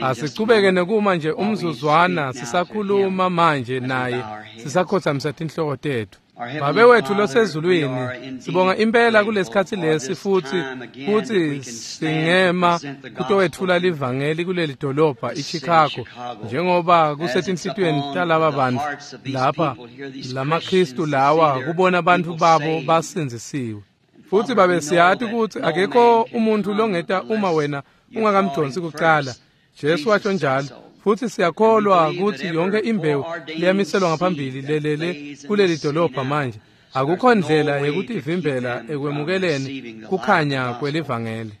Asichubeke nekuma nje umzuzwana sisakhuluma manje naye sisakhothamisa tinhloko tetfu. Babe wethu losezulwini, sibonga impela kulesikhatsi lesi futhi singema kutowetfula livangeli kuleli dolobha iChicago, njengoba kusetinhlitiyweni talaba bantfu lapha lamaKristu lawa kubona bantfu babo basindzisiwe. Futhi babe siyati kutsi akekho umuntu longeta uma wena ungakamdonsi kucala. Jesu washo njalo. Futhi siyakholwa kutsi yonke imbewu leyamiselwa ngaphambili lelele kuleli dolobha manje. Akukho ndlela yekutivimbela ekwemukeleni kukhanya kwelivangeli.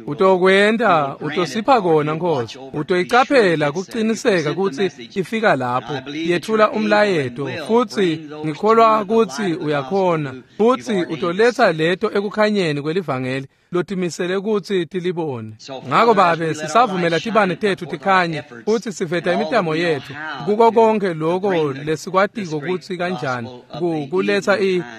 Utokwenta, utosipha kona Nkosi. Utoyicaphela kuqiniseka kutsi ifika lapho yethula umlayeto, futhi ngikholwa kutsi uyakhona, futhi utoletsa leto ekukhanyeni kwelivangeli lotimisele kutsi tilibone. Ngako babe sisavumela tibane tetfu tikhanye futhi siveta imitamo yetfu kuko konke lokho lesikwatiko kutsi kanjani kuletsa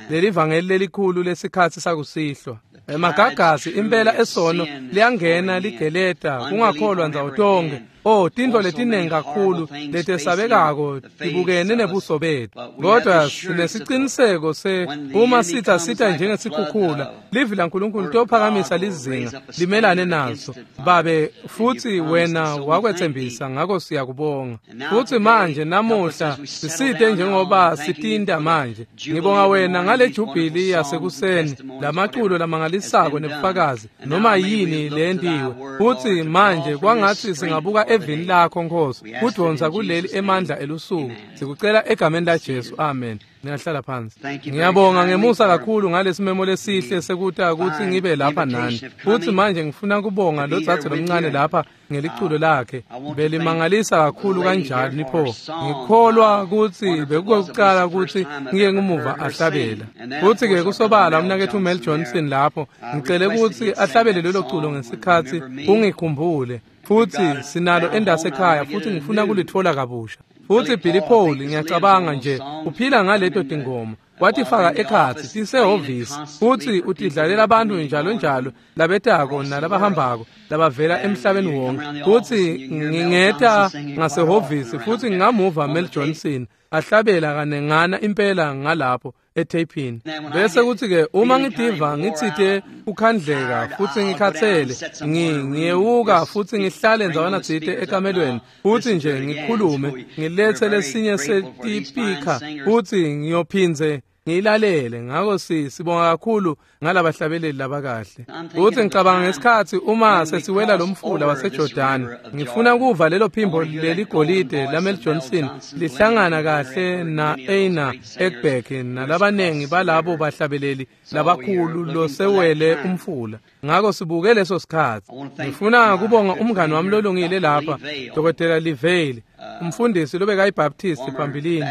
lelivangeli lelikhulu lesikhatsi sakusihlwa. Emagagasi impela esono liyangena ligeleta kungakholwa ndzawo tonke. Oh, tintfo letinengi kakhulu letesabekako tibukene nebuso betfu, kodwa sinesiciniseko se uma sitha sitha njengesikhukhula, livi laNkulunkulu tophakamisa lizinga limelane naso. Babe, futhi wena wakwethembisa, ngako siyakubonga. Futhi manje namuhla sisite njengoba sitinta manje. Ngibonga wena ngale jubhili yasekuseni, lamaculo lamangalisako nebufakazi noma yini lentiwe. Futhi manje kwangathi singabuka evini lakho Nkosi, kudonsa kuleli emandla elusuku. Sikucela egameni la Jesu, amen. Ngiyahlala phansi. Ngiyabonga ngemusa kakhulu ngalesimemo lesihle sekuta kutsi ngibe lapha nani. Futhi manje ngifuna kubonga lo dzadze lomncane lapha ngeliculo lakhe. Belimangalisa kakhulu kanjani pho. Ngikholwa kutsi bekukokucala kutsi ngike ngumuva ahlabela. Futhi ke kusobala umnaketfu Mel Johnson lapho, ngicele kutsi ahlabele lelo culo ngesikhatsi ungikhumbule. Futhi sinalo endasekhaya futhi ngifuna kulitfola kabusha. Futhi Billy Paul ngiyacabanga nje uphila ngaleto tingoma, watifaka ekhatsi tisehhovisi, futhi utidlalela abantu njalo njalo labetako nalabahambako labavela emhlabeni wonke. Futhi ngingeta ngasehhovisi futhi ngingamuva Mel Johnson ahlabela kanengana impela ngalapho etheyphini. Bese kuthi ke uma ngidiva ngitsite ukhandleka futhi ngikhathele, ngiyewuka futhi ngihlale ndzawana tsite ekamelweni futhi nje ngikhulume ngilethe lesinye setipika futhi ngiyophindze ngiyilalele. Ngako sibonga kakhulu ngalabahlabeleli labakahle. Futhi ngicabanga ngesikhatsi uma sesiwela lo mfula waseJordani, ngifuna kuva lelo phimbo leligolide laMel Johnson lihlangana kahle na Aina Ekberg nalabanengi balabo bahlabeleli labakhulu losewele umfula. Ngako sibuke leso sikhatsi. Ngifuna kubonga umngani wami lolungile lapha, Dr. Livale, umfundisi lobekayibaptist phambilini,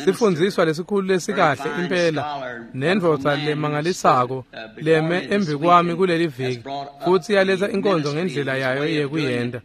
sifundziswa lesikhulu lesikahle impela, nendvodza lemangalisako leme embikwami kuleli viki, futhi yaletsa inkonzo ngendlela yayo yekuyenta.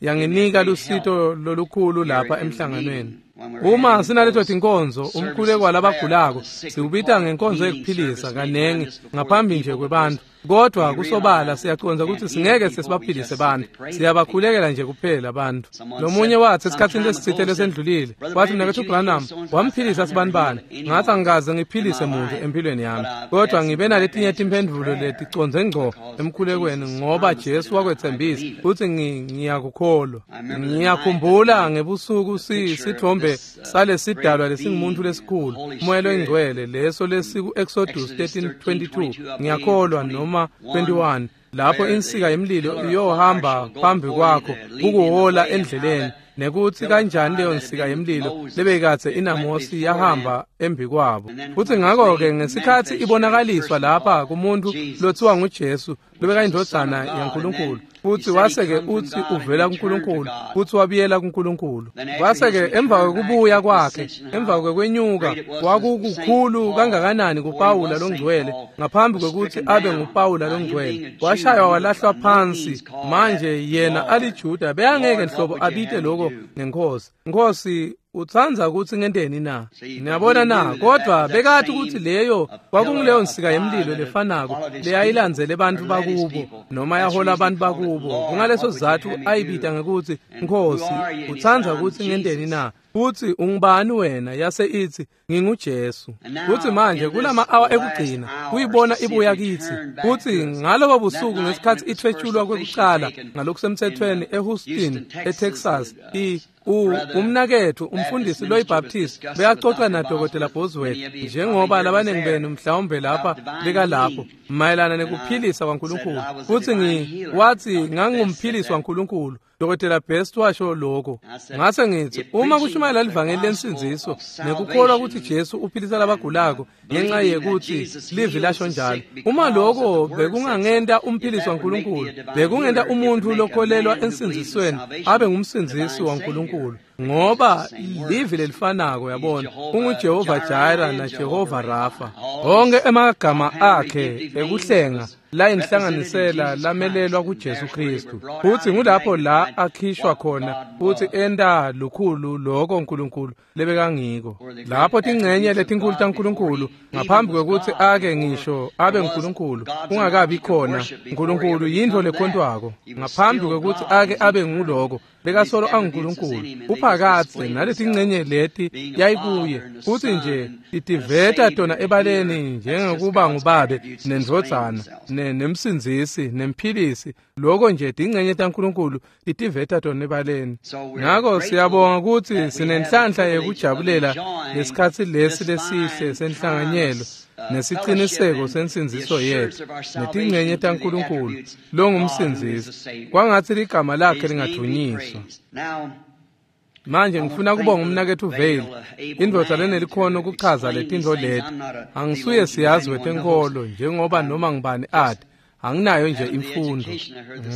Yanginika lusito lolukhulu lapha emhlanganweni. Uma sinaleto tinkonzo, umkhuleko walabagulako siwubita ngenkonzo yekuphilisa kanengi ngaphambi nje kwebantu. Kodwa kusobala siyacondza ukuthi singeke sesibaphilise bantu, siyabakhulekela nje kuphela abantu. Lomunye wathi esikhatsini lesitsite lesendlulile, wathi mnaketfu Branham wamphilisa sibanibani. Ngathi angikaze ngiphilise muntu empilweni yami, kodwa ngibe naletinye timphendvulo leticondze ngco emkhulekweni, ngoba Jesu wakwetsembisa futhi ngiyakukholwa. Ngiyakhumbula ngebusuku sithombe salesidalwa lesingumuntu lesikhulu, umoya loyingcwele, leso lesiku Exodus 13:22, ngiyakholwa, noma 21, lapho insika yemlilo iyohamba phambi kwakho kukuhola endleleni, nekuthi kanjani leyo nsika yemlilo lebekatse inaMosi yahamba embikwabo. Futhi ngakho-ke ngesikhatsi ibonakaliswa lapha kumuntu lothiwa nguJesu lobekayindvodzana yaNkulunkulu, futhi wase-ke uthi uvela kuNkulunkulu futhi wabuyela kuNkulunkulu. Kwase-ke emva kwekubuya kwakhe, emva kwekwenyuka, kwakukukhulu kangakanani kuPawula longcwele ngaphambi kwekuthi abe nguPawula longcwele. Washaywa walahlwa phansi. Manje yena aliJuda beyangeke nhlobo abite lokho ngenkosi. Nkosi, utsandza kutsi ngenteni na? Niyabona na? Kodwa bekati kutsi leyo kwakunguleyo nsika yemlilo lefanako leyayilandzele bantfu bakubo noma yahola abantu bakubo. Kungaleso sizatfu ayibita ngekutsi Nkhosi, utsandza kutsi ngenteni na? Futsi ungubani wena? Yase itsi, nginguJesu. Futsi manje kulama-awa ekugcina kuyibona ibuya kitsi. Futsi ngalobo busuku ngesikhatsi ithwetshulwa kwekucala ngalokusemthethweni eHouston, eTexas, umnaketfu umfundisi loyiBaptist beyacoca naDokotela Bosworth, njengoba labaningi benu mhlawumbe lapha bekalapho, mayelana nekuphilisa kwaNkulunkulu. Futsi wathi ngangumphilisi waNkulunkulu. Dr. Best washo lokho. Ngase ngithi uma kushumayela livangeli lensindziso nekukholwa ukuthi Jesu uphilisa labagulako ngenxa yekuthi livi lasho njalo, uma lokho bekungangenta umphilisi waNkulunkulu, bekungenta umuntu lokholelwa ensindzisweni abe ngumsindzisi waNkulunkulu, ngoba livi lelifanako, yabona, unguJehova Jireh naJehova Rafa. Onke emagama akhe ekuhlenga la inhlanganisela lamelelwa kuJesu Kristu. Futhi ngulapho la akhishwa khona futhi enta lukhulu lokho uNkulunkulu lebekangiko. Lapho tingcenye letinkulu taNkulunkulu ngaphambi kwekuthi ake ngisho abe nguNkulunkulu kungakabi khona uNkulunkulu yintfo lekhontwako. Ngaphambi kwekuthi ake abe nguloko bekasolo anguNkulunkulu uphakatse naletingcenye leti yayikuye, futhi nje itiveta tona ebaleni njengekuba ngubabe nendvodzana nemsindzisi nemphilisi. Lokho nje tingcenye taNkulunkulu itiveta tona ebaleni. Ngakho siyabonga ukuthi sinenhlanhla yekujabulela lesikhatsi lesi lesihle senhlanganyelo nesiciniseko sensindziso yethu netingcenye taNkulunkulu longumsindzisi. Kwangatsi ligama lakhe lingadvunyiswa. Manje ngifuna kubonga umnaketfu Vayle, indvodza lenelikhono kuchaza letintfo leti. Angisuye siyazi wetenkholo njengoba noma ngibani ati, anginayo nje imfundo.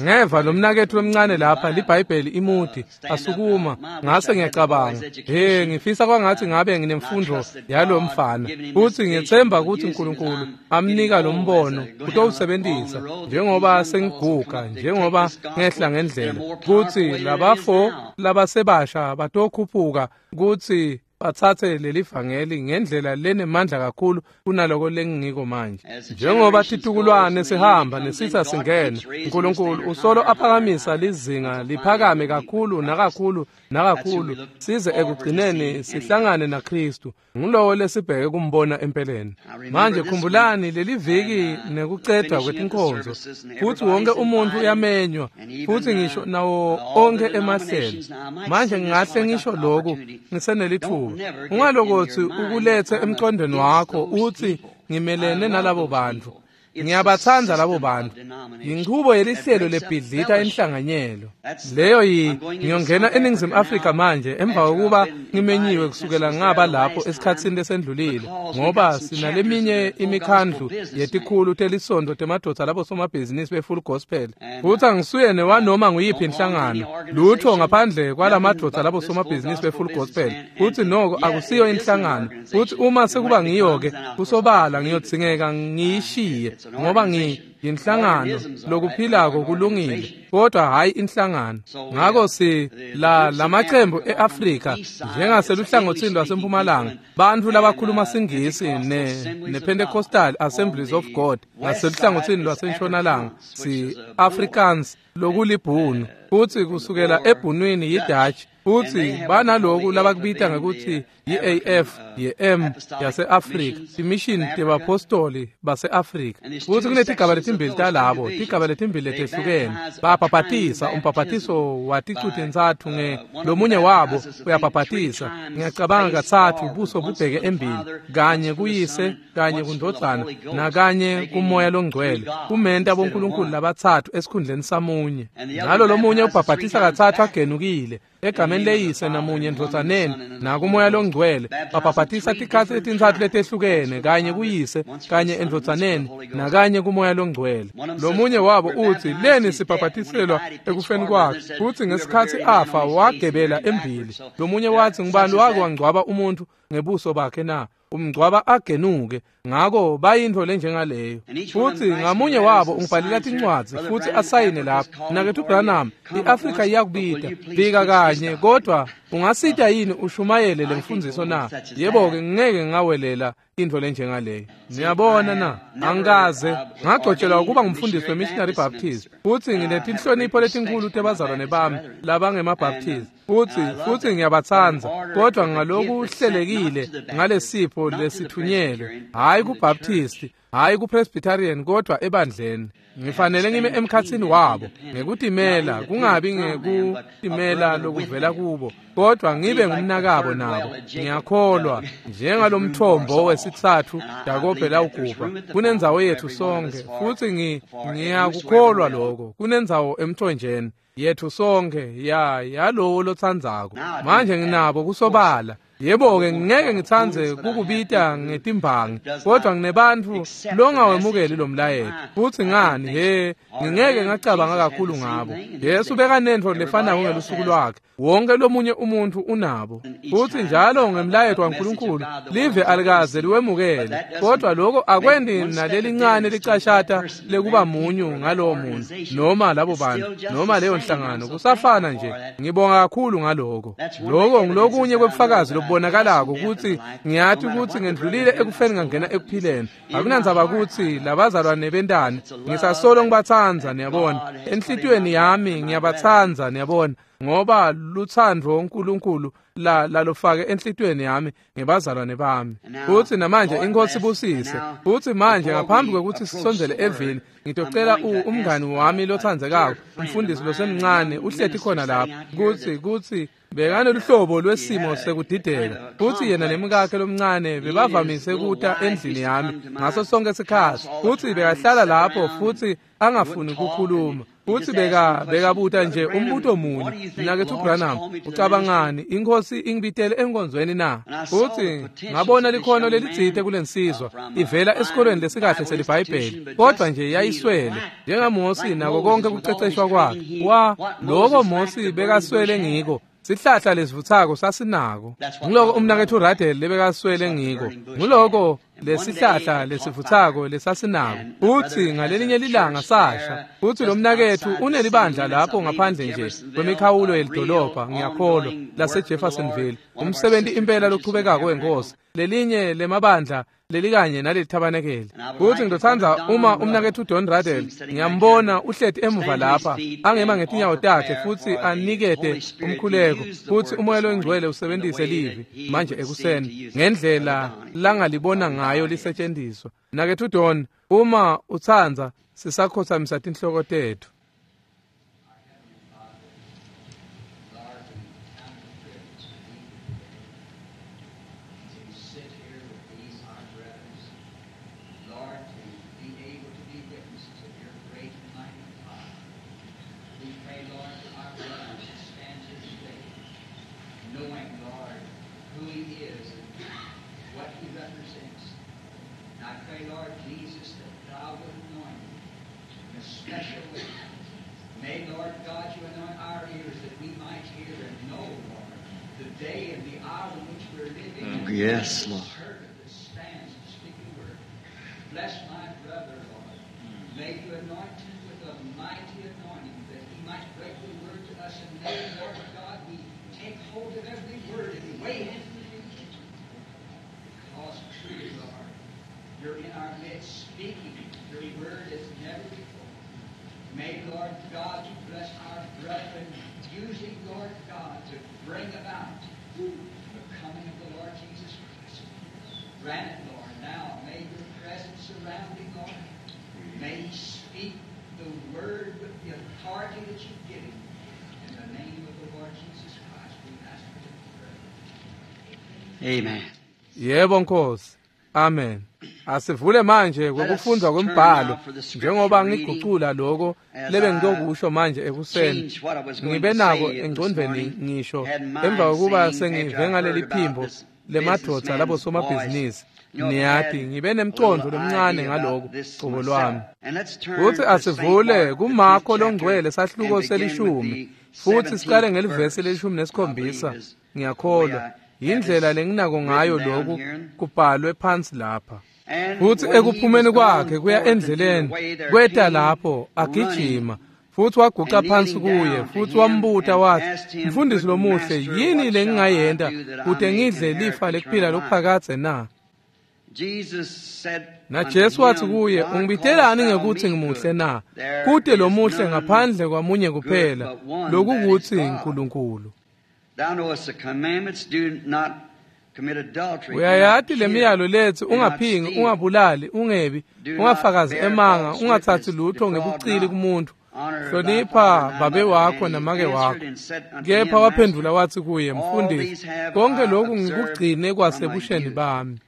Ngeva lo mnaketfu lomncane lapha liBhayibheli imuthi asukuma, ngase ngiyacabanga, he, ngifisa kwangathi ngabe nginemfundo yalo mfana. Futhi ngiyethemba ukuthi uNkulunkulu amnika lo mbono utowusebenzisa njengoba sengiguga, njengoba ngehla ngendlela, kuthi labafo labasebasha batokhuphuka kuthi batsatse leli vangeli ngendlela lenemandla kakhulu kunaloko lengingiko manje. Njengoba titukulwane sihamba nesitha singena, uNkulunkulu usolo aphakamisa lizinga liphakame kakhulu nakakhulu nakakhulu size ekugcineni sihlangane naKristu. Ngulowo lesibheke kumbona empeleni. Manje khumbulani leli viki nekucedwa kwetinkonzo, futhi wonke umuntu uyamenywa, futhi ngisho nawo onke emahlelo. Manje ngingahle ngisho lokhu ngisenelithuba. Ungalokothi ukulethe emqondweni wakho uthi ngimelene nalabo bantu. Ngiyabatsandza labo bantu. Yinchubo yelihlelo lebhidlita inhlanganyelo. Leyo ngiyongena eNingizimu Afrika manje emva kokuba ngimenyiwe kusukela ngaba lapho esikhatsini lesendlulile, ngoba sinaleminye imikhandlu yetikhulu telisonto temadvodza labo somabhizinisi be-full gospel. Futhi angisuye newanoma nguyiphi inhlangano, lutho ngaphandle kwalamadvodza labo somabhizinisi be-full gospel. Futhi noko akusiyo inhlangano. Futhi uma sekuba ngiyo-ke kusobala ngiyodzingeka ngiyishiye, ngoba ngiyinhlangano lokuphilako kulungile, kodwa hayi inhlangano. Ngakho si la lamaqembu eAfrika njengaseluhlangothini lwasempumalanga, bantu labakhuluma siNgisi nePentecostal Assemblies of God ngaseluhlangothini lwasentshonalanga si Afrikaans lokulibhunu, futhi kusukela ebhunwini yiDutch, futhi banaloku labakubita ngekuthi yi-AF ye-M yase-Afrika, imission tebapostoli base-Afrika. Futhi kunetigaba letimbili talabo, tigaba letimbili letehlukene. Babhabhatisa umbhabhatiso waticu-tintsatfu nge lomunye wabo uyabhabhatisa, ngiyacabanga katsatfu buso bubheke embili, kanye kuyise, kanye kundvodzana, nakanye kumoya longcwele, kumenta bonkulunkulu labatsatfu esikhundleni samunye. Nalo lomunye ubhabhatisa katsatfu agenukile egameni leyise namunye endvodzaneni nakumoya longcwele. Babhabhatisa tikhatsi letintsatfu letehlukene, kanye kuyise, kanye endvodzaneni, nakanye kumoya longcwele. Lomunye wabo uthi leni sibhabhatiselwa ekufeni kwakhe, futhi ngesikhatsi afa wagebela embili. Lomunye wathi ngubani wake wangcwaba umuntu ngebuso bakhe na? Umngcwaba agenuke. Ngako bayintfo lenjengaleyo. Futsi ngamunye wabo ungibhalela tincwadzi futsi asayine lapha. Mnaketfu Branham, iAfrika iyakubita. Fika kanye, kodwa ungasita yini ushumayele lemfundziso na? Yebo-ke, ngeke ngawelela intfo lenjengaleyo. Niyabona na? Angikaze ngagcotshelwa ukuba ngumfundisi weMissionary Baptist. Futsi nginetinhlonipho letinkhulu tebazalwane bami labangemaBaptist. Futsi ngiyabatsandza, kodwa ngalokuhlelekile ngalesipho lesithunyelwe, hhayi kuBaptist, hhayi kuPresbyterian, kodwa ebandleni. Ngifanele ngime emkhatsini wabo ngekutimela, kungabi ngekutimela lokuvela kubo, kodwa ngibe ngumnakabo nabo. Ngiyakholwa njengalomthombo wesitsatfu Jakobe lawugubha, kunendzawo yethu sonke, futsi ngiyakukholwa lokho. Kunendzawo emthonjeni yethu sonke yalowo lotsandzako. Manje nginabo kusobala. Yebo-ke, ngeke ngitsandze kukubita ngetimbangi, kodwa nginebantfu longawemukeli lo mlayeto. Futsi ngani, he, ngingeke ngacabanga kakhulu ngabo. Jesu bekanentfo lefanako ngelusuku lwakhe. Wonke lomunye umuntfu unabo. Futsi njalo ngemlayeto waNkulunkulu, live alikaze liwemukele. Kodwa lokho akwendi nalelincane licashata lekuba munyu ngalowo muntu, noma labo bantu, noma leyo nhlangano. Kusafana nje. Ngibonga kakhulu ngaloko. Loko ngilokunye kwebufakazi lokubonakalako kutsi ngiyati kutsi ngendlulile ekufeni ngangena ekuphileni. Akunandzaba kutsi labazalwane bentani, ngisasolo ngibatsandza, niyabona. Enhlitiyweni yami ngiyabatsandza, niyabona, ngoba lutsandvo uNkulunkulu lalofake enhlitiyweni yami ngebazalwane bami. Futsi namanje iNkhosi ibusise. Futsi manje ngaphambi kwekutsi sisondzele evini, ngitocela umngani wami lotsandzekako, umfundisi losemncane, uhleti khona lapha, kutsi bekanoluhlobo lwesimo sekudideka. Futsi yena nemkakhe lomncane bebavamise kuta endlini yami ngaso sonke sikhatsi. Futsi bekahlala lapho futsi angafuni kukhuluma. Futsi bekabuta nje umbuto munye. Mnaketfu Branham, ucabangani iNkhosi ingibitele enkonzweni na? Futsi ngabona likhono lelitsite kulensizwa ivela esikolweni lesikahle seliBhayibheli, kodwa nje yayiswele njengaMosi nako konke kuceceshwa kwakhe. Loko Mosi bekaswele ngiko, sihlahla lesivutsako sasinako. Ngiloko umnaketfu Radel lebekaswele ngiko. Ngiloko lesihlahla lesivutsako lesasinako. Futsi ngalelinye lilanga sasha. Futsi lo mnaketfu unelibandla lapho ngaphandle nje kwemikhawulo yelidolobha, ngiyakholwa, laseJeffersonville. Umsebenti impela lochubekako wenkosi. Lelinye lemabandla lelikanye nalelithabanekele. Futsi ngitotsandza uma umnaketfu Don Radel, ngiyambona uhleti emuva lapha, angema ngetinyawo takhe futsi anikete umkhuleko, futsi uMoya loNgcwele usebentise livi manje ekuseni ngendlela langalibona ngayo lisetshenziswa. Mnaketfu Don, uma utsandza, sisakhothamisa tinhloko tetfu. Yes, Lord. Bless my brother, Lord. May you anoint him with a mighty anointing that he might break the word to us. And may, Lord God, we take hold of every word and weigh it. Because truly, Lord, you're in our midst speaking your word as never before. May, Lord God, you bless our brethren, using, Lord God, to bring about the coming of the Lord Jesus Christ. Grant it, Lord, now. May your presence surround him, Lord. May he speak the word with the authority that you give him. In the name of the Lord Jesus Christ, we ask for it to pray. Amen. Yebo Nkosi. Amen. Asivule manje kwekufundza kwembhalo njengoba ngigucula lokho lebe ngitokusho manje ekuseni. Ngibe nako engcondvweni ngisho emva kokuba sengive ngaleli phimbo lemadvodza labo somabhizinisi. Niyati ngibe nemcondvo lomncane ngaloko cobo lwami. Futsi asivule kuMarko longcwele sahluko selishumi futhi siqale ngelivesi lelishumi nesikhombisa. Ngiyakholwa Yindlela lenginako ngayo lokhu kubhalwe phansi lapha. Futhi ekuphumeni kwakhe kuya endleleni kweta lapho agijima futhi waguqa phansi kuye futhi wambuta wathi, "Mfundisi lomuhle, yini lengingayenta kute ngidle lifa lekuphila lokuphakadze na?" NaJesu wathi kuye, "Ungibitelani ngekuthi ngimuhle na? Kute lomuhle ngaphandle kwamunye kuphela, lokukuthi uNkulunkulu. Uyayati lemiyalo letsi ungaphingi, ungabulali, ungebi, ungafakazi emanga, ungathathi lutho ngebucili kumuntu. Hlonipha babe wakho namake wakho." Kepha waphendula wathi kuye, "Mfundisi, konke lokhu ngikugcine kwasebusheni bami."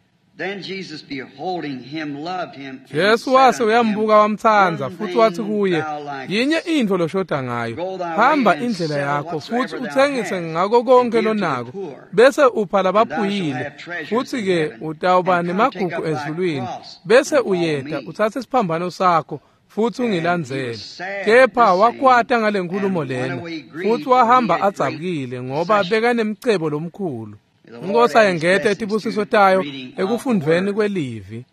Jesu wase uyambuka wamtsandza futhi wathi kuye, "Yinye intfo loshoda ngayo. Hamba indlela yakho futhi utsengise ngako konke lonako, bese upha labaphuyile, futhi-ke utawuba nemagugu ezulwini. Bese uyeta utsatse isiphambano sakho futhi ungilandzele." Kepha wakwata ngale nkulumo lena futhi wahamba adzabukile ngoba bekanemcebo lomkhulu. Inkosi ayengete etibusiso tayo ekufundveni kwelivi.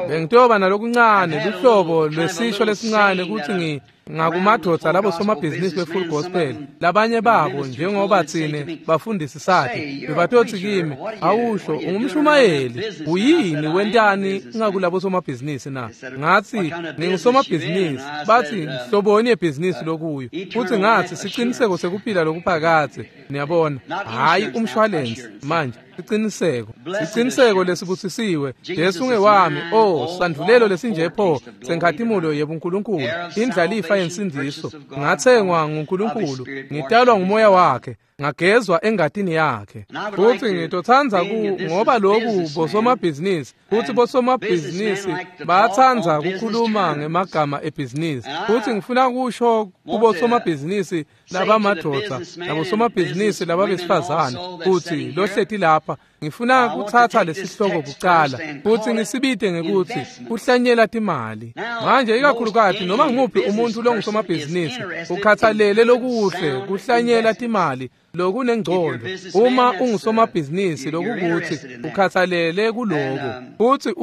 Bengitoba nalokuncane luhlobo lwesisho lesincane kutsi ngakumadvodza labo somabhizinisi be-Full Gospel, labanye babo njengoba tsine bafundisi sathi bebatotsi kimi, "Awusho ungumshumayeli, uyini wentani ngakulabo somabhizinisi na?" Ngathi, "Ngingusomabhizinisi." Bathi, "Nhloboni yebhizinisi lokuyo?" Futhi ngathi, "Siciniseko sekuphila lokuphakadze." Niyabona, hhayi umshwalensi manje, siciniseko. Siciniseko lesibusisiwe. Jesu ngewami, oh, sandvulelo lesinje pho senkhatimulo yebuNkulunkulu, indlalifa yensindiso. Ngathengwa nguNkulunkulu, ngitalwa ngumoya wakhe, ngagezwa engatini yakhe. Futhi ngitotsandza ngoba lokhu bosomabhizinisi, futhi bosomabhizinisi bayatsandza kukhuluma ngemagama ebhizinisi. Futhi ngifuna kusho kubosomabhizinisi labamadvodza nabosomabhizinisi lababesifazane kutsi lohleti lapha, ngifuna kutsatsa lesihloko kucala futhi ngisibite ngekuthi kuhlanyela timali. Manje ikakhulukati noma ngumuphi umuntu longusomabhizinisi ukhathalele lokuhle kuhlanyela timali lokunengcondo. Uma ungusomabhizinisi lokukuthi ukhathalele kuloko, futhi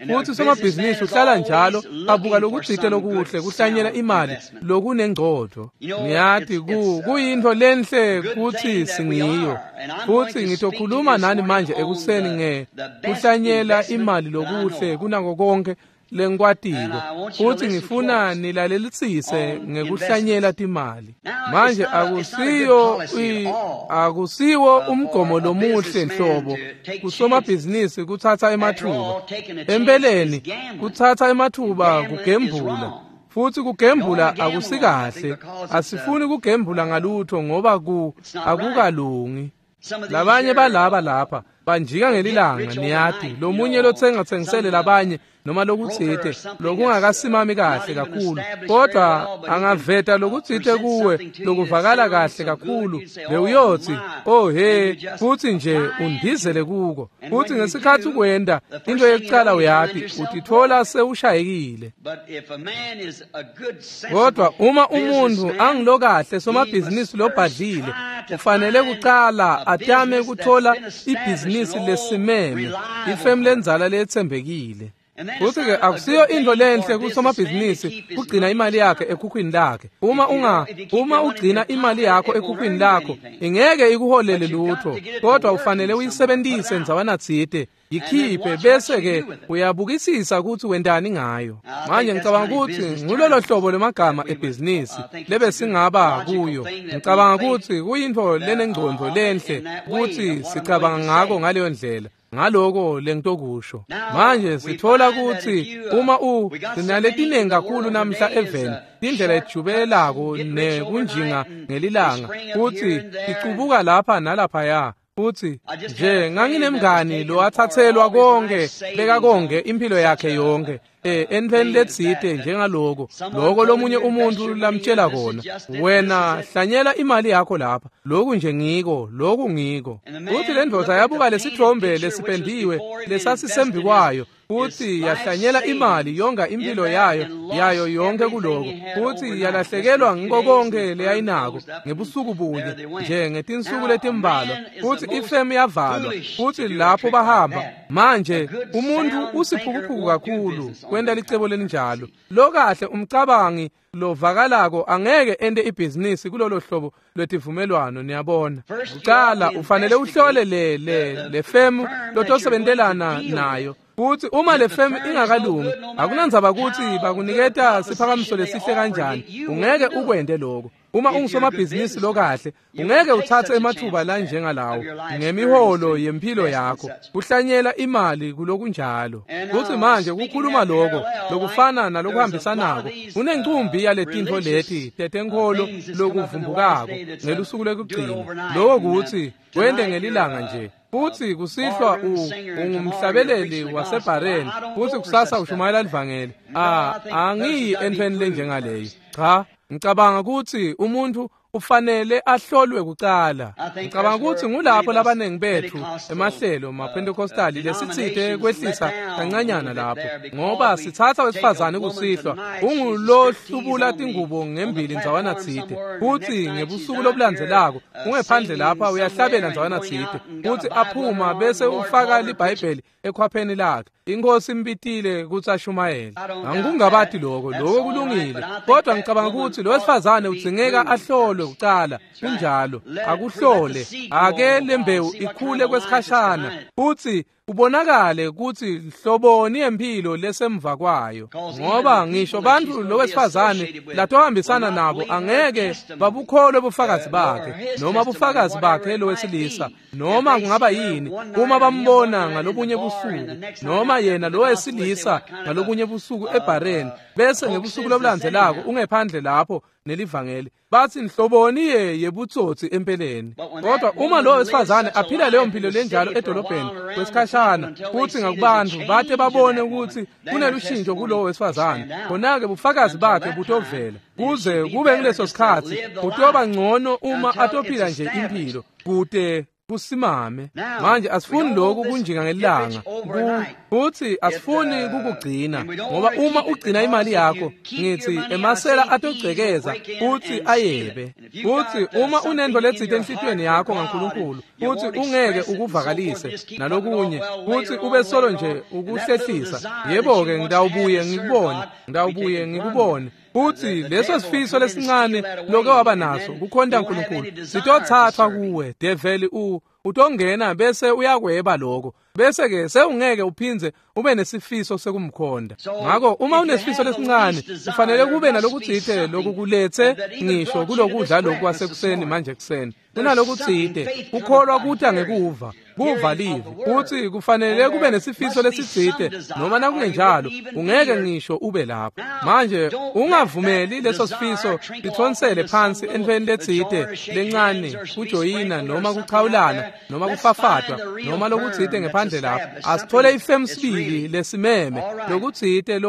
futhi somabhizinisi uhlala njalo abuka lokutsite lokuhle kuhlanyela imali lokunengcondo. Ngiyati kuyintfo lenhle kutsi singiyo, futhi ngitokhuluma nani manje ekuseni nge kuhlanyela imali lokuhle kunako konke lengikwatiko, futhi ngifuna nilalelisise ngekuhlanyela timali. Manje akusiwo umgomo lomuhle nhlobo kusomabhizinisi kutsatsa emathuba. Empeleni kutsatsa emathuba kugembula, futhi kugembula akusikahle. Asifuni kugembula ngalutho ngoba akukalungi. Labanye balaba lapha banjika ngelilanga, niyati, lomunye lotsenga tsengisele labanye noma lokutsite lokungakasimami kahle kakhulu, kodwa angaveta lokutsite kuwe lokuvakala kahle kakhulu, bewuyotsi, "Oh he," futhi nje undizele kuko. Futhi ngesikhathi ukwenda into yekucala uyati utithola sewushayekile. Kodwa uma umuntu angilokahle somabhizinisi lobhadlile, ufanele kucala atame kuthola ibhizinisi lesimeme, ifemu lenzala letsembekile. Futhi-ke akusiyo intfo lenhle kusomabhizinisi kugcina imali yakhe ekhukhwini lakhe. Uma ugcina imali yakho ekhukhwini lakho, ingeke ikuholele lutho, kodwa ufanele uyisebentise ndzawana tsite, yikhiphe bese-ke uyabukisisa kutsi wentani ngayo. Manje ngicabanga kutsi ngulolo hlobo lwemagama ebhizinisi lebesingaba kuyo. Ngicabanga kutsi kuyintfo lenengcondvo lenhle kutsi sicabanga ngako ngaleyo ndlela. Ngaloko lengitokusho. Manje sithola kutsi uma sinaletinengi kakhulu namhla eveni, tindlela ejubelako nekunjinga ngelilanga, futsi ticubuka lapha nalaphaya. Futhi nje nganginemngani lowathathelwa konke bekakonge impilo yakhe yonke entfweni letsite njengaloko loko lomunye umuntu lamtshela kona, wena hlanyela imali yakho lapha, loku nje ngiko, loku ngiko. Futhi le ndvodza yabuka lesithombe lesipendiwe lesasisembi kwayo, futhi yahlanyela imali yonga impilo yayo yonke kuloko, futhi yalahlekelwa ngiko konke leyayinako ngebusuku bunye nje ngetinsuku letimbalwa, futhi ifemu yavalwa, futhi lapho bahamba. Manje umuntu usiphukuphuku kakhulu kwenta licebo lelinjalo. Lokahle umcabangi lovakalako angeke ente ibhizinisi kulolo hlobo lwetivumelwano, niyabona. Kucala ufanele uhlole le femu lotosebentelana nayo. Futhi uma le femu ingakalungi, akunandzaba kutsi bakuniketa siphakamiso lesihle kanjani, ungeke ukwente lokho. Uma ungusomabhizinisi lokahle, ungeke uthathe emathuba lanjengalawo ngemiholo yempilo yakho, kuhlanyela imali kulokunjalo. Futhi manje kukhuluma lokho lokufana nalokuhambisanako, kunencumbi yaletintfo leti tetenkholo lokuvumbukako ngelusuku lwekugcina. Lokho kutsi wente ngelilanga nje. Futhi kusihlwa ungumhlabeleli wasebhareni, futhi kusasa ushumayela livangeli. Angiyi entfweni lenjengaleyo. Cha, ngicabanga kutsi umuntu ufanele ahlolwe kucala. Ngicabanga kutsi ngulapho labanengi bethu emahlelo maPentecostali lesitsite kwehlisa kancanyana lapho, ngoba sitsatsa wesifazane kusihlwa ungulohlubula tingubo ngembili ndzawana tsite, futsi ngebusuku lobulandzelako ungephandle lapha uyahlabela ndzawana tsite, futsi aphuma bese ufaka liBhayibheli ekhwapheni lakhe. Inkosi imbitile kutsi ashumayele. Angikungabati lokho, lokho kulungile, kodwa ngicabanga kutsi lo wesifazane udzingeka ahlolwe kucala. Kunjalo, akuhlole, ake lembewu ikhule kwesikhashana, futsi kubonakale kutsi hloboni yempilo lesemva kwayo, ngoba ngisho bantfu lowesifazane latohambisana nabo angeke babukholwe bufakazi bakhe noma bufakazi bakhe lowesilisa, noma kungaba yini, uma bambona ngalobunye busuku noma yena lowesilisa ngalobunye busuku ebhareni, bese ngebusuku lobulandzelako ungephandle lapho nelivangeli, bathi nhloboni yebutsotsi empeleni. Kodwa uma lo wesifazane aphila leyo mpilo lenjalo edolobheni kwesikhashana, futhi ngakubantu bate babone ukuthi kunelushintsho kulowo wesifazane, khona-ke bufakazi bakhe butovela. Kuze kube nguleso sikhatsi kutoba ngcono uma atophila nje impilo kute kusimame. Manje asifuni lokhu kunjinga ngelanga, futhi asifuni kukugcina, ngoba uma ugcina imali yakho, ngithi emasela atogcekeza futhi ayebe. Futhi uma unento letsite enhlitiyweni yakho ngaNkulunkulu, futhi ungeke ukuvakalise nalokunye, futhi ube solo nje ukuhlehlisa, yebo-ke ngitawubuye ngikubone, ngitawubuye ngikubone. Futhi leso sifiso lesincane loke waba naso kukhonta uNkulunkulu sitothathwa kuwe. Develi utongena bese uyakweba lokho, bese ke sewungeke uphindze ube nesifiso sekumkhonda. Ngakho uma unesifiso lesincane, kufanele kube nalokutsite lokukulethe ngisho kulokudla lokhu kwasekuseni manje kuseni. Kunalokutsite kukholwa kuta ngekuva, kuva livi, futhi kufanele kube nesifiso lesitsite, noma nakungenjalo ungeke ngisho ube lapho. Manje ungavumeli leso sifiso sithonsele phansi entfweni letsite lencane, kujoyina noma kuchawulana noma kufafatwa noma lokutsite ngephandle lapho. Asithole ifemu sibili lesimeme lokutsite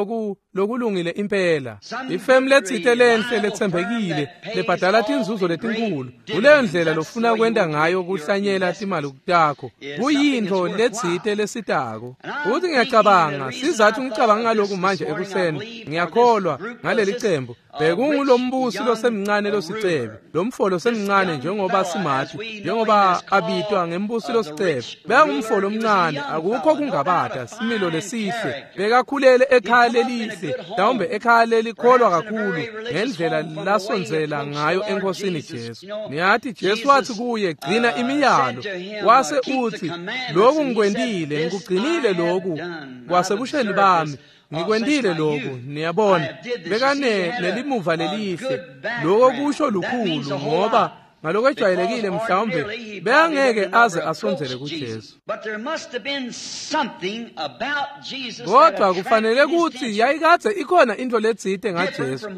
lokulungile impela, ifemu letsite lenhle letsembekile lebhadala tinzuzo letinkulu. Kuleyo ndlela lofuna kwenta ngayo kuhlanyela timali takho, kuyintfo letsite lesitako. Futhi ngiyacabanga sizathu ngicabanga ngalokhu manje ekuseni, ngiyakholwa ngaleli cembu bekungulombusi losemncane losicebe, lomfo losemncane njengoba simati, njengoba abitwa ngembusi losicebe. Bekangumfo lomncane, akukho kungabata, similo lesihle, bekakhulele ekhaya lelihle, mhlawumbe ekhaya lelikholwa kakhulu ngendlela lasondzela ngayo enkosini Jesu. Niyati Jesu wathi kuye, gcina imiyalo, wase uthi, lokhu ngikwentile, ngikugcinile lokhu kwasebusheni bami, ngikwentile lokhu. Niyabona, bekane nelimuva lelihle. Lokho kusho lukhulu, ngoba ngalokwejwayelekile mhlawumbe bekangeke aze asondzele kuJesu. Kodwa kufanele kutsi yayikadze ikhona into letsite ngaJesu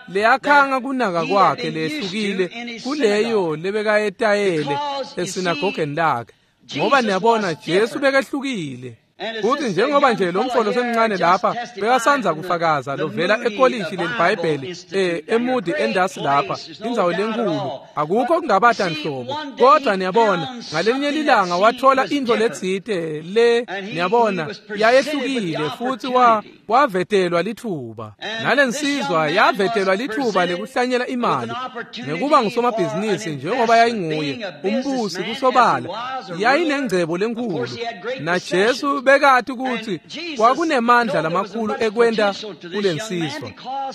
leyakhanga kunaka kwakhe lehlukile kuleyo lebekayetayele esinagogeni lakhe, ngoba niyabona Jesu bekehlukile. Futhi njengoba nje lo mfolo semncane lapha bekasandza kufakaza lovela ekolishi leliBhayibheli eMoody endasi lapha indzawo lenkulu, akukho kungabata nhlobo. Kodwa niyabona, ngalenye lilanga wathola intfo letsite le, niyabona, yayehlukile futhi wavetelwa lithuba. Nalensizwa yavetelwa lithuba lekuhlanyela imali ngekuba ngusomabhizinisi njengoba yayinguye umbusi kusobala, yayinengcebo lenkulu. NaJesu bekati ukuthi kwakunemandla lamakhulu ekwenta kulensizwa,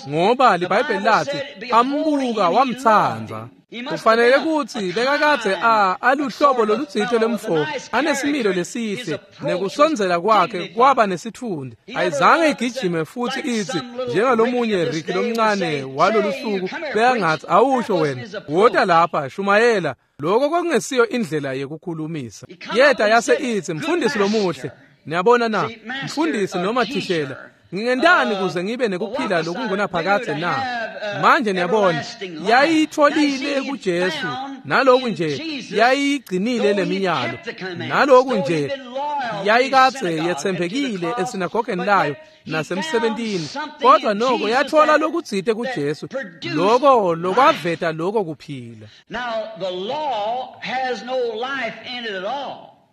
ngoba liBhayibheli lathi ambuka wamtsandza. Kufanele kutsi bekakadze aluhlobo lolutsite lwemfo, anesimilo lesihle, nekusondzela kwakhe kwaba nesitfundi. Ayizange igijime futhi itsi njengalomunye Ricky lomncane walolu suku bekangatsi, awusho wena, wota lapha shumayela. Lokho kwakungesiyo indlela yekukhulumisa. Yeta yase itsi, mfundisi lomuhle, niyabona na, mfundisi noma thishela, ngingentani kuze ngibe nekuphila lokungunaphakadze na? Manje niyabona, yayitfolile kuJesu, naloku nje yayigcinile leminyalo, naloku nje yayikadze yetsembekile esinagogeni layo nasemsebentini, kodwa noko yathola lokutsite kuJesu, loko lokwaveta loko kuphila.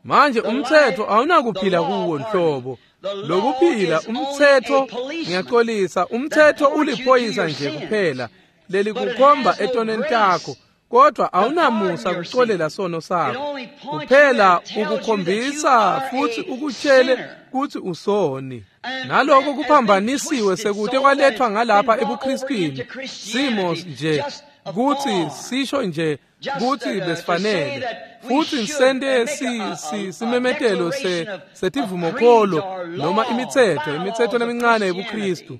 Manje umtsetfo awunakuphila kuwo nhlobo. Lokuphila umtsetfo, ngiyaxolisa, umtsetfo uliphoyisa nje kuphela lelikukhomba etoneni takho, kodwa awunamusa kuxolela sono sakho. Kuphela ukukhombisa futhi ukutshele kutsi usoni. Naloko kuphambanisiwe sekute kwalethwa ngalapha ebuKristwini, simo nje kutsi sisho nje kutsi besifanele futhi sente simemetelo setivumokholo noma imitsetfo lemincane yebuKristu.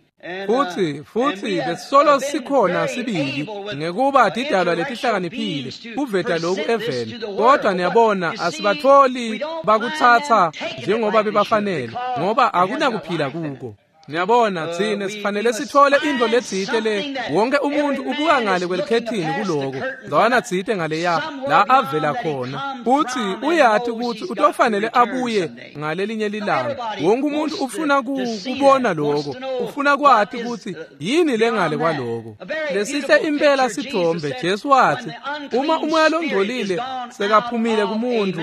Futhi besisolo sikhona sibili ngekuba tidalwa letihlakaniphile kuveta lokhu eveni, kodwa niyabona asibatholi bakutsatsa njengoba bebafanele, ngoba akunakuphila kuko. Niyabona, tsine sifanele sithole intfo letsite le wonke umuntu ubuka ngale kwelikhethini kuloko ndzawana tsite ngaleya la avela khona, futsi uyati kutsi utofanele abuye ngalelinye lilanga. Wonke umuntu ufuna kubona loko, ufuna kwati kutsi yini lengale kwaloko. Lesihle impela sithombe, Jesu watsi uma umoya longcolile sekaphumile kumuntu,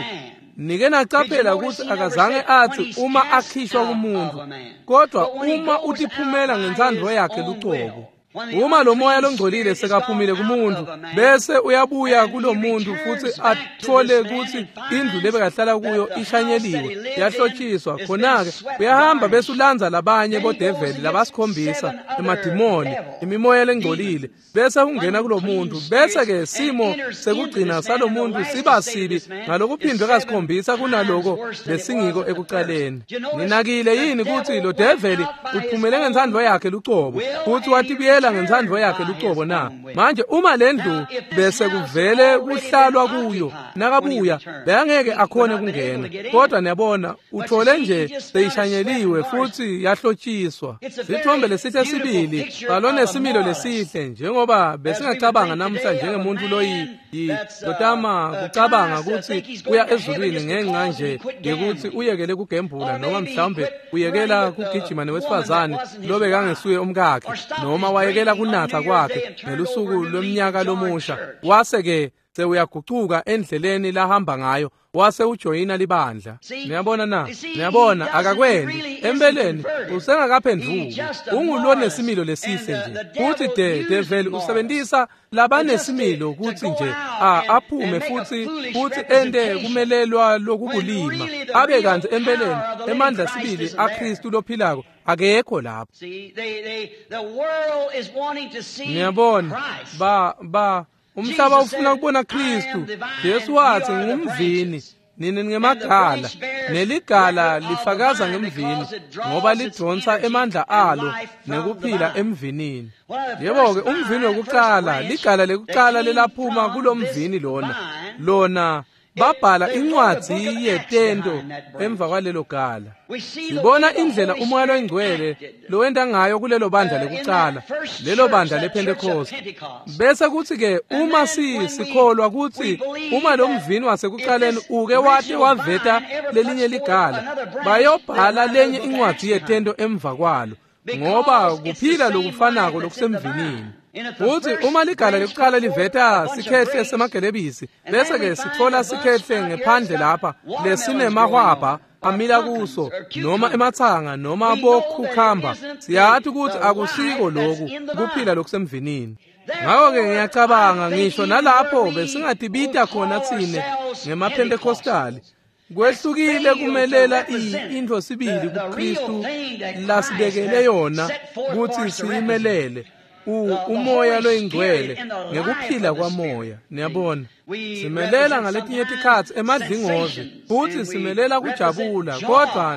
nike nacaphela kutsi akazange atsi uma akhishwa kumuntu, kodwa uma utiphumela ngentsandvo yakhe lucobo. Uma lo moya longcolile sekaphumile kumuntu, bese uyabuya kulo muntu futhi athole kutsi indlu lebekahlala kuyo ishanyeliwe, yahlotshiswa, khona-ke uyahamba bese ulandza labanye bodeveli labasikhombisa, emadimoni, imimoya lengcolile, bese ungena kulo muntu. Bese-ke simo sekugcina salo muntu siba sibi ngalokuphindwe kasikhombisa kunaloko besingiko ekucaleni. Ninakile yini kutsi lo develi uphumele ngentsandvo yakhe lucobo futhi watibuyela ngentsandvo yakhe lucobo na? Manje uma lendlu bese kuvele kuhlalwa kuyo, nakabuya bekangeke akhone kungena. Kodwa niyabona, uthole nje seyishanyeliwe futhi yahlotshiswa. Sithombe lesihle sibili salonesimilo lesihle, njengoba besingacabanga namuhla njengemuntu lotama kucabanga kutsi uya ezulwini ngenxa nje yekutsi uyekele kugembula, noma mhlawumbe uyekela kugijima newesifazane lobekangesuye umkakhe, noma wayekela kunatsa kwakhe ngelusuku lweminyaka lomusha, wase-ke sewuyagucuka endleleni lahamba ngayo, wase ujoyina libandla. Niyabona na? Niyabona, akakwendi empeleni usengakaphendvuki, ungulonesimilo lesihle nje. Futhi develi usebentisa labanesimilo kutsi nje aphume futhi ente kumelelwa lokubulima, abe kantsi empeleni emandla sibili aKristu lophilako akekho lapho. Niyabona, umhlaba ufuna kubona Kristu. Jesu watsi ngumvini, nini ngemagala, neligala lifakaza ngemvini ngoba lidonsa emandla alo nekuphila emvinini. Yebo-ke, umvini wekucala, ligala lekucala lelaphuma kulomvini lona Babhala incwadzi yetento emva kwalelo gala. Sibona indlela uMoya loyiNgcwele lowenta ngayo kulelo bandla lekucala, lelo bandla lePhentekoste. Bese kuthi-ke uma sikholwa kutsi uma lo mvini wasekucaleni uke wate waveta lelinye ligala, bayobhala lenye incwadzi yetento emva kwalo, ngoba kuphila lokufanako lokusemvinini. Futhi uma ligala lekucala liveta sikhehle semagelebisi, bese-ke sitfola sikhehle ngephandle lapha lesinemahwabha amila kuso, noma ematsanga noma bokhukhamba, siyathi ukuthi akusiko loku kuphila lokusemvinini. Ngakho-ke ngiyacabanga ngisho nalapho besingatibita khona tsine ngemaPhentekostali, kwehlukile kumelela intfo sibili kuKristu lasibekele yona kutsi siyimelele, uMoya loyiNgcwele ngekuphila kwaMoya. Niyabona, simelela ngaletinye tikhatsi emadlingozi futhi simelela kujabula, kodwa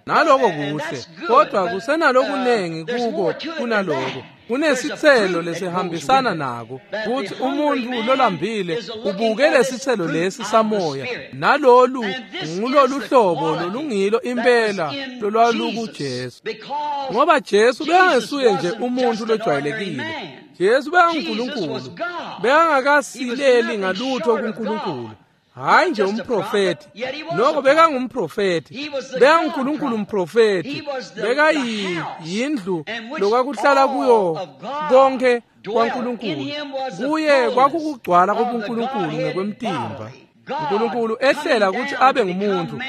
naloko kuhle, kodwa kusenalokunengi kuko kunaloko. Kunesitselo lesihambisana nako, futhi umuntu lolambile ubuke lesitselo lesi samoya, nalolu ngulolu hlobo lolungilo impela lolwalukuJesu. Ngoba Jesu bekangesuye nje umuntu lojwayelekile, Jesu bekanguNkulunkulu, bekangakasileli ngalutho kuNkulunkulu. Hayi nje umprofeti, noko bekangumprofeti, bekanguNkulunkulu umprofeti, bekayindlu lokwakuhlala kuyo konke kwaNkulunkulu. Kuye kwakukugcwala kobuNkulunkulu ngekwemtimba. uNkulunkulu ehlela ukuthi abe ngumuntu,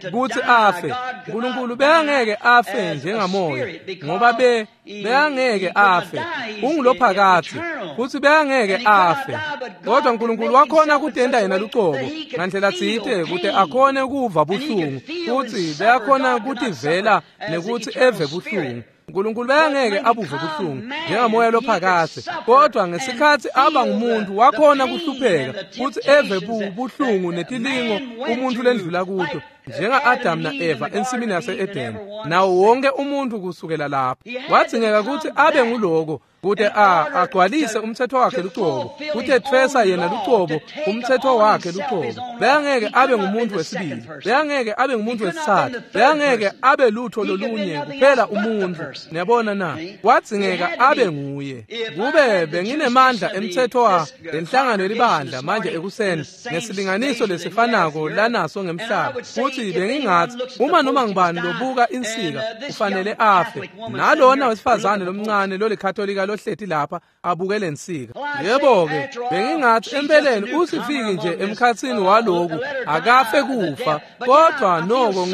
ukuthi afe. uNkulunkulu bekangeke afe njengamoya, ngoba bekangeke afe, ungulophakathi, futhi bekangeke afe. Kodwa uNkulunkulu wakhona kutenta yena lucobo ngandlela tsite kute akhone kuva buhlungu, futhi bekakhona kutivela nekuthi eve buhlungu. uNkulunkulu bekangeke abuve buhlungu njengamoya lophakathe, kodwa ngesikhatsi aba ngumuntu wakhona kuhlupheka futhi eve buhlungu netilingo umuntu lendlula kuto, njenga-Adam na-Eva ensimini yase-Edeni, nawo wonke umuntu kusukela lapho. Wadzingeka ukuthi abe nguloko kute agcwalise umthetho wakhe lucobo, kute etfwesa yena lucobo umthetho wakhe lucobo. Bekangeke abe ngumuntu wesibili, bekangeke abe ngumuntu wesitsatfu, bekangeke abe lutho lolunye kuphela umuntu. Niyabona na? Wadzingeka abe nguye. Kube benginemandla emthetho wa lenhlangano yelibandla manje ekuseni ngesilinganiso lesifanako lanaso ngemhlaba, futhi bengingathi uma noma ngubani lobuka insika kufanele afe, nalona wesifazane lomncane lolikatolika lohleti lapha abuke lensika. Yebo-ke, bengingathi empeleni usifiki nje emkhatsini waloku akafe kufa, kodwa noko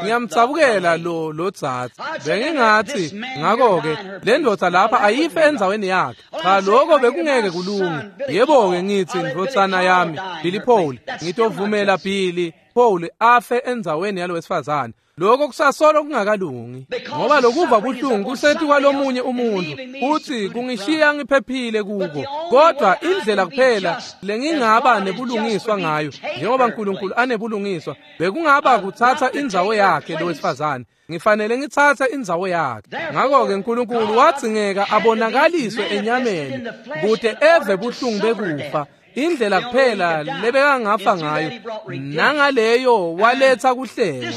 ngiyamtsabukela lo dzadze. Bengingathi ngakho-ke le ndoda lapha ayife endzaweni yakhe. Cha, lokho bekungeke kulunge. Yebo-ke, ngithi ndvodzana yami Billy Paul, ngitovumela Billy Paul afe endzaweni yalo wesifazane. Lokho kusasolo kungakalungi, ngoba lokuva buhlungu kuseti kwalomunye umuntu, futhi kungishiya ngiphephile kuko. Kodwa indlela kuphela lengingaba nebulungiswa ngayo, njengoba uNkulunkulu anebulungiswa, bekungaba kuthatha indzawo yakhe lo wesifazane. Ngifanele ngitsatse indzawo yakhe. Ngakho-ke uNkulunkulu wadzingeka abonakaliswe enyameni kute eve buhlungu bekufa, indlela kuphela lebekangafa ngayo, nangaleyo waletha kuhlengwa.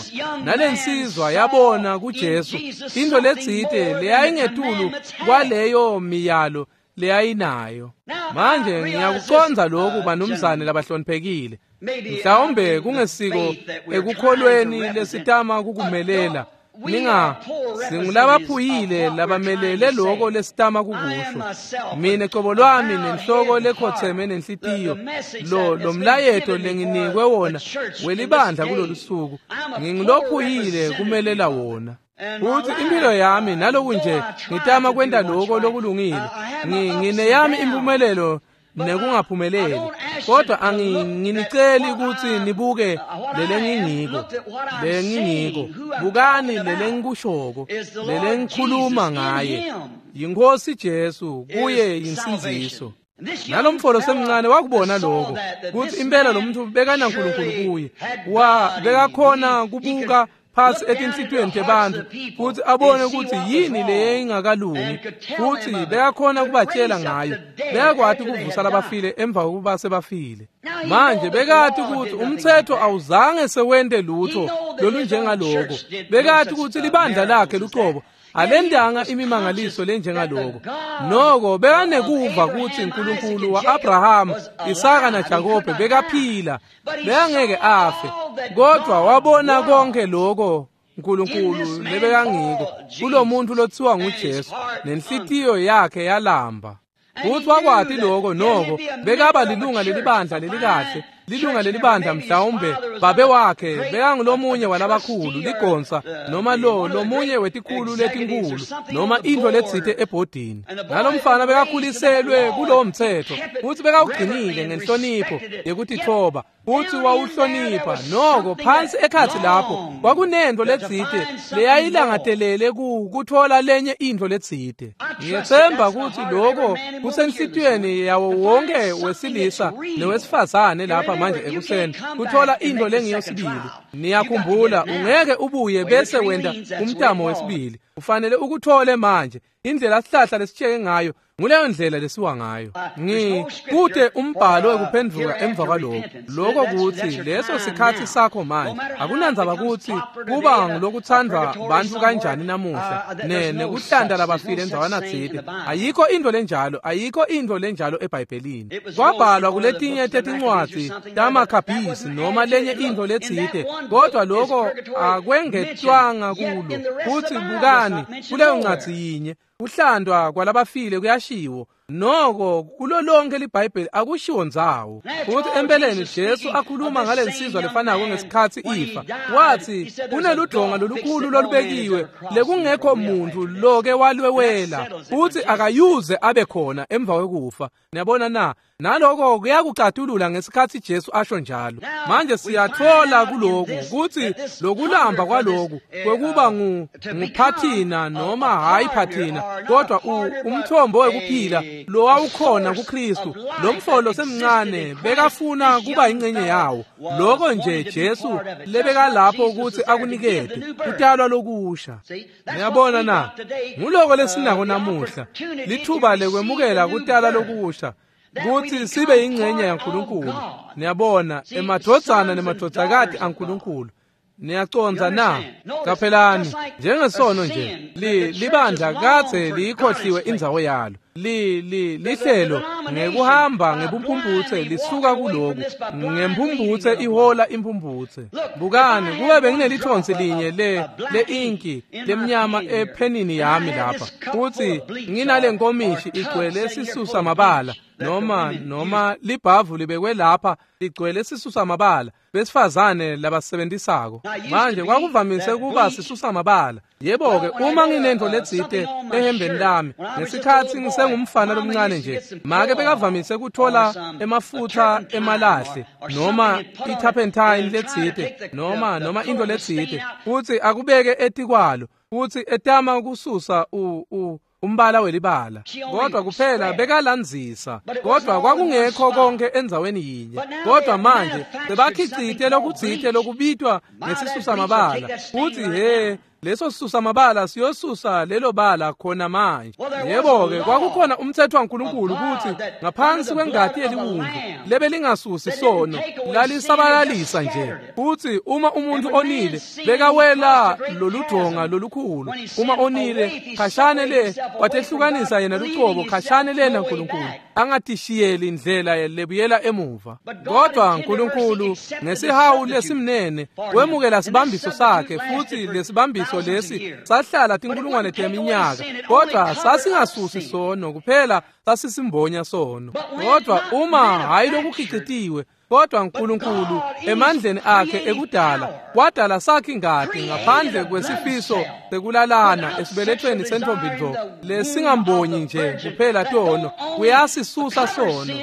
Nalensizwa yabona kuJesu into letsite leyayingetulu kwaleyo miyalo leyayinayo. Manje ngiyakucondza lokhu, banumzane labahloniphekile. Mhlawumbe kungesiko ekukholweni lesitama kukumelela, singulabaphuyile labamelele loko lesitama kukusho. Mina cobo lwami nenhloko lekhotheme nenhlitiyo, lo mlayeto lenginikwe wona welibandla kulolu suku, ngingulophuyile kumelela wona. Futhi impilo yami naloku nje ngitama kwenta loko lokulungile, ngineyami impumelelo nekungaphumeleli, kodwa anginiceli ukuthi nibuke lelengingiko, bukani lelengikushoko, lelengikhuluma ngaye. YiNkosi Jesu, kuye yinsindziso. Nalomfolo semncane wakubona lokho, kuthi impela lo muntu bekanaNkulunkulu kuye, bekakhona kubuka phasi etinhlitiyweni tebantfu futsi abone kutsi yini leyayingakalungi, futsi bekakhona kubatjela ngayo. Bekakwati kuvusa labafile emva kokuba sebafile. Manje bekati kutsi umtsetfo awuzange sewente lutho lolunjengaloko. Bekati kutsi libandla lakhe lucobo alendanga imimangaliso lenjengaloko. Noko bekanekuva kutsi uNkulunkulu wa-Abraham, Isaka naJakobe bekaphila, bekangeke afe. Kodwa wabona konke lokho uNkulunkulu lebekangiko kulomuntu lothiwa nguJesu, nenhlitiyo yakhe yalamba. Futhi wakwati lokho. Noko bekaba lilunga lelibandla lelikahle, lilunga lelibandla, mhlawumbe babe wakhe bekangulomunye walabakhulu ligonsa, noma lo lomunye wetikhulu letinkulu, noma intfo letsite ebhodini. Nalomfana bekakhuliselwe kulowo mtsetfo, futsi bekawugcinile ngenhlonipho yekutitfoba, futsi wawuhlonipha. Noko phansi ekhatsi lapho kwakunentfo letsite leyayilangatelele kutfola lenye intfo letsite. Ngiyetsemba kutsi lokho kusenhlitiyweni yawo wonke wesilisa newesifazane lapha manje ekuseni, kuthola intfo lengiyo sibili. Niyakhumbula, ungeke ubuye bese wenta umtamo wesibili. Ufanele ukuthole manje. Indlela sihlahla lesitsheke ngayo, nguleyo ndlela lesiwa ngayo. Kute umbhalo wekuphendvuka emva kwaloko. Lokho kutsi leso sikhatsi sakho manje. Akunandzaba kutsi kuba ngulokuthandwa bantfu kanjani namuhla, nekuhlanta labafile endzawana tsite. Ayikho intfo lenjalo, ayikho intfo lenjalo eBhayibhelini. Kwabhalwa kuletinye tetincwadzi taMakhabhisi noma lenye intfo letsite, kodwa lokho akwengetwanga kulo. Futsi bukani kuleyo ncwadzi yinye, kuhlandwa kwalabafile kuyashiwo. Noko kulo lonke liBhayibheli akushiwo ndzawo. Futhi empeleni Jesu akhuluma ngalensizwa lefanako ngesikhatsi ifa, wathi kuneludonga lolukhulu lolubekiwe lekungekho muntu loke walwewela, futhi akayuze abe khona emva kwekufa. Niyabona na? Naloko kuyakucatulula ngesikhatsi Jesu asho njalo. Manje siyatfola kuloku kutsi lokulamba kwaloku kwekuba nguphathina noma hayi phathina, kodwa umthombo wekuphila lowawukhona kuKristu, lo mfolo semncane bekafuna kuba ingcenye yawo. Lokho nje Jesu lebekalapho ukuthi akunikete kutalwa lokusha. Niyabona na? Nguloko lesinako namuhla, lithuba lekwemukela kutala lokusha, kutsi sibe ingcenye yaNkulunkulu. Niyabona, emadvodzana nemadvodzakati aNkulunkulu. Niyacondza na? Caphelani, njengesono nje, libandla kadze liyikhohliwe indzawo yalo. Lihlelo ngekuhamba ngebumphumputse lisuka kuloku, ngemphumputse ihola imphumputse. Bukani, kube benginelithonsi linye le-inki lemnyama ephenini yami lapha, futsi nginale nkomishi igcwele sisusa mabala, noma libhavu libekwe lapha ligcwele sisusa mabala besifazane labasebentisako. Manje kwakuvamise kuba sisusa mabala. Yebo-ke, uma nginentfo letsite ehembeni lami ngesikhatsi ngisengumfana lomncane nje, make bekavamise kuthola emafutsa emalahle noma i-turpentine letsite noma intfo letsite, futsi akubeke etikwalo, futsi etama kususa umbala welibala. Kodwa kuphela bekalandzisa, kodwa kwakungekho konke endzaweni yinye. Kodwa manje sebakhicite lokutsite lokubitwa ngesisusa mabala, futsi he, leso sisusa mabala siyosusa lelo bala khona manje. Yebo-ke, kwakukhona umtsetfo waNkulunkulu kutsi ngaphansi kwengati yeliwundlu lebelingasusi sono, lalisabalalisa nje. Futsi uma umuntu onile bekawela loludonga lolukhulu, uma onile khashane le watehlukanisa yena lucobo khashane le naNkulunkulu, angatishiyeli indlela lebuyela emuva. Kodwa uNkulunkulu ngesihawu lesimnene wemukela sibambiso sakhe, futsi lesibambiso lesi sahlala tinkulungwane teminyaka, kodwa sasingasusi sono, kuphela sasisimbonya sono. Kodwa uma hayi lokukhicitiwe, kodwa uNkulunkulu emandleni akhe ekudala wadala sakhe ingati ngaphandle kwesifiso sekulalana esibelethweni sentombi nto lesingambonyi nje kuphela tono, kuyasisusa sono,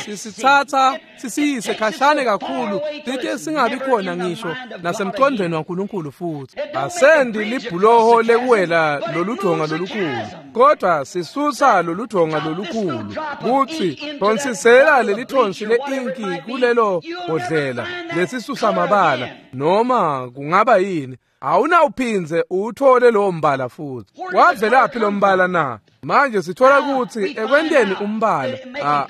sisitsatsa sisiyise khashane kakhulu site singabi khona ngisho nasemcondweni waNkulunkulu. Futhi asendi libhuloho lekuwela loludonga lolukhulu, kodwa sisusa loludonga lolukhulu kutsi phonsisela lelithonsi le-inki kulelo bhodlela lesisusa mabala, noma kungaba yini. Awunawuphindze uwuthole lowo mbala futhi. Wavelaphi lo mbala na? Manje sithola ukuthi ekwenteni umbala,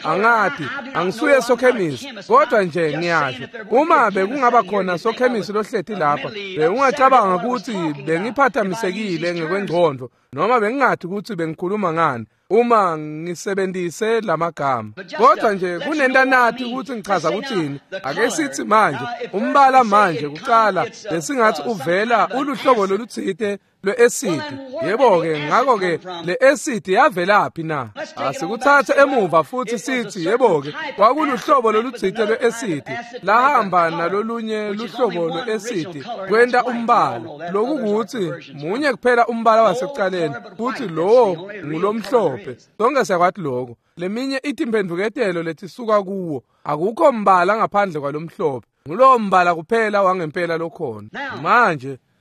angathi angisuye sokhemisi, kodwa nje ngiyasho uma bekungaba khona sokhemisi lohleti lapha, bewungacabanga ukuthi bengiphathamisekile ngekwengqondo noma bengingathi ukuthi bengikhuluma ngani uma ngisebenzise lamagama. Kodwa nje kunentanathi ukuthi ngichaza ukuthini. Ake sithi manje umbala manje kuqala besingathi uvela uluhlobo loluthite lwe-acid. Yebo-ke, ngakho-ke le-acid yavelaphi na? Asikuthathe emuva futhi sithi yebo-ke kwakuluhlobo loluthite lwe-acid lahamba nalolunye luhlobo lwe-acid kwenta umbala. Lokukuthi munye kuphela umbala wasekuqaleni futhi lowo ngulomhlophe. Sonke siyakwathi lokho. Leminye itimphendvuketelo letisuka kuwo akukho mbala ngaphandle kwalomhlophe. Ngulowo mbala kuphela wangempela lokhona.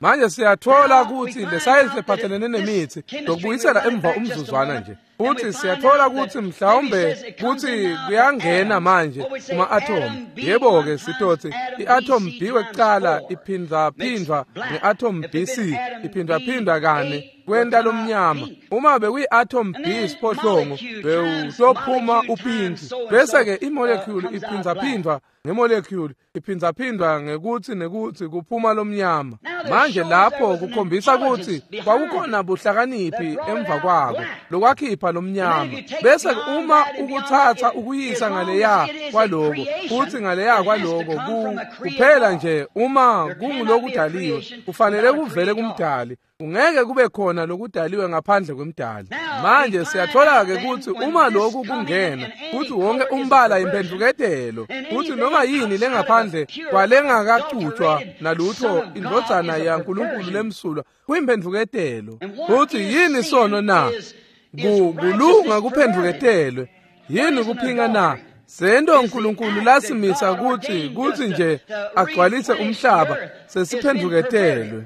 Manje siyathola ukuthi le sayensi ephathelene nemithi lokubuyisela emva umzuzwana nje. Futhi siyathola ukuthi mhlawumbe kuthi kuyangena manje kuma-atom. Yebo-ke sitothi i-atom B wekuqala iphindwaphindwa nge-atom BC iphindwaphindwa kane kwenta lomnyama. Uma bekuyi-atom B siphohlongo bewutophuma upinki. Bese-ke i-molecule iphindwaphindwa nge-molecule iphindwaphindwa ngekuthi nekuthi kuphuma lomnyama. Manje lapho kukhombisa ukuthi kwakukhona buhlakaniphi emva kwako lokwakhipha lomnyama. Bese uma ukuthatha ukuyisa ngaleya kwaloko futhi ngaleya kwaloko kuphela nje uma kungulokudaliwe kufanele kuvele kumdali. Ungeke kube khona lokudaliwe ngaphandle kwemdali. Manje siyathola-ke ukuthi uma lokhu kungena futhi wonke umbala imphendvuketelo futhi noma yini lengaphandle kwalengakacutshwa nalutho indvodzana yaNkulunkulu lemsulwa kuyimphendvuketelo. Futhi yini sono na? Kulunga kuphendvuketelwe. Yini kuphinga na? Sento uNkulunkulu lasimisa ukuthi nje agcwalise umhlaba sesiphendvuketelwe.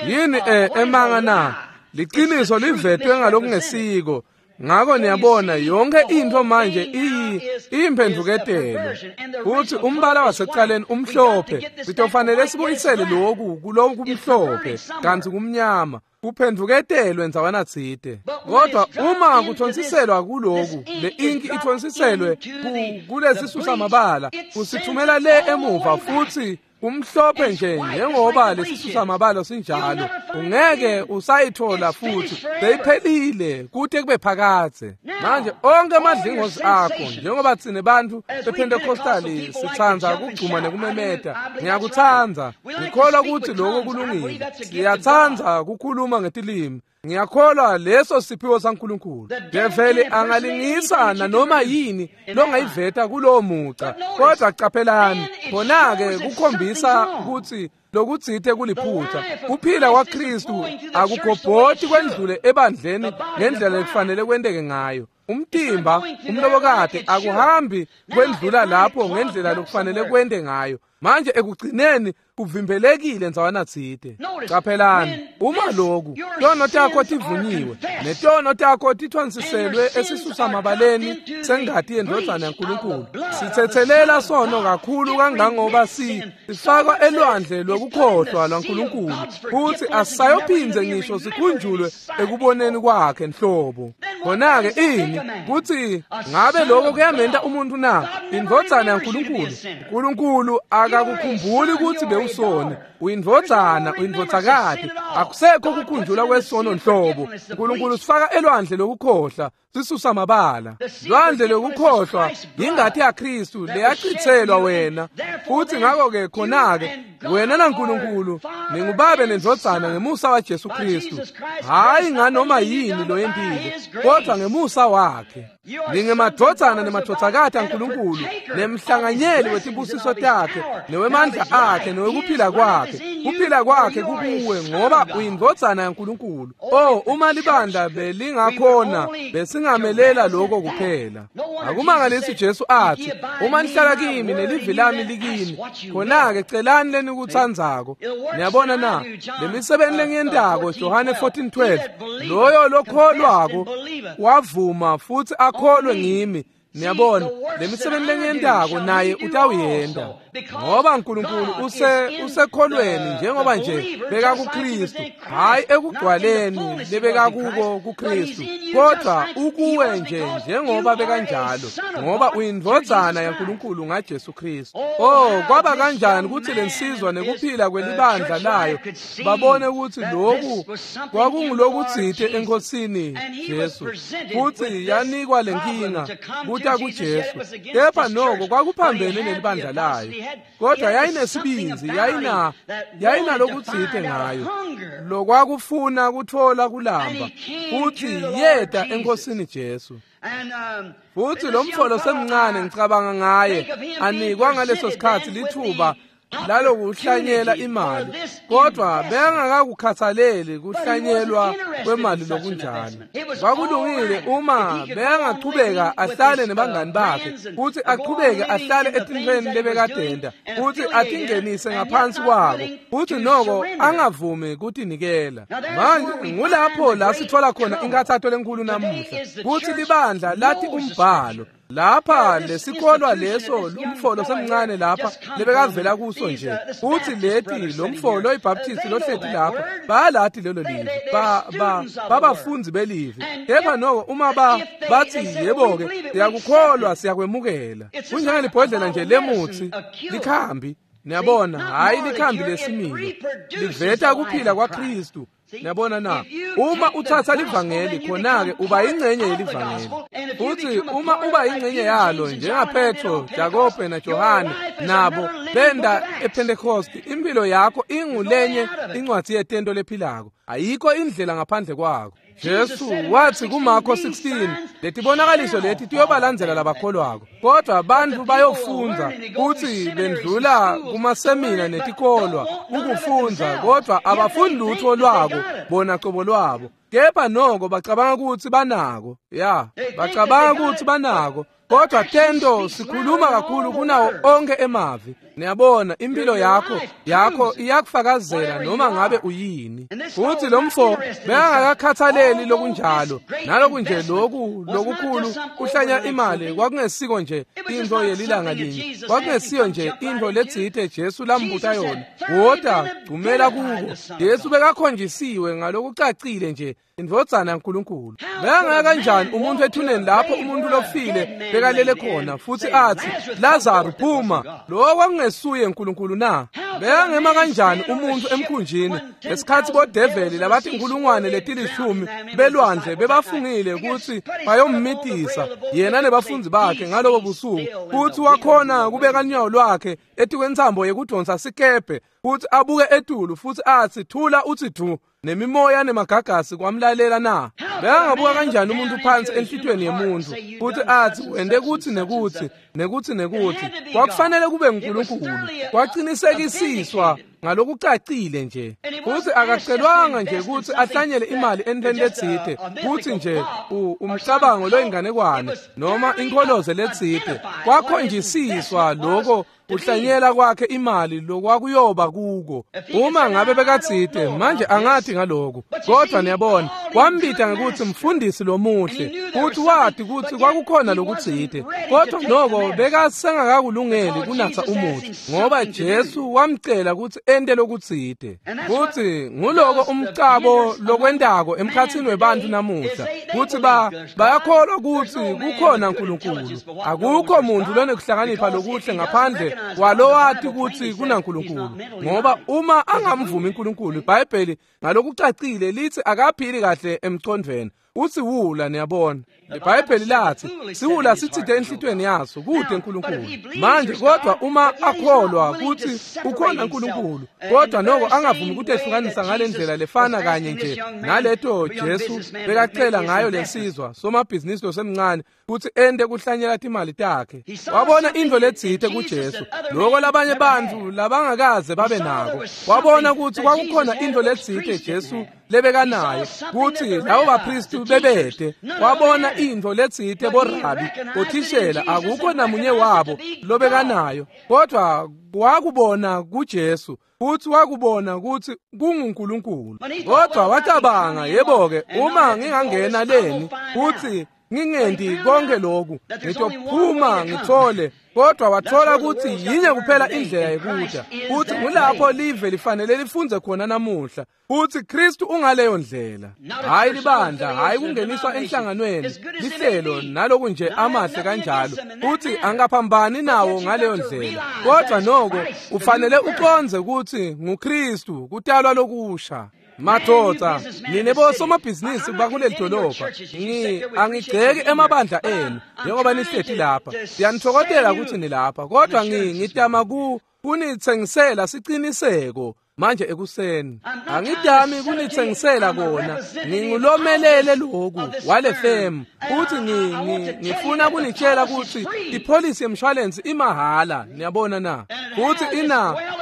Yini emanga na? Liqiniso livetwe ngalokungesiko. Ngakho niyabona yonke into manje iyimphendvuketelo. Futhi umbala wasekuqaleni umhlophe, sitofanele sibuyisele lokhu kuloku kumhlophe kanti kumnyama. Kuphendvuketelwe ndzawana tsite. Kodwa uma kuthonsiselwa kuloku, le inki ithonsiselwe kulesisusa mabala, kusithumela le emuva futhi kumhlophe nje njengoba lesisusa mabala sinjalo. Ungeke usayithola futhi, seyiphelile kude kube phakadze. Manje onke amadlingozi akho njengoba tsine bantu bePentecostali sitsandza kugcuma nekumemeta, ngiyakutsandza, ngikholwa ukuthi lokho kulungile. Siyatsandza kukhuluma ngetilimi. Ngiyakholwa leso siphiwo saNkulunkulu. Develi angalingisa nanoma yini longayiveta kulowo muca. Kodwa caphelani, khona-ke kukhombisa ukuthi lokutsite kuliphutha. Kuphila kwaKristu akugobhoti kwendlule ebandleni ngendlela ekufanele kwenteke ngayo. Umtimba umlobokade akuhambi kwendlula lapho ngendlela lokufanele kwente ngayo. Manje ekugcineni kuvimbelekile ndzawana tsite. Caphelani, uma lokhu tono takho tivunyiwe netono takho tithonsiselwe esisusa mabaleni sengati yendvodzana yaNkulunkulu, sithethelela sono kakhulu kangangoba sifakwa elwandle lwekukhohlwa lwaNkulunkulu futhi asisayophindze ngisho sikhunjulwe ekuboneni kwakhe nhlobo. Khona-ke ini kuthi ngabe lokho kuyamenta umuntu na? Indvodzana yaNkulunkulu. uNkulunkulu akakukhumbuli ukuthi bewusoni. Uyindvodzana, uyindvodzakati. Akusekho kukhunjulwa kwesono nhlobo. uNkulunkulu sifaka elwandle lokukhohlwa, sisusa mabala. Lwandle lokukhohlwa yingati yaKristu leyachithelwa wena. Futhi ngakho-ke khona-ke wena naNkulunkulu ningubabe nendvodzana ngemusa waJesu Kristu. Hayi nganoma yini loyentile, kodwa ngemusa wakhe. Ningemadvodzana nemadvodzakati aNkulunkulu, nemhlanganyeli wetibusiso takhe, newemandla akhe, newekuphila kwakhe. Kuphila kwakhe kukuwe ngoba uyindvodzana yaNkulunkulu. Oh, uma libandla belingakhona besingamelela lokho kuphela. Akumangalisi Jesu athi, uma nihlala kimi nelivi lami likini, khona-ke celani lenikutsandzako. Niyabona na? Lemisebenzi lengiyentako, Johane 14:12, loyo lokholwako wavuma futhi akholwe ngimi. Niyabona, lemisebenzi lengiyentako naye utawuyenta. Ngoba uNkulunkulu usekholweni njengoba nje beka kuKristu, hayi ekugcwaleni lebekakuko kuKristu, kodwa ukuwe nje njengoba bekanjalo, ngoba uyindvodzana yaNkulunkulu ngaJesu Kristu. Oh, kwaba kanjani ukuthi lensizwa nekuphila kwelibandla layo babone ukuthi lokhu kwakungulokutsite eNkosini Jesu, futhi yanikwa lenkinga kuta kuJesu. Kepha noko kwakuphambene nelibandla layo, kodwa yayinesibinzi, yayinalokutsite ngayo lokwakufuna kutfola kulamba, futhi yeta eNkosini Jesu. Futhi lo mfolo semncane ngicabanga ngaye anikwa ngaleso sikhathi lithuba lalokuhlanyela imali, kodwa bengakakukhathaleli kuhlanyelwa kwemali lokunjalo. Kwakulungile uma bengachubeka ahlale nebangani bakhe, futhi achubeke ahlale etintfweni lebekadenda, futhi atingenise ngaphansi kwako, futhi noko angavumi kutinikela. Manje ngulapho la sithola khona inkathato lenkulu namuhla, kuthi libandla lathi umbhalo lapha lesikholwa leso lumfolo semncane lapha lebekavela kuso nje, uthi leti lomfolo iBaptist lohleti lapha bayalathi lelo livi, babafundi belivi. Kepha noko uma bathi yebo-ke siyakukholwa siyakwemukela, kunjengelibhodlela nje lemutsi likhambi. Niyabona, hhayi likhambi lesimilo, liveta kuphila kwaKristu. Niyabona na? Uma uthatha livangeli khona-ke uba ingcenye yelivangeli, futhi uma uba ingcenye yalo njengaPetro, Jakobe naJohane nabo benda ePentecost, impilo yakho ingulenye incwadi yetento lephilako. Ayikho indlela ngaphandle kwako. Jesu wathi kuMarko 16, letibonakaliso leti tiyobalandzela labakholwako, kodwa abantu bayofundza kuthi bendlula kumasemina netikolwa ukufundza, kodwa abafundi lutho lwako bona cobo lwabo. Kepha noko bacabanga ukuthi banako, ya, bacabanga ukuthi banako, kodwa tento sikhuluma kakhulu kunawo onke emavi. Niyabona, impilo yakho iyakufakazela noma ngabe uyini. Futhi lo mfo bekangakakhathaleli lokunjalo, naloku nje loku lokukhulu kuhlanya imali kwakungesiko nje into yelilanga linye, kwakungesiyo nje into letsite Jesu lambuta yona. Wota gcumela kuko. Jesu bekakhonjisiwe ngalokucacile nje indvodzana yaNkulunkulu. Bekangaka kanjani umuntu ethuneni lapho umuntu lofile bekalele khona, futhi athi Lazarus phuma, lo kwakungesuye uNkulunkulu na? Bekangema kanjani umuntu emkhunjini ngesikhathi bodeveli labathi inkulungwane letilishumi belwandle bebafungile ukuthi bayommitisa yena nebafundi bakhe ngalobo busuku, futhi wakhona kubeka unyawo lwakhe etikwentsambo yekudonsa sikebhe, futhi abuke etulu futhi athi thula uthi du, nemimoya nemagagasi kwamlalela na? Bekangabuka kanjani umuntu phansi enhlitweni yemuntu futhi athi wende kuthi nekuthi nekuthi nekuthi? Kwakufanele kube nguNkulunkulu. Kwaqinisekisiswa ngalokucacile nje. Futhi akacelwanga nje ukuthi ahlanyele imali entweni letsite, kuthi nje umcabango loyinganekwane noma inkholoze letsite. Kwakhonjisiswa lokho kuhlanyela kwakhe imali lokwakuyoba kuko. Uma ngabe bekatsite manje angathi ngalokhu, kodwa niyabona wambita ngekuthi mfundisi lomuhle, futhi wathi ukuthi kwakukhona lokutsite, kodwa noko bekasengakakulungeli kunatsa umuthi, ngoba Jesu wamcela ukuthi ente lokutsite. Futhi nguloko umcabo lokwentako emkhatsini webantu namuhla, kuthi bayakholwa ukuthi kukhona uNkulunkulu. Akukho muntu lonekuhlakanipha lokuhle ngaphandle walowati ukuthi kunaNkulunkulu, ngoba uma angamvumi uNkulunkulu, iBhayibheli ngalokucacile lithi akaphili kahle emcondvweni, uthi wula. Niyabona, iBhayibheli lathi siwula sitsite enhlitweni yaso kude uNkulunkulu. Manje kodwa uma akholwa ukuthi ukhona uNkulunkulu, kodwa noko angavumi ukutehlukanisa ngalendlela lefana kanye nje naleto Jesu bekacela ngayo lensizwa somabhizinisi losemncane ukuthi ende kuhlanyela timali takhe. Wabona into letsite kuJesu lokho labanye bantu labangakaze babe nako. Wabona ukuthi kwakukhona into letsite Jesu lebekanayo, kuthi labo bapristi bebede. Wabona into letsite borabi bothishela akukho namunye wabo lobekanayo, kodwa wakubona kuJesu, futhi wakubona ukuthi kunguNkulunkulu. Kodwa wacabanga, yebo-ke, uma ngingangena leni futhi ngingendi konke lokhu, ngitophuma ngithole. Kodwa wathola ukuthi yinye kuphela indlela yekuta, futhi ngulapho live lifanele lifunze khona namuhla, futhi Kristu ungaleyo ndlela. Hhayi libandla, hhayi kungeniswa enhlanganweni, lihlelo naloku nje amahle kanjalo, futhi angaphambani nawo ngaleyo ndlela. Kodwa noko ufanele uqonze ukuthi nguKristu kutalwa lokusha. Madoda, nine bosomabhizinisi bakuleli dolobha, angigceki emabandla enu njengoba nihleti lapha. Siyanithokotela ukuthi nilapha, kodwa ngitama kunithengisela siciniseko manje ekuseni. Angidami kunithengisela kona, ngingulomelele loku wale femu, futhi ngifuna kunitshela ukuthi ipholisi yemshwalensi imahhala, niyabona na? Futhi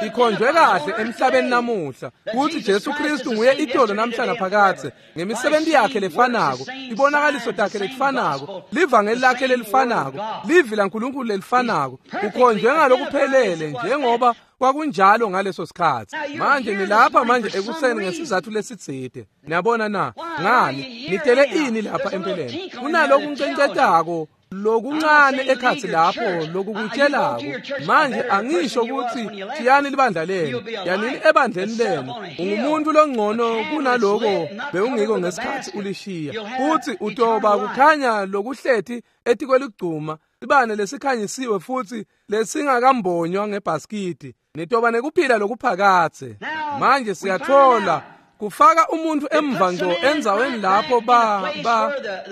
ikhonjwe kahle emhlabeni namuhla, futhi Jesu Kristu nguye itolo namhla naphakadze, ngemisebenzi yakhe lefanako, ibonakaliso takhe lelifanako, livangeli lakhe lelifanako, livi laNkulunkulu lelifanako, ukhonjwe ngalokuphelele njengoba kwakunjalo ngaleso sikhathi. Manje nilapha manje ekuseni ngesizathu lesitsite. Niyabona na? Ngani nitele ini lapha empeleni? Kunaloku ncencetako lokuncane ekhathi lapho lokukutshelako. Manje angisho ukuthi thiyani libandla lenu, yanini ebandleni lenu, ungumuntu longcono kunaloko bewungiko ngesikhathi ulishiya, futhi utoba kukhanya lokuhleti etikweligcuma, sibane lesikhanyisiwe futhi lesingakambonywa ngebhaskidi, nitoba nekuphila lokuphakathe. Manje siyathola kufaka umuntu emva ngco endzaweni lapho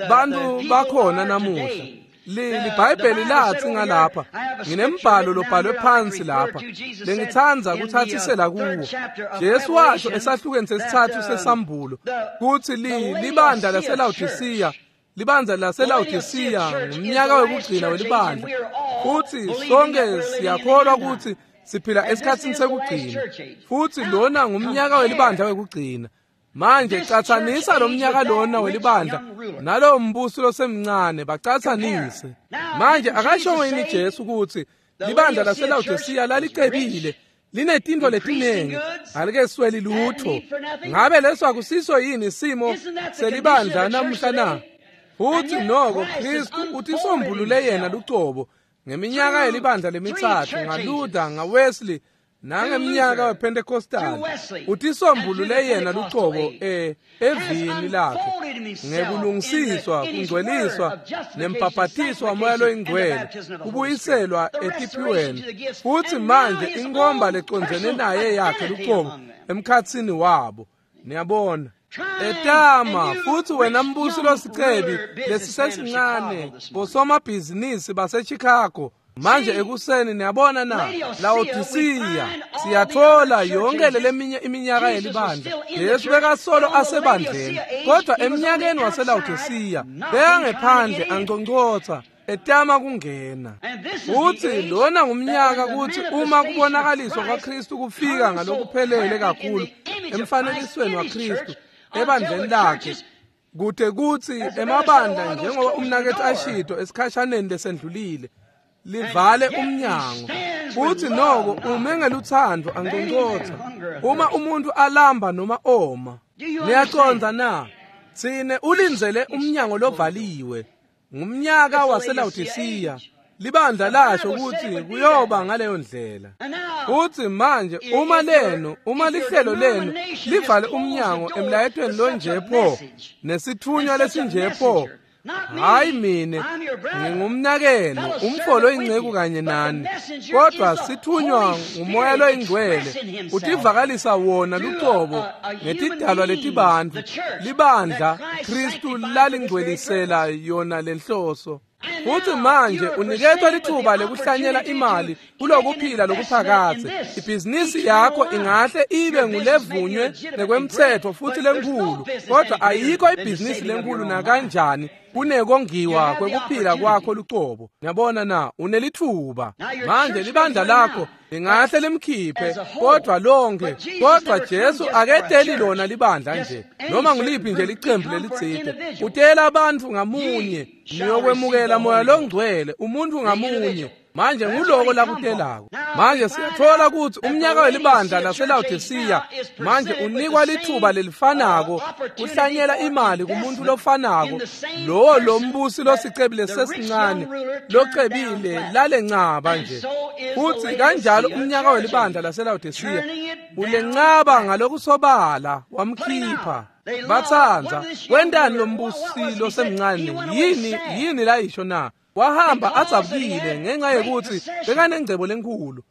bantu bakhona namuhla. LiBhayibheli lathi ngalapha, nginembhalo lobhalwe phansi lapha lengithanda kuthathisela kuwo. Jesu washo esahlukweni sesithathu sesambulo kuthi libandla laseLaodicea, libandla laseLaodicea ngumnyaka wekugcina welibandla, futhi sonke siyakholwa ukuthi siphila esikhatsini sekugcina, futhi lona ngumnyaka welibandla wekugcina. Manje catsanisa lo mnyaka lona welibandla nalowo mbuso losemncane, bacatsanise. Manje akasho yini Jesu ukuthi libandla laseLaodicea lalicebile, linetintfo letinengi, alikesweli lutho? Ngabe leso akusiso yini isimo selibandla namuhla na? Futhi noko Kristu utisombulule yena lucobo ngeminyaka yelibandla lemithathu, ngaLuther, ngaWesley, nangeminyaka wePentecostal. Utisombulule yena lucobo evini lakhe ngekulungisiswa, kungcweliswa nembhabhatiso waMoya loyiNgcwele, kubuyiselwa etiphiweni, futhi manje inkomba lecondzene naye yakhe lucobo emkhatsini wabo. Niyabona? Etama futhi wena mbusi losicebi lesisesincane, bosomabhizinisi baseChicago manje ekuseni, niyabona na? Laodicea, siyathola yonke leminye iminyaka yelibandla. Jesu bekasolo asebandleni, kodwa eminyakeni waseLaodicea bekangephandle anconcotha, etama kungena. Futhi lona ngumnyaka kuthi uma kubonakaliswa kwaKristu kufika ngalokuphelele kakhulu emfanekisweni waKristu ebandleni lakhe, kude kuthi emabandla njengoba umnakethu ashito esikhashaneni lesendlulile, livale umnyango. Futhi noko ume ngeluthando anconcotha uma umuntu alamba noma oma. Niyacondza na? Tsine ulindzele umnyango lovaliwe. Ngumnyaka waseLaodicea. Libandla lasho ukuthi kuyoba ngaleyo ndlela. Futhi manje uma lenu, uma lihlelo lenu livale umnyango emlayetweni lonje pho, nesithunywa lesinje pho, hayi mine, ngingumnakenu, umfo loyinceku kanye nani, kodwa sithunywa nguMoya loyiNgcwele, utivakalisa wona lucobo ngetidalwa letibantfu, libandla Kristu lalingcwelisela yona lenhloso. Futhi manje uniketwa lithuba lekuhlanyela imali kulokuphila lokuphakathe. Ibhizinisi yakho ingahle ibe ngulevunywe nekwemthetho futhi lenkhulu, kodwa ayikho ibhizinisi lenkhulu nakanjani kunekongiwa kwekuphila kwakho lucobo. Niyabona na? Unelithuba. Manje libandla lakho lingahle limkhiphe, kodwa lonke, kodwa Jesu aketeli lona libandla nje, noma nguliphi nje licembu lelitsite. Utela abantu ngamunye, niyokwemukela Moya loNgcwele, umuntu ngamunye. Manje nguloko lakutelako. Manje siyathola ukuthi umnyaka welibandla laseLaodicea manje unikwa lithuba lelifanako kuhlanyela imali kumuntu lofanako lowo lombusi losicebile sesincane locebile lalencaba nje. Futhi kanjalo umnyaka welibandla laseLaodicea ulencaba ngalokusobala wamkhipha. Bathandza wentani lombusi losemncane? Yini layisho na? Wahamba adzabukile ngenxa yokuthi bekanengcebo lenkulu.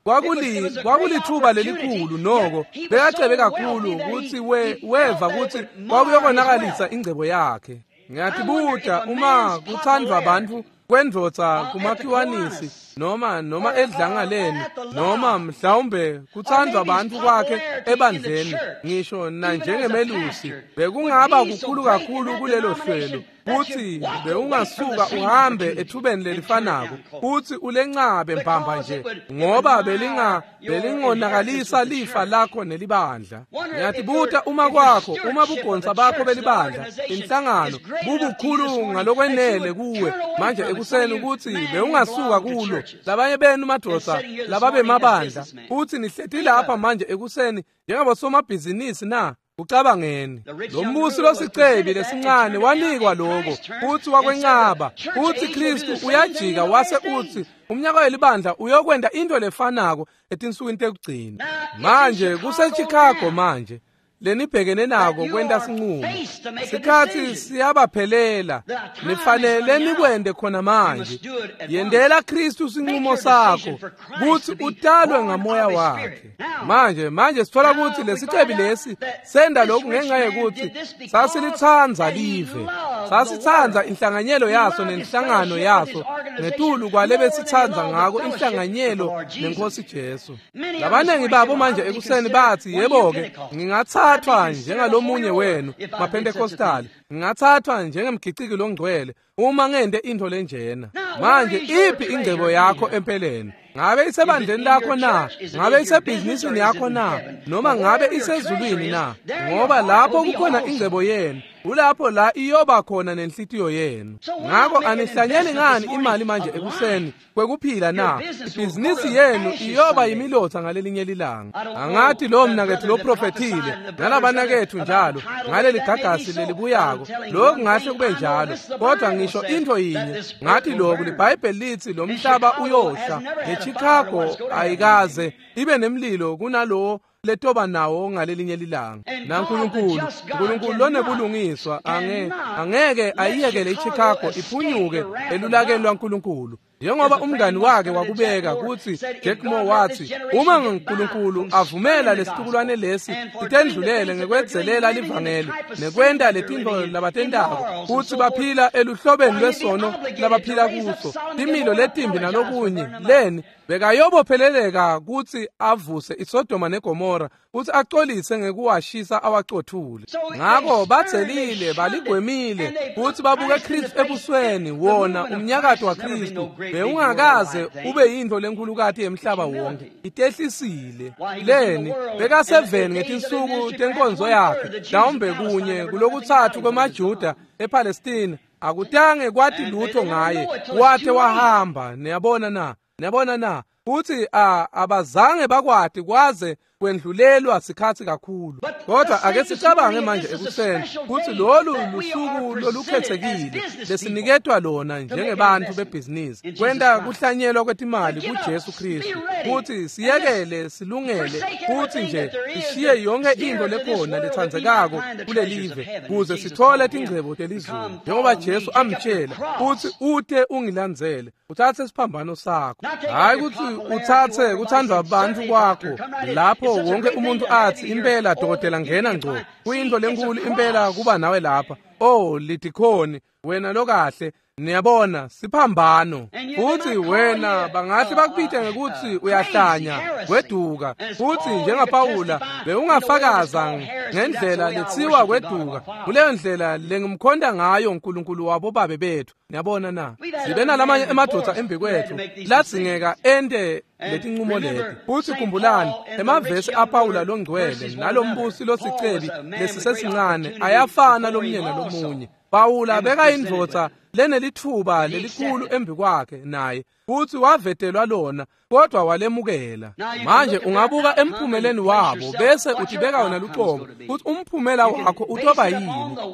Kwakulithuba lelikhulu noko bekacebe kakhulu ukuthi weva ukuthi kwakuyokonakalisa ingcebo yakhe. Ngiyatibuta uma kuthandwa abantu kwendvodza kumakhiwanisi noma edlangaleni noma mhlawumbe kuthandwa abantu kwakhe ebandleni ngisho nanjengemelusi bekungaba kukhulu kakhulu kulelo hlelo kuthi bewungasuka uhambe ethubeni lelifanako kuthi ulencabe mbamba nje ngoba belingonakalisa lifa lakho nelibandla. Ngiyatibuta uma kwakho uma bugonsa bakho belibandla inhlangano bubukhulu ngalokwenele kuwe manje ekuseni ukuthi bewungasuka kulo. Labanye benu madoda lababe mabandla uthi nihleti lapha manje ekuseni njengabosomabhizinisi na? Ucabangeni lo mbusi losicebi lesincane wanikwa lokho futhi wakwenqaba. Uthi Kristu uyajika wase uthi umnyaka welibandla uyokwenda into lefanako etinsukwini tekugcina. Manje kuseChicago manje lenibhekene nako kwenta sinqumo. Sikhathi siyabaphelela, nifanele nikwende khona manje. Yendela Kristu sinqumo sakho kuthi utalwe ngamoya wakhe. Manje sithola ukuthi lesicebi lesi senda lokhu ngenxa yokuthi sasilithandza live, sasithandza inhlanganyelo yaso nenhlangano yaso ngetulu kwalebesithandza ngako inhlanganyelo nenkosi Jesu. Labanengi babo manje ekuseni bathi yebo-ke ngingathathwa njengalomunye wenu maPentecostal, ngingathathwa njengemgiciki longcwele uma ngende into lenjena. Manje iphi ingcebo yakho empeleni? Ngabe isebandleni lakho na? Ngabe isebhizinisini yakho na? Noma ngabe isezulwini na? Ngoba lapho kukhona ingcebo yenu, ulapho la iyoba khona nenhlitiyo yenu. Ngakho anihlanyeli ngani imali manje ekuseni kwekuphila na? Ibhizinisi yenu iyoba yimilotha ngalelinye lilanga. Angathi lo mnakethu lo profethile nalabanakethu njalo ngaleli gagasi lelibuyako, lokhu ngahle kube njalo, kodwa ngisho into yinye ngathi lokhu liBhayibheli lithi lo mhlaba uyosha. NeChicago ayikaze ibe nemlilo kunalowo letoba nawo ngalelinye lilanga. NaNkulunkulu, uNkulunkulu lonebulungiswa angeke ayiyekele iChicago iphunyuke elulakeni lwaNkulunkulu. Njengoba umngani wakhe wakubeka kuthi Jack Moore wathi uma uNkulunkulu avumela lesitukulwane lesi sitendlulele ngekwedzelela livangeli nekwenta letinto labatentako kuthi baphila eluhlobeni lwesono labaphila kuso timilo letimbi nalokunye leni bekayobopheleleka kuthi avuse iSodoma neGomora kuthi acolise ngekuwashisa awacothule. Ngakho bathelile baligwemile kuthi babuke Kristu ebusweni wona umnyakato waKristu bewungakaze ube yinto lenkulukati yemhlaba wonke. Itehlisile leni bekaseveni ngetinsuku tenkonzo yakhe mhlawumbe kunye kulokuthathu kwemaJuda ePalestina akutange kwathi lutho ngaye wathe wahamba. Niyabona na? Niyabona na? Futhi abazange bakwati kwaze kwendlulelwa sikhathi kakhulu. Kodwa ake sicabange manje ekuseni kuthi lolu lusuku lolukhethekile lesiniketwa lona njengebantu bebhizinisi kwenta kuhlanyelwa kwetimali kuJesu Kristu kuthi siyekele silungele kuthi nje sishiye yonke into lekhona lethandzekako kulelive kuze sithole tingcebo telizulu njengoba Jesu amtshela uthi ute ungilandzele uthathe isiphambano sakho. Hayi ukuthi uthathe kuthandwa abantu kwakho lapho wonke umuntu athi impela dokotela ngena ngco kuyinto lenkulu impela kuba nawe lapha. Oh lidikhoni wena lokahle. Niyabona siphambano. Futhi wena bangathi bakubite ngekuthi uyahlanya kweduka. Futhi njengaPawula bewungafakaza ngendlela lethiwa kweduka kuleyo ndlela lengimkhonda ngayo uNkulunkulu wabo babe bethu. Niyabona na? Sibe nalamanye emadoda embikwethu ladzingeka ente letinqumo leti. Futhi khumbulani emavesi aPawula longcwele nalombusi losicebi lesisesincane ayafana lomnye nalomunye. Pawula bekayindvodza lenelithuba lelikhulu embikwakhe naye Futsi wavetelwa lona, kodwa walemukela. Manje ungabuka emphumeleni wabo bese utibeka wena luqobo futhi umphumela wakho utoba yini.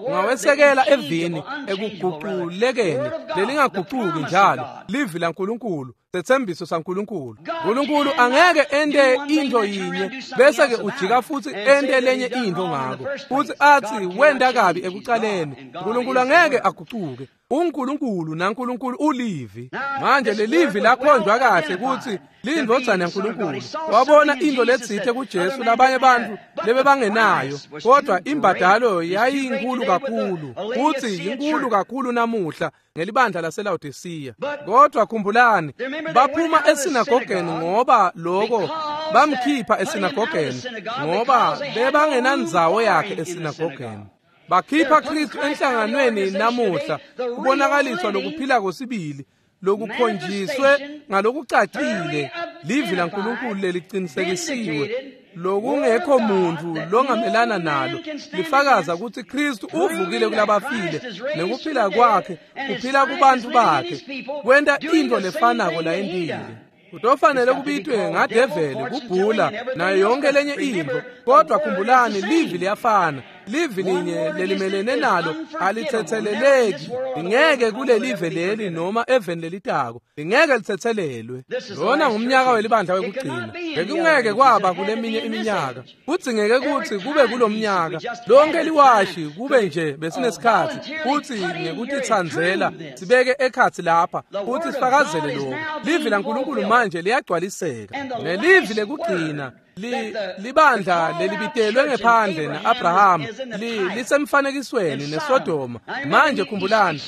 Ungawesekela evini ekuguqulekeni lelingaguquki njalo, livi laNkulunkulu, setsembiso saNkulunkulu. uNkulunkulu angeke ente into yinye bese ke ujika futhi ente lenye into ngako futhi athi wenda kabi ekucaleni. uNkulunkulu angeke aguquke. uNkulunkulu naNkulunkulu ulivi. Manje lelivi lakhonjwa kahle ukuthi lindvodzana yaNkulunkulu. Wabona into letsite kuJesu labanye bantu lebebangenayo, kodwa imbadalo yayinkulu kakhulu, futhi inkulu kakhulu namuhla ngelibandla laseLaodicea. Kodwa khumbulani, baphuma esinagogeni ngoba lokho bamkhipha esinagogeni ngoba bebangenandzawo yakhe esinagogeni. Bakhipha Kristu enhlanganweni namuhla, kubonakaliswa lokuphila kwesibili lokukhonjiswe ngalokucacile livi laNkulunkulu leliqinisekisiwe lokungekho muntu longamelana nalo, lifakaza ukuthi Kristu uvukile kulabafile nekuphila kwakhe kuphila kubantu bakhe, kwenta into lefanako layentile. Kutofanele kubitwe ngadeveli kubhula nayo yonke lenye into, kodwa khumbulani livi liyafana. Livi linye lelimelene nalo alithetheleleki, lingeke kulelive leli noma eveni lelitako, lingeke lithethelelwe. Lona ngumnyaka welibandla wekugcina, bekungeke kwaba kuleminye iminyaka, kudzingeke kutsi kube kulomnyaka lonke liwashi kube nje besinesikhathi kutsi ngekutitsandzela sibeke ekhatsi lapha kutsi sifakazele lokhu. Livi laNkulunkulu manje liyagcwaliseka, nelivi lekugcina libandla lelibitelwe ngephandle na-Abraham lisemfanekisweni neSodoma. Manje khumbulani,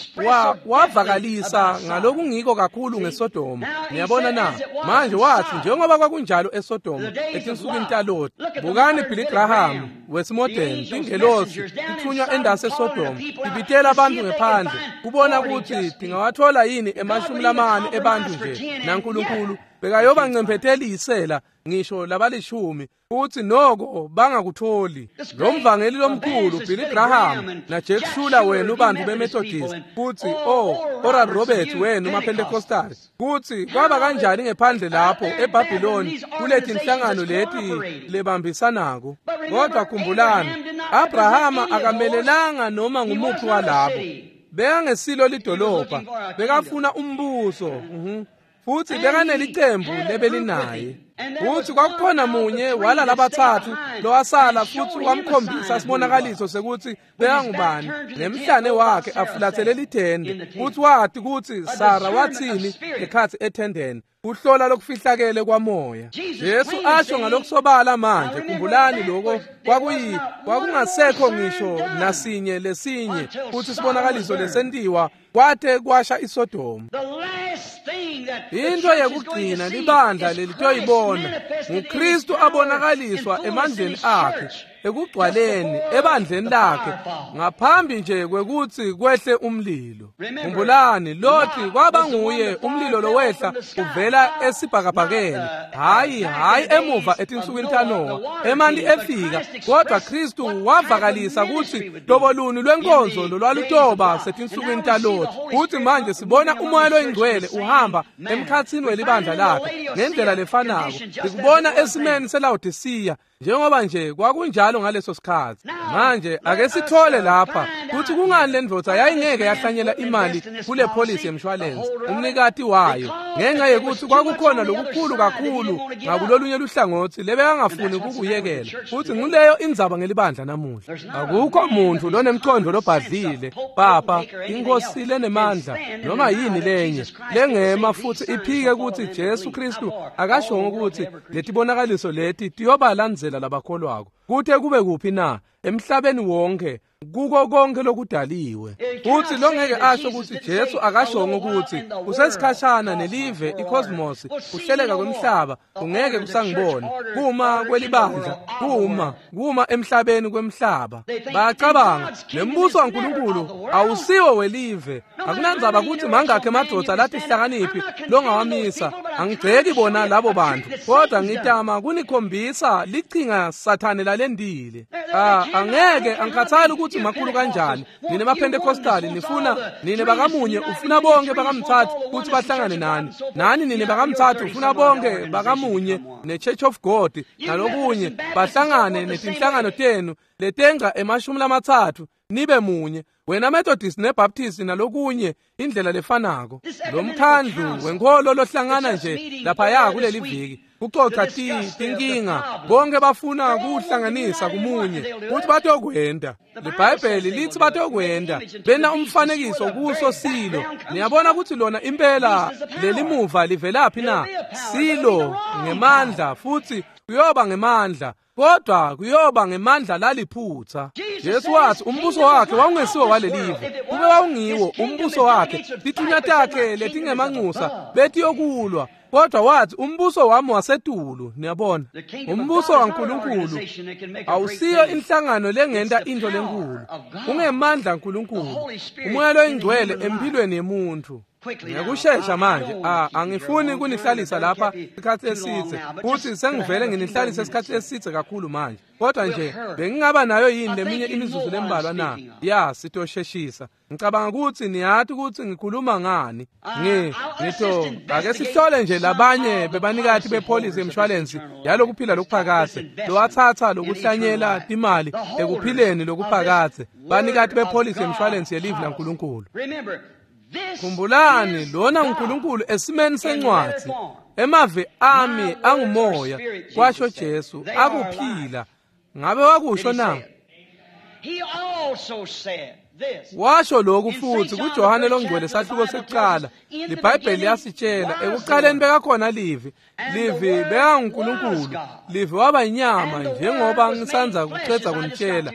wavakalisa ngalokungiko kakhulu ngeSodoma. Niyabona na? Manje wathi njengoba kwakunjalo eSodoma etinsukwini taLoti. Bukani Billy Graham wesimodern, tingelosi tithunywa endasi eSodoma, tibitela abantu ngephandle kubona ukuthi tingawathola yini 40 ebantu nje naNkulunkulu bekayoba ncemphetelisela ngisho labalishumi futhi noko bangakutholi. Lo mvangeli lomkhulu Billy Graham na Jack Schuler wenu bantu beMethodist, futhi Oral Roberts wenu maPentecostal, kuthi kwaba kanjani ngephandle lapho eBabylon kulethi inhlangano leti lebambisanako. Kodwa khumbulani, Abrahama akamelelanga noma ngumuphi walabo, bekangesilo lidolobha, bekafuna umbuso. Futhi bekanelicembu lebelinaye. Futhi kwakukhona munye wala labathathu lowasala futhi wamkhombisa sibonakaliso sekuthi bekangubani, nemhlane wakhe afulathele lithende. Futhi wathi kuthi Sara wathini ngekhathi ethendeni, kuhlola lokufihlakele kwamoya. Jesu asho ngalokusobala manje, khumbulani lokho kwakungasekho ngisho nasinye lesinye futhi sibonakaliso lesentiwa kwate kwasha iSodoma. Into yekugcina libandla lelitoyibona nguKristu abonakaliswa emandleni akhe ekugcwaleni ebandleni lakhe ngaphambi nje kwekuthi kwehle umlilo. Khumbulani, Loti kwaba nguye umlilo lowehla uvela esibhakabhakeni, hayi emuva etinsukwini taNowa emanti efika, kodwa Kristu wavakalisa ukuthi loboluni lwenkonzo lolwalutoba setinsukwini taLoti. Futhi manje sibona umoya loyingcwele uhamba emkhathini welibandla lakhe ngendlela lefanako, sikubona esimeni seLaodicea njengoba nje kwakunjalo ngaleso sikhathi. Manje ake sithole lapha kuthi kungani le ndvodza yayingeke yahlanyela imali kule polisi yemshwalense umnikati wayo, ngenxa yekuthi kwakukhona lokukhulu kakhulu ngakulolunye luhlangothi lebekangafuni kukuyekela. Futhi nguleyo indzaba ngelibandla namuhla. Akukho muntu lonemcondo lobhadlile, papa, inkosi lenemandla noma yini lenye lengema futhi iphike ukuthi Jesu Kristu akashongo ukuthi letibonakaliso leti tiyobalandzela labakholwako kuthe kube kuphi na emhlabeni wonke kuko konke lokudaliwe. Futhi longeke asho ukuthi Jesu akashongo ukuthi usesikhashana nelive icosmos kuhleleka kwemhlaba ungeke kusangibona kuma kwelibandla kuma emhlabeni kwemhlaba. Bayacabanga nembuso waNkulunkulu awusiwo welive. Akunandzaba ukuthi mangakhe emadvodza lathi hlakaniphi longawamisa. Angigceki bona labo bantu, kodwa ngitama kunikhombisa lichinga Sathane lalendile. Angeke angikhathali ukuthi makhulu kanjani. Nine maPentecostal nifuna, nine bakamunye ufuna bonke bakamthathu ukuthi bahlangane nani. Nani nine bakamthathu ufuna bonke bakamunye ne-Church of God nalokunye bahlangane netinhlangano tenu letenga 30 nibe munye. Wena Methodist neBaptist nalokunye indlela lefanako. Lo mkhandlu wenkholo lohlangana nje laphaya kuleli viki kucoca tinkinga, bonke bafuna kuhlanganisa kumunye kuthi batokwenda. LiBhayibheli lithi batokwenda bena umfanekiso kuso silo. Niyabona ukuthi lona impela lelimuva livelaphi na? Silo ngemandla, futhi kuyoba ngemandla, kodwa kuyoba ngemandla laliphutha. Jesu wathi umbuso wakhe wawungesiwo walelive. Kube wawungiwo umbuso wakhe, tithunywa takhe letingemanxusa betiyokulwa, kodwa wathi umbuso wami wasetulu. Niyabona, umbuso waNkulunkulu awusiyo inhlangano lengenta into lenkulu, ungemandla kaNkulunkulu, umoya loyingcwele empilweni yemuntu. Ngekushesha manje, angifuni kunihlalisa lapha isikhathi esithe, futhi sengivele nginihlalisa isikhathi esithe kakhulu manje. Kodwa nje bengingaba nayo yini leminye imizuzu lembalwa na? Ya, sitosheshisa. Ngicabanga ukuthi niyathi ukuthi ngikhuluma ngani. Ngitho ake sihlole nje labanye bebanikati bepholisi yemshwalensi yalokuphila lokuphakadze, lowathatha lokuhlanyela timali ekuphileni lokuphakadze, banikati bepholisi yemshwalensi yelivi laNkulunkulu. Khumbulani, lona uNkulunkulu esimeni sencwadzi. Emavi ami angumoya, kwasho Jesu, akuphila. Ngabe wakusho na? Washo lokhu futhi kuJohane longcwele sahluko sekuqala. LiBhayibheli liyasitshela ekuqaleni bekakhona livi, livi bekanguNkulunkulu, livi waba inyama njengoba ngisanza kucedza kunitshela,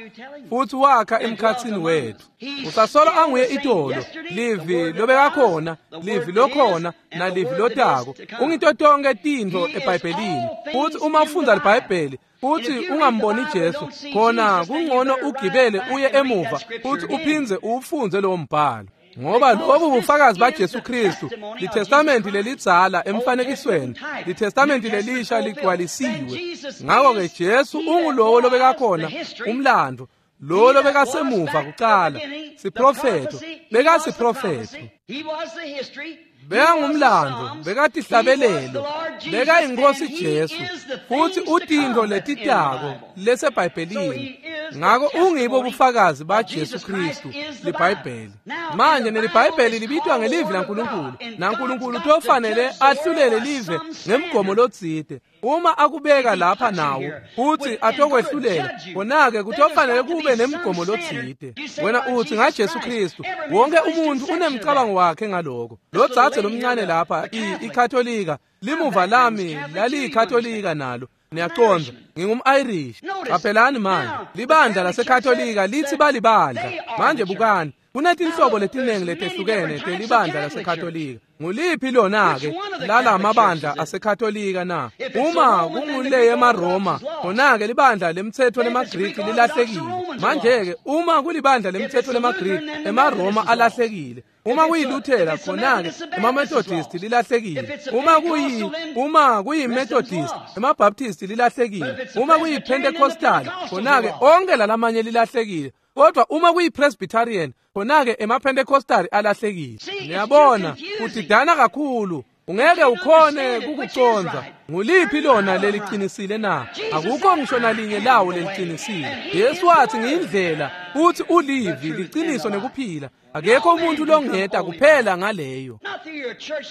futhi wakha emkhathini wethu. Usasolo anguye itolo, livi lobekakhona, livi lokhona, nalivi lotako. Ungito tonke tintfo eBhayibhelini. Futhi uma ufundza liBhayibheli futhi ungamboni Jesu, khona kungcono ugibele uye emuva futhi uphindze uwufundze lowo mbhalo. Ngoba lobu bufakazi baJesu Kristu, liTestamenti lelidzala emfanekisweni, liTestamenti lelisha ligcwalisiwe. Ngakho-ke Jesu ungulowo lobekakhona, umlando, lo lobekasemuva kuqala, siprofetho, bekasiprofetho. Bekangumlando, bekatihlabelelo, bekayinkosi Jesu, futhi utintfo letitako leseBhayibhelini. Ngako ungibo bufakazi baJesu Kristu, liBhayibheli. Manje neliBhayibheli libitwa ngelivi laNkulunkulu, naNkulunkulu tofanele ahlulele live ngemgomo lotsite. Uma akubeka lapha nawo futhi atokwehlulela, khona-ke kutofanele kube nemgomo lotsite. Wena uthi ngaJesu Kristu, wonke umuntu unemcabango wakhe ngaloko. Lo dzadze lomncane lapha, iKatolika, limuva lami laliyikatolika nalo. Niyacondza, ngingum-Irish. Qaphelani manje, libandla laseKatolika lithi balibandla. Manje bukani, kunetinhlobo letiningi letehlukene telibandla laseKatolika. Nguliphi lona-ke lala mabandla aseKatolika na? Uma kungule yemaRoma, khona-ke libandla lemtsetfo lemaGriki lilahlekile. Manje-ke uma kulibandla lemtsetfo lemaGriki, emaRoma alahlekile. Uma kuyiLuthela, khona-ke emaMethodist lilahlekile. Uma kuyiMethodist, emaBaptist lilahlekile. Uma kuyiPentecostal, khona-ke onke lalamanye lilahlekile. Kodwa uma kuyiPresbyterian, khona-ke emaPentecostal alahlekile. Niyabona, kudidana kakhulu. Ungeke ukhone kukucondza. Nguliphi lona leliqinisile na? Akukho ngisho nalinye lawo leliqinisile. Jesu wathi ngiyindlela, futhi ulivi, liqiniso nekuphila. Akekho umuntu longeta kuphela ngaleyo.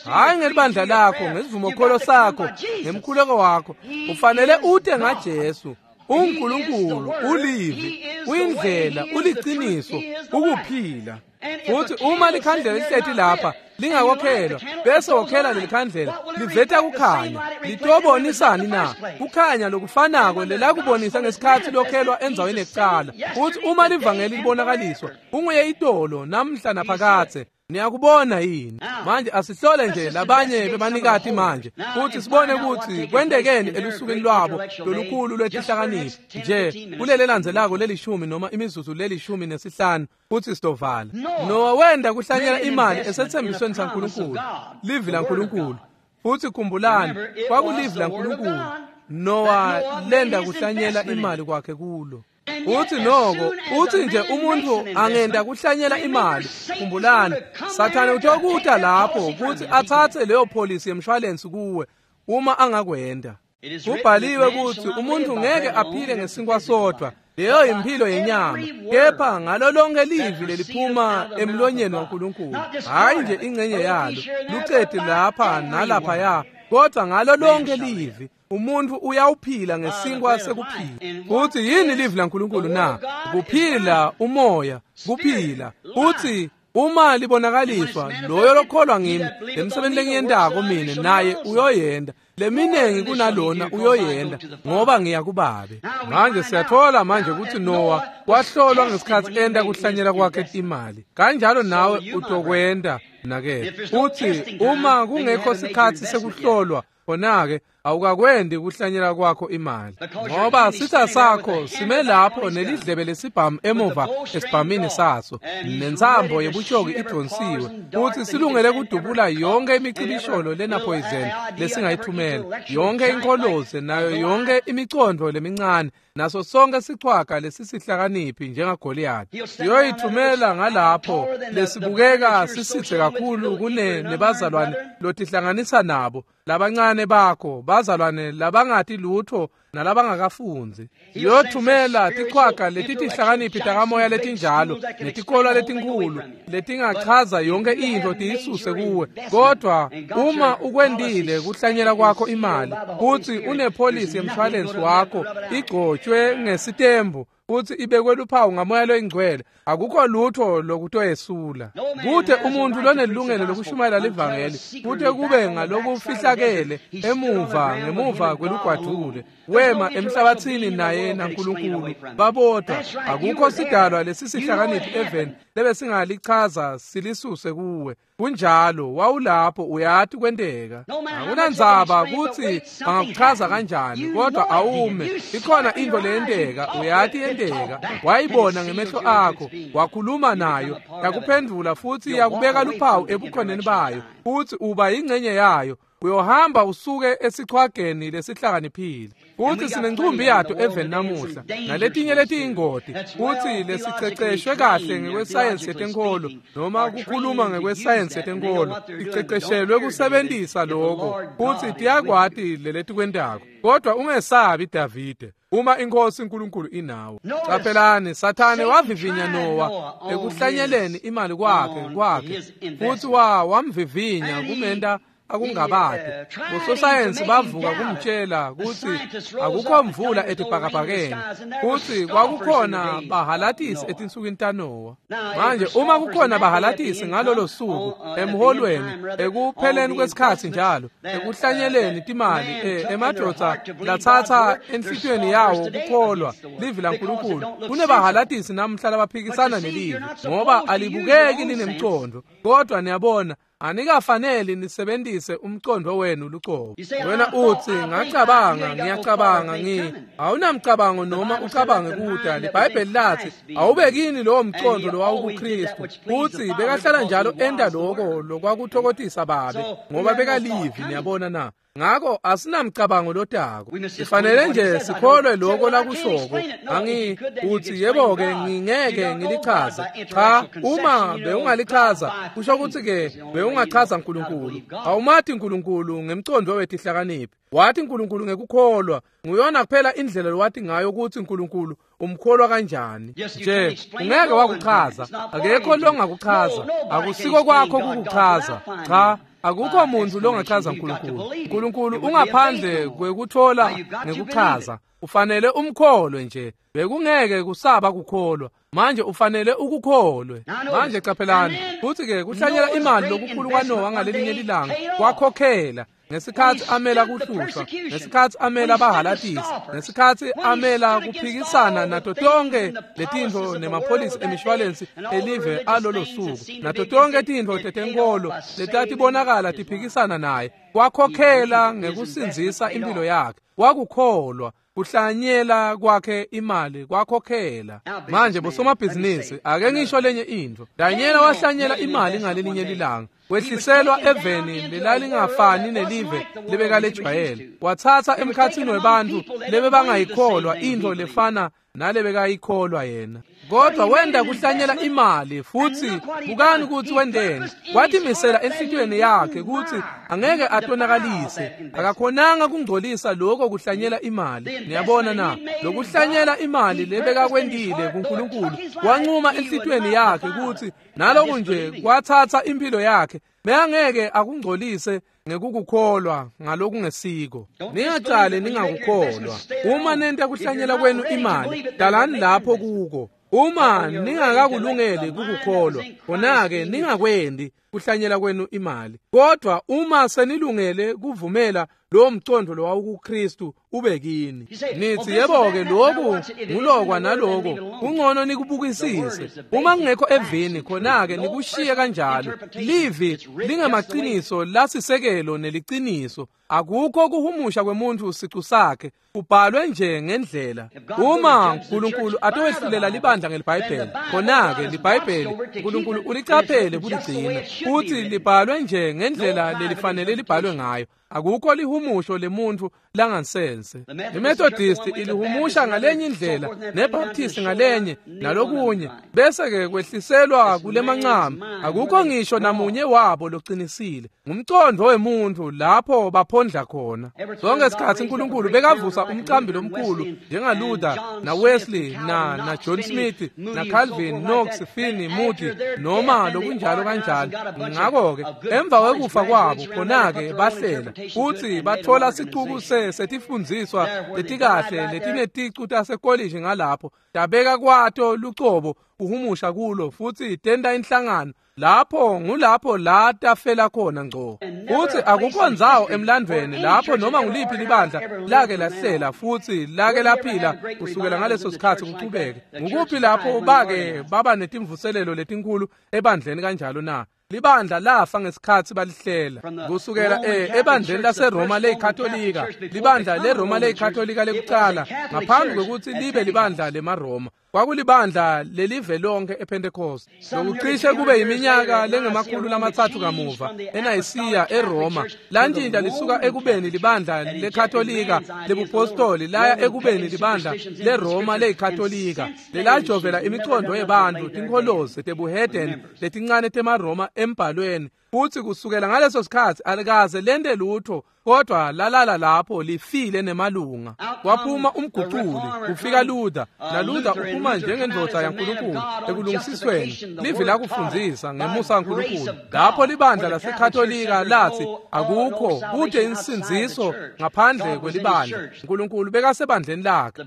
Hayi ngelibandla lakho, ngesivumokholo sakho, ngemkhuleko wakho. Ufanele ute ngaJesu. uNkulunkulu ulivi, uyindlela, uliqiniso, ukuphila. Futhi uma likhandlela lihleti lapha lingakokhelwa, bese wokhela lelikhandlela liveta kukhanya, litobonisani na? Kukhanya lokufanako lelakubonisa ngesikhathi lokhelwa endzaweni yekucala. Futhi uma livangeli libonakaliswa, unguye itolo namhla naphakadze. Niyakubona yini? Manje asihlole nje labanye bebanikati manje futhi sibone ukuthi kwentekeni elusukwini lwabo lolukhulu lwetihlakaniphi nje kulele landzelako lelishumi noma imizuzu lelishumi nesihlanu futhi sitovala. Nowa wenda kuhlanyela imali esethembisweni saNkulunkulu, livi laNkulunkulu. Futhi khumbulani, kwakulivi laNkulunkulu Noah lenda kuhlanyela imali kwakhe kulo. Uthi noko, uthi nje umuntu angenda kuhlanyela imali, khumbulani, Sathane utokuta lapho kuthi athathe leyo polisi yemshwalensi kuwe uma angakwenda. Kubhaliwe ukuthi umuntu ngeke aphile ngesinkwa sodwa, leyo impilo yenyama, kepha ngalo lonke livi leliphuma emlonyeni waNkulunkulu, hayi nje ingcenye yalo, lucede lapha nalaphaya, kodwa ngalo lonke livi umuntu uyawuphila ngesinkwa sekuphila. Uthi yini livi laNkulunkulu na? Kuphila umoya, kuphila. Uthi uma libonakaliswa loyo lokholwa ngimi, lemsebenzi lengiyentako mina naye uyoyenda, leminengi kunalona uyoyenda, ngoba ngiya kubabe. Manje siyathola manje ukuthi Noah wahlolwa ngesikhathi enda kuhlanyela kwakhe imali. Kanjalo nawe utokwenda nakele. Uthi uma kungekho sikhathi sekuhlolwa, khona-ke awukakwendi kuhlanyela kwakho imali, ngoba sitha sakho sime lapho nelidlebe lesibhamu emuva esibhamini saso, nentsambo yebutjoki idonsiwe, futhi silungele kudubula yonke imicibisholo lena poison lesingayithumela, yonke inkholoze nayo yonke imicondvo lemincane, naso sonke sichwaga lesisihlakaniphi njengaGoliath. Siyoyithumela ngalapho lesibukeka sisithe kakhulu kune nebazalwane lotihlanganisa nabo, labancane bakho, bazalwane labangati lutho nalabangakafunzi. Siyothumela tichwaga letitihlakaniphi takamoya letinjalo netikolwa letinkhulu letingachaza yonke intfo tiyisuse kuwe. Kodwa uma ukwendile kuhlanyela kwakho imali, futhi unepholisi yemshwalensi wakho igcotshwe ngesitembu futhi ibekwe luphawu ngamoya loyingcwele, akukho lutho lokutoyesula. Kute umuntu lonelungelo lokushumayela livangeli kute kube ngalokufihlakele emuva ngemuva kwelugwadvule, wema emhlabathini naye naNkulunkulu babodwa. Akukho sidalwa lesisihlakaniphi eveni lebesingalichaza silisuse kuwe. Kunjalo, wawulapho, uyati kwenteka. Akunandzaba kutsi bangakuchaza kanjani, kodwa awume, ikhona intfo leyenteka, uyati yenteka. Wayibona ngemehlo akho, wakhuluma nayo, yakuphendvula futhi yakubeka luphawu ebukhoneni bayo, futhi uba yingcenye yayo. Uyohamba usuke esichwageni lesihlakaniphile. Futhi sinencumbi yato eveni namuhla, naletinye letiyingoti, futhi lesiceceshwe kahle ngekwesayensi yetenkholo, noma kukhuluma ngekwesayensi yetenkholo, ticeceshelwe kusebentisa lokho, futhi tiyakwati leletikwentako. Kodwa ungesabi Davide, uma inkosi uNkulunkulu inawe. Qaphelani, Sathane wavivinya Noah ekuhlanyeleni imali kwakhe, futhi wamvivinya kumenta akungabade. Ososayensi bavuka kumtshela ukuthi akukho mvula etibhakabhakeni, futhi kwakukhona bahalatisi etinsukwini taNoah. Manje uma kukhona bahalatisi ngalolo suku emholweni, ekupheleni kwesikhathi njalo, ekuhlanyeleni timali, emadvodza lathatha enhlitiyweni yawo kukholwa livi laNkulunkulu, kunebahalatisi namuhla labaphikisana nelivi ngoba alibukeki linemcondo. Kodwa niyabona, anikafaneli nisebentise umcondo wenu lucobo. Wena uthi ngacabanga, ngiyacabanga, awunamcabango noma ucabange kuda. LiBhayibheli lathi awubekini lowo mcondo lowawukuKristu, futhi bekahlala njalo enda lokho lokwakuthokotisa babe, ngoba bekalivi. Niyabona na? Ngakho asinamcabango lotako, sifanele nje sikholwe lokho lakushoko. Uthi yebo-ke ngingeke ngilichaze. Cha, uma bewungalichaza kusho ukuthi-ke bewungachaza uNkulunkulu. Awumati uNkulunkulu ngemcondo wetihlakaniphi, wathi uNkulunkulu ngekukholwa. Nguyona kuphela indlela lowati ngayo ukuthi uNkulunkulu umkholwa kanjani. Nje ungeke wakuchaza, akekho longakuchaza, akusiko kwakho kukuchaza. Cha, akukho muntu longachaza uNkulunkulu. uNkulunkulu ungaphandle kwekuthola ngekuchaza. Ufanele umkholwe nje, bekungeke kusaba kukholwa. Manje ufanele ukukholwe. Manje qaphelani, futhi-ke kuhlanyela imali lokukhulu kwaNoah ngalelinye lilanga kwakhokhela ngesikhathi amela kuhlushwa, ngesikhathi amela bahalatisi, ngesikhathi amela kuphikisana nato tonke letintfo nemapholisi emishwalensi elive alolo suku, nato tonke tintfo tetenkolo letatibonakala tiphikisana naye. Kwakhokhela ngekusindzisa impilo yakhe. Wakukholwa. Kuhlanyela kwakhe imali kwakhokhela. Manje bosomabhizinisi, ake ngisho lenye intfo. Danyela wahlanyela imali ngalelinye lilanga. Wehliselwa eveni lelalingafani nelive lebekalejwayele. Wathatha emkhatsini webantfu lebebangayikholwa intfo lefana nalebekayikholwa yena. Kodwa wenda kuhlanyela imali futsi bukani kutsi wenteni. Watimisela enhlitiyweni yakhe kutsi angeke atonakalise. Akakhonanga kungcolisa lokho kuhlanyela imali. Niyabona na? Lokuhlanyela imali lebekakwentile kuNkulunkulu, wancuma enhlitiyweni yakhe kutsi naloku nje kwathatha impilo yakhe, beyangeke akungcolise ngekukukholwa ngalokungesiko. Ningacali ningakukholwa. Uma nenta kuhlanyela kwenu imali, dalani lapho kuko. Uma ningakakulungeli kukukholwa, khona-ke ningakwendi kuhlanyela kwenu imali. Kodwa uma senilungele kuvumela lowo mcondvo lowawukuKristu ube kini, nithi yebo-ke lokhu ngulokwa naloko, kungcono nikubukisise. Uma kungekho evini, khona-ke nikushiye kanjalo. Livi lingemaciniso lasisekelo neliciniso. Akukho kuhumusha kwemuntu sicu sakhe, kubhalwe nje ngendlela. Uma uNkulunkulu atowehlulela libandla ngeliBhayibheli, khona-ke liBhayibheli uNkulunkulu ulicaphele kuligcina, futhi libhalwe nje ngendlela lelifanele libhalwe ngayo. Akukho lihumusho lemuntu langansense. IMethodist ilihumusha ngalenye indlela, neBaptist ngalenye, nalokunye, bese-ke kwehliselwa kulemancama. Akukho ngisho namunye wabo locinisile. Ngumcondvo wemuntu lapho baphondla khona. Sonke isikhatsi uNkulunkulu bekavusa umcambi lomkhulu njengaLuther naWesley na John Smith na Calvin, Knox, Finney, Moody noma lokunjalo kanjalo. Ngakho-ke emva kwekufa kwabo khona-ke bahlela futhi bathola sicuku setifundziswa letikahle letineticu tasekolishi ngalapho, tabeka kwato lucobo kuhumusha kulo futhi tenta inhlangano. Lapho ngulapho la tafela khona ngco. Futhi akukho ndzawo emlandvweni lapho noma nguliphi libandla lake lahlela futhi lake laphila kusukela ngaleso sikhatsi kuchubeke. Ngukuphi lapho bake baba netimvuselelo letinkulu ebandleni kanjalo na? Libandla lafa ngesikhatsi balihlela. Kusukela ebandleni laseRoma leyiKatolika, libandla leRoma leyiKatolika lekucala ngaphambi kwekutsi libe libandla lemaRoma, kwakulibandla lelive lonke ePentecost. Lokucishe kube iminyaka lengama-300 kamuva eNayisiya eRoma, lantshintsha lisuka ekubeni libandla leKatolika lebupostoli laya ekubeni libandla leRoma leyiKatolika lelajovela imicondvo yebantfu, tinkholozi tebuhedeni letincane temaRoma embhalweni. Futhi kusukela ngaleso sikhatsi alikaze lente lutho kodwa lalala lapho lifile nemalunga. Waphuma umguculi, kufika Luther, naLuther uphuma njengendvodza yaNkulunkulu ekulungisisweni. Livi lakufundzisa ngemusa kaNkulunkulu. Lapho libandla laseKatolika lathi akukho kude insindziso ngaphandle kwelibandla. uNkulunkulu bekasebandleni lakhe.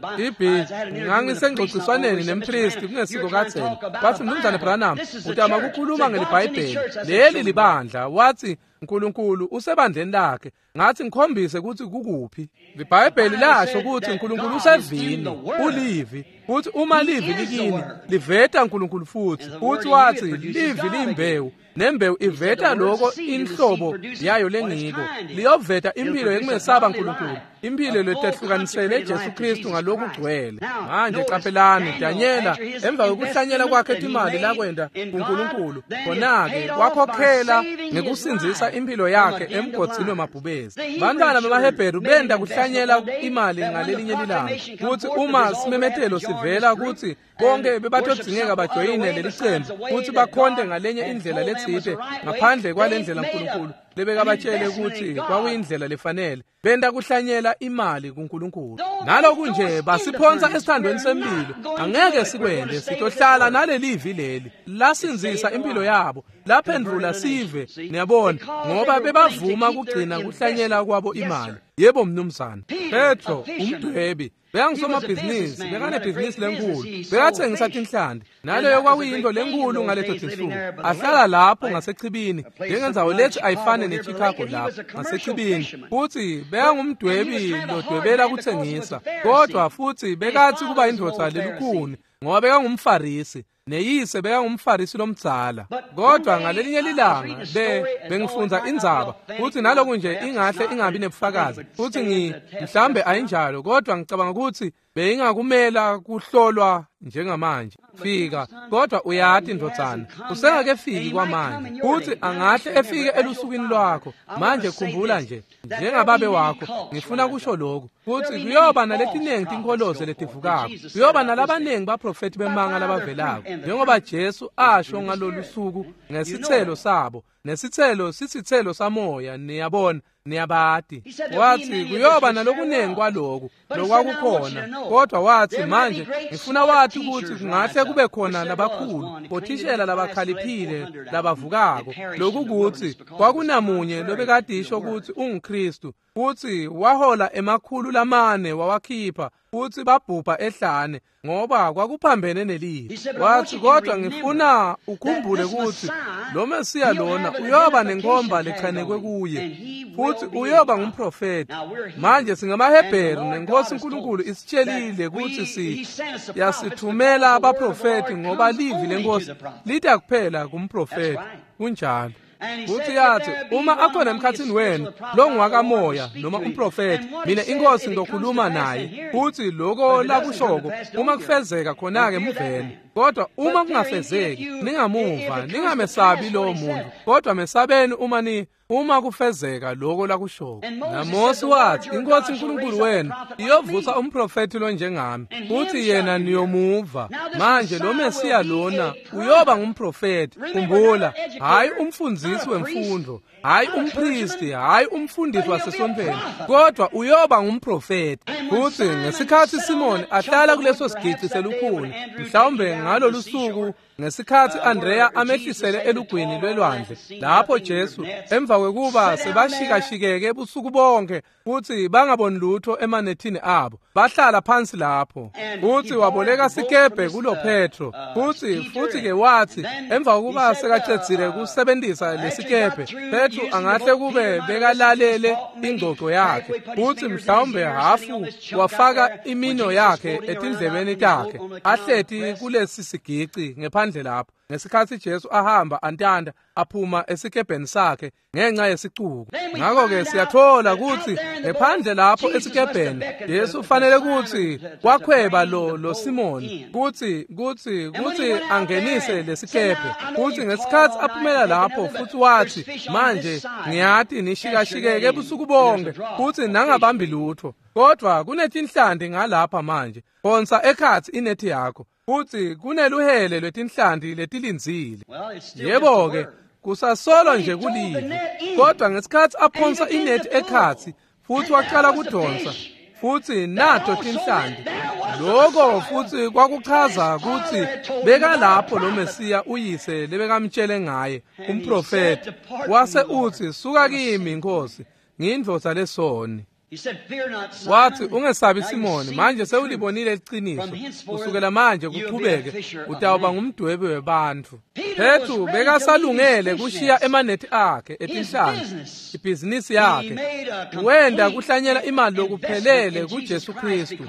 Ngangisengxoxiswaneni nempristi kungesiko kadzeni. Wathi, Mnumzane Branham, utama kukhuluma ngeliBhayibheli. Leli libandla. Wathi uNkulunkulu usebandleni lakhe. Ngathi ngikhombise ukuthi kukuphi. IBhayibheli lasho ukuthi uNkulunkulu usevini, ulivi. Futhi uma livi likini, liveta uNkulunkulu futhi. Futhi wathi livi liyimbewu, nembewu iveta lokho inhlobo yayo lengiko. Liyoveta impilo yekumesaba uNkulunkulu, impilo letehlukanisele Jesu Kristu ngalokhu kugcwele. Manje qaphelani, Danyela emva kokuhlanyela kwakhe imali lakwenda kuNkulunkulu, khona-ke wakhokhela ngekusindzisa impilo yakhe emgodzini wemabhubezi. Bantwana bemaHebheru benda kuhlanyela imali ngalelinye lilanga, kuthi uma simemetelo sivela kuthi bonke bebatodzingeka bajoyine leli cembu futhi bakhonte ngalenye indlela letsite ngaphandle kwalendlela uNkulunkulu lebekabatshele ukuthi kwakuyindlela lefanele, benda kuhlanyela imali kuNkulunkulu. Naloku nje basiphonsa esithandweni sempilo, angeke sikwende, sitohlala nalelivi leli lasindzisa impilo yabo, laphendvula sive. Niyabona, ngoba bebavuma kugcina kuhlanyela kwabo imali. Yebo mnumzane. Petro umdwebi bekangusomabhizinisi, bekanebhizinisi lenkulu, bekathengisa tinhlanti. Naleyo kwakuyinto lenkulu ngaleto tinsuku. Ahlala lapho ngasechibini, njengendzawo lethi ayifane neChicago lapho ngasechibini. Futhi bekangumdwebi lodwebela kuthengisa, kodwa futhi bekathi kuba indvodza lelukhuni ngoba bekangumFarisi. Neyise bekangumfarisi lomdzala. Kodwa ngalelinye lilanga bengifundza indzaba futhi naloku nje ingahle ingabi nebufakazi futhi mhlambe ayinjalo, kodwa ngicabanga ukuthi beyingakumela kuhlolwa njengamanje. Fika, kodwa uyati ndodzana, usengakefiki kwamanje, futhi angahle efike elusukwini lwakho. Manje khumbula nje, njengababe wakho, ngifuna kusho lokhu, futhi kuyoba naletiningi tinkholoze letivukako, kuyoba nalabaningi baprofethi bemanga labavelako, njengoba Jesu asho ngalolu suku ngesithelo sabo, nesithelo sisithelo samoya, niyabona, niyabati. Wathi kuyoba nalokuningi kwaloku lokwakukhona, kodwa wathi manje ngifuna wathi ukuthi kungahle kube khona labakhulu bothishela labakhaliphile labavukako, lokukuthi kwakunamunye lobekadisho ukuthi unguKristu, futhi wahola 400 wawakhipha, futhi babhubha ehlane ngoba kwakuphambene nelivi. Wathi kodwa ngifuna ukhumbule ukuthi lo Mesiya lona uyoba nenkomba lechanekwe kuye, futhi uyoba ngumprofeti. Manje singamaHebheru, nenkosi uNkulunkulu isitshelile ukuthi yasithumela abaprofeti ngoba livi lenkosi lida kuphela kumprofeti. Kunjalo. Futhi yathi uma akhona emkhathini wenu longwakamoya noma umprofeti, mina inkosi ngizokhuluma naye, futhi lokho lakushoko uma kufezeka khona-ke muvele, kodwa uma kungafezeki ningamuva, ningamesabi lowo muntu, kodwa mesabeni uma kufezeka lokho lakushoko. NaMose wathi inkosi uNkulunkulu wenu iyovusa umprofeti lonjengami, futhi yena niyomuva. Manje lo Mesiya lona uyoba ngumprofeti. Khumbula, hayi umfundzisi wemfundo, hayi umpristi, hayi umfundisi wasesontweni, kodwa uyoba ngumprofeti. Futhi ngesikhathi Simon ahlala kuleso sigici selukhuni, mhlawumbe ngalolu suku ngesikhathi Andrea amehlisele elugwini lwelwandle, lapho Jesu emva kwekuba sebashikashikeke ebusuku bonke futhi bangaboni lutho emanethini abo, bahlala phansi lapho, futhi waboleka sikebhe kulo Petro, futhi ke wathi emva kokuba sekacedzile kusebenzisa lesikebhe, Petro angahle kube bekalalele ingxoxo yakhe, futhi mhlawumbe hafu wafaka imino yakhe etindlebeni takhe ahleti kulesi sigici ngephandle lapho, ngesikhathi Jesu ahamba antanda aphuma esikebheni sakhe ngenxa yesicuku. Ngakho-ke siyathola ukuthi ngephandle lapho esikebheni Jesu ufanele ukuthi wakhweba lo Simoni kuthi angenise lesikebhe. Futhi ngesikhathi aphumela lapho futhi wathi manje ngiyati nishikashikeke ebusuku bonke futhi nangabambi lutho, kodwa kunetinhlanti ngalapha manje, phonsa ekhatsi inethi yakho, futhi kuneluhele lwetinhlanti letilindzile. Yebo-ke, kusasolo nje kulivi, kodwa ngesikhathi aphonsa inethi ekhatsi futhi waqala kudonsa, futhi nato tinhlanti, lokho futhi kwakuchaza ukuthi bekalapho lo Mesiya uyise lebekamtshele ngaye umprofeti. Wase uthi suka kimi Nkosi, ngiyindvodza lesoni. Wathi ungesabi Simoni, manje sewulibonile iqiniso, kusukela manje kuqhubeke utawuba ngumdwebi webantfu. Petru bekasalungele kushiya emanethi akhe etinhlanzi, ibhizinisi yakhe, wenda kuhlanyela imali lokuphelele kuJesu Kristu,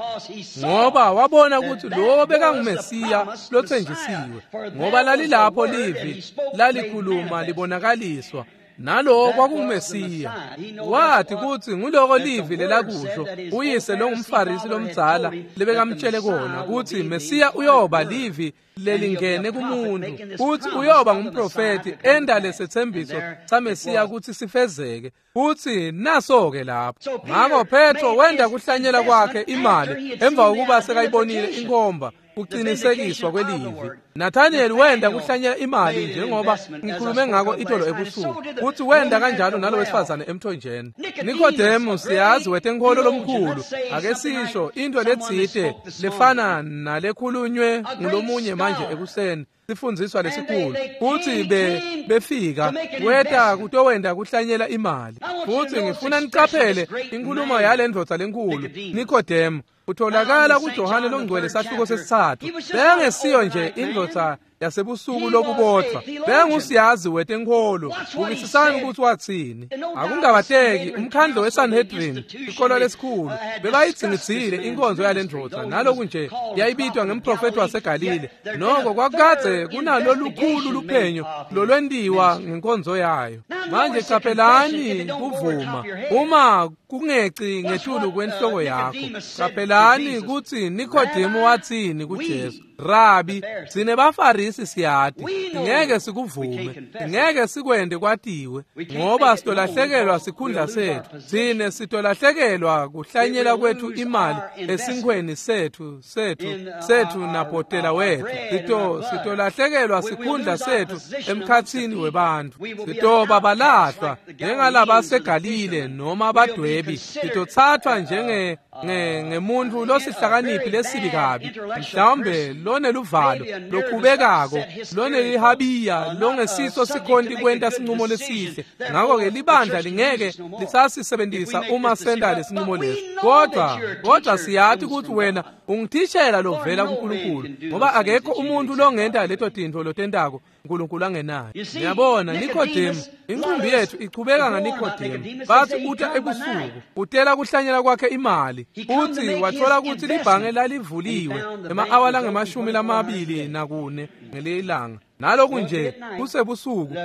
ngoba wabona ukuthi lo bekanguMesiya lothenjisiwe, ngoba lalilapho livi lalikhuluma libonakaliswa, nalo kwakunguMesiya. Wathi ukuthi nguloko livi lelakusho uyise longumfarisi lomdzala lebekamtshele kona, ukuthi Mesiya uyoba livi lelingene kumuntu, futhi uyoba ngumprofeti enda lesethembiso saMesiya ukuthi sifezeke, futhi naso-ke lapho. Ngakho Petro wenda kuhlanyela kwakhe imali emva kokuba sekayibonile inkomba kuqinisekiswa kwelivi. Nathaniel wenda kuhlanyela imali njengoba ngikhulume ngako itolo ebusuku, futhi wenda kanjalo nalo wesifazane emthonjeni. Nikodemu siyazi wetenkholo lomkhulu, ake sisho into letsite lefana nalekhulunywe ngulomunye manje ekuseni, sifundziswa lesikhulu, futhi befika weta kutowenda kuhlanyela imali. Futhi ngifuna niqaphele inkulumo yale ndvodza lenkulu Nikodemu, utholakala kuJohane longcwele sahluko sesithathu. Bekangesiyo nje indvodza yasebusuku lobubodvwa. Bengusiyazi wetenkholo. Bukisisani ukuthi wathini. Akungabateki umkhandlo weSanhedrin, ikolo lesikhulu, bebayidzingidzile inkonzo yalendvodza, naloku nje yayibitwa ngemprofethi waseGalile. Noko kwakukadze kunalolukhulu luphenyo lolwentiwa ngenkonzo yayo. Manje qaphelani kuvuma uma kungeci ngetulu kwenhloko yakho. Qaphelani kutsi Nikodemu wathini kuJesu. Rabi, sine baFarisi siyati, ngeke sikuvume, ngeke sikwende kwatiwe, ngoba sitolahlekelwa sikhundla sethu. Sine sitolahlekelwa kuhlanyela kwethu imali esinkhweni sethu nabhotela wethu. Sitolahlekelwa sikhundla sethu emkhatsini webantfu. Sitoba balahlwa njengalabaseGalile noma abadwebi. Sitothathwa njenge ngemuntfu losihlakaniphi lesibi kabi, mhlawumbe loneluvalo lokhubekako, lonelihabiya, longesiso sikhonti kwenta sinqumo lesihle. Ngakho-ke libandla lingeke lisasisebenzisa uma senta lesinqumo lesi. Kodwa siyati ukuthi wena ungithishela lovela kuNkulunkulu, ngoba akekho umuntu longenta leto tintfo lotentako uNkulunkulu angenayo. Niyabona, Nikodemu, inqumbi yethu ichubeka ngaNikodemu. Bathi uta ebusuku, utela kuhlanyela kwakhe imali. Uthi wathola ukuthi libhange lalivuliwe ema-awa lange-24 ngelilanga. Naloku nje kusebusuku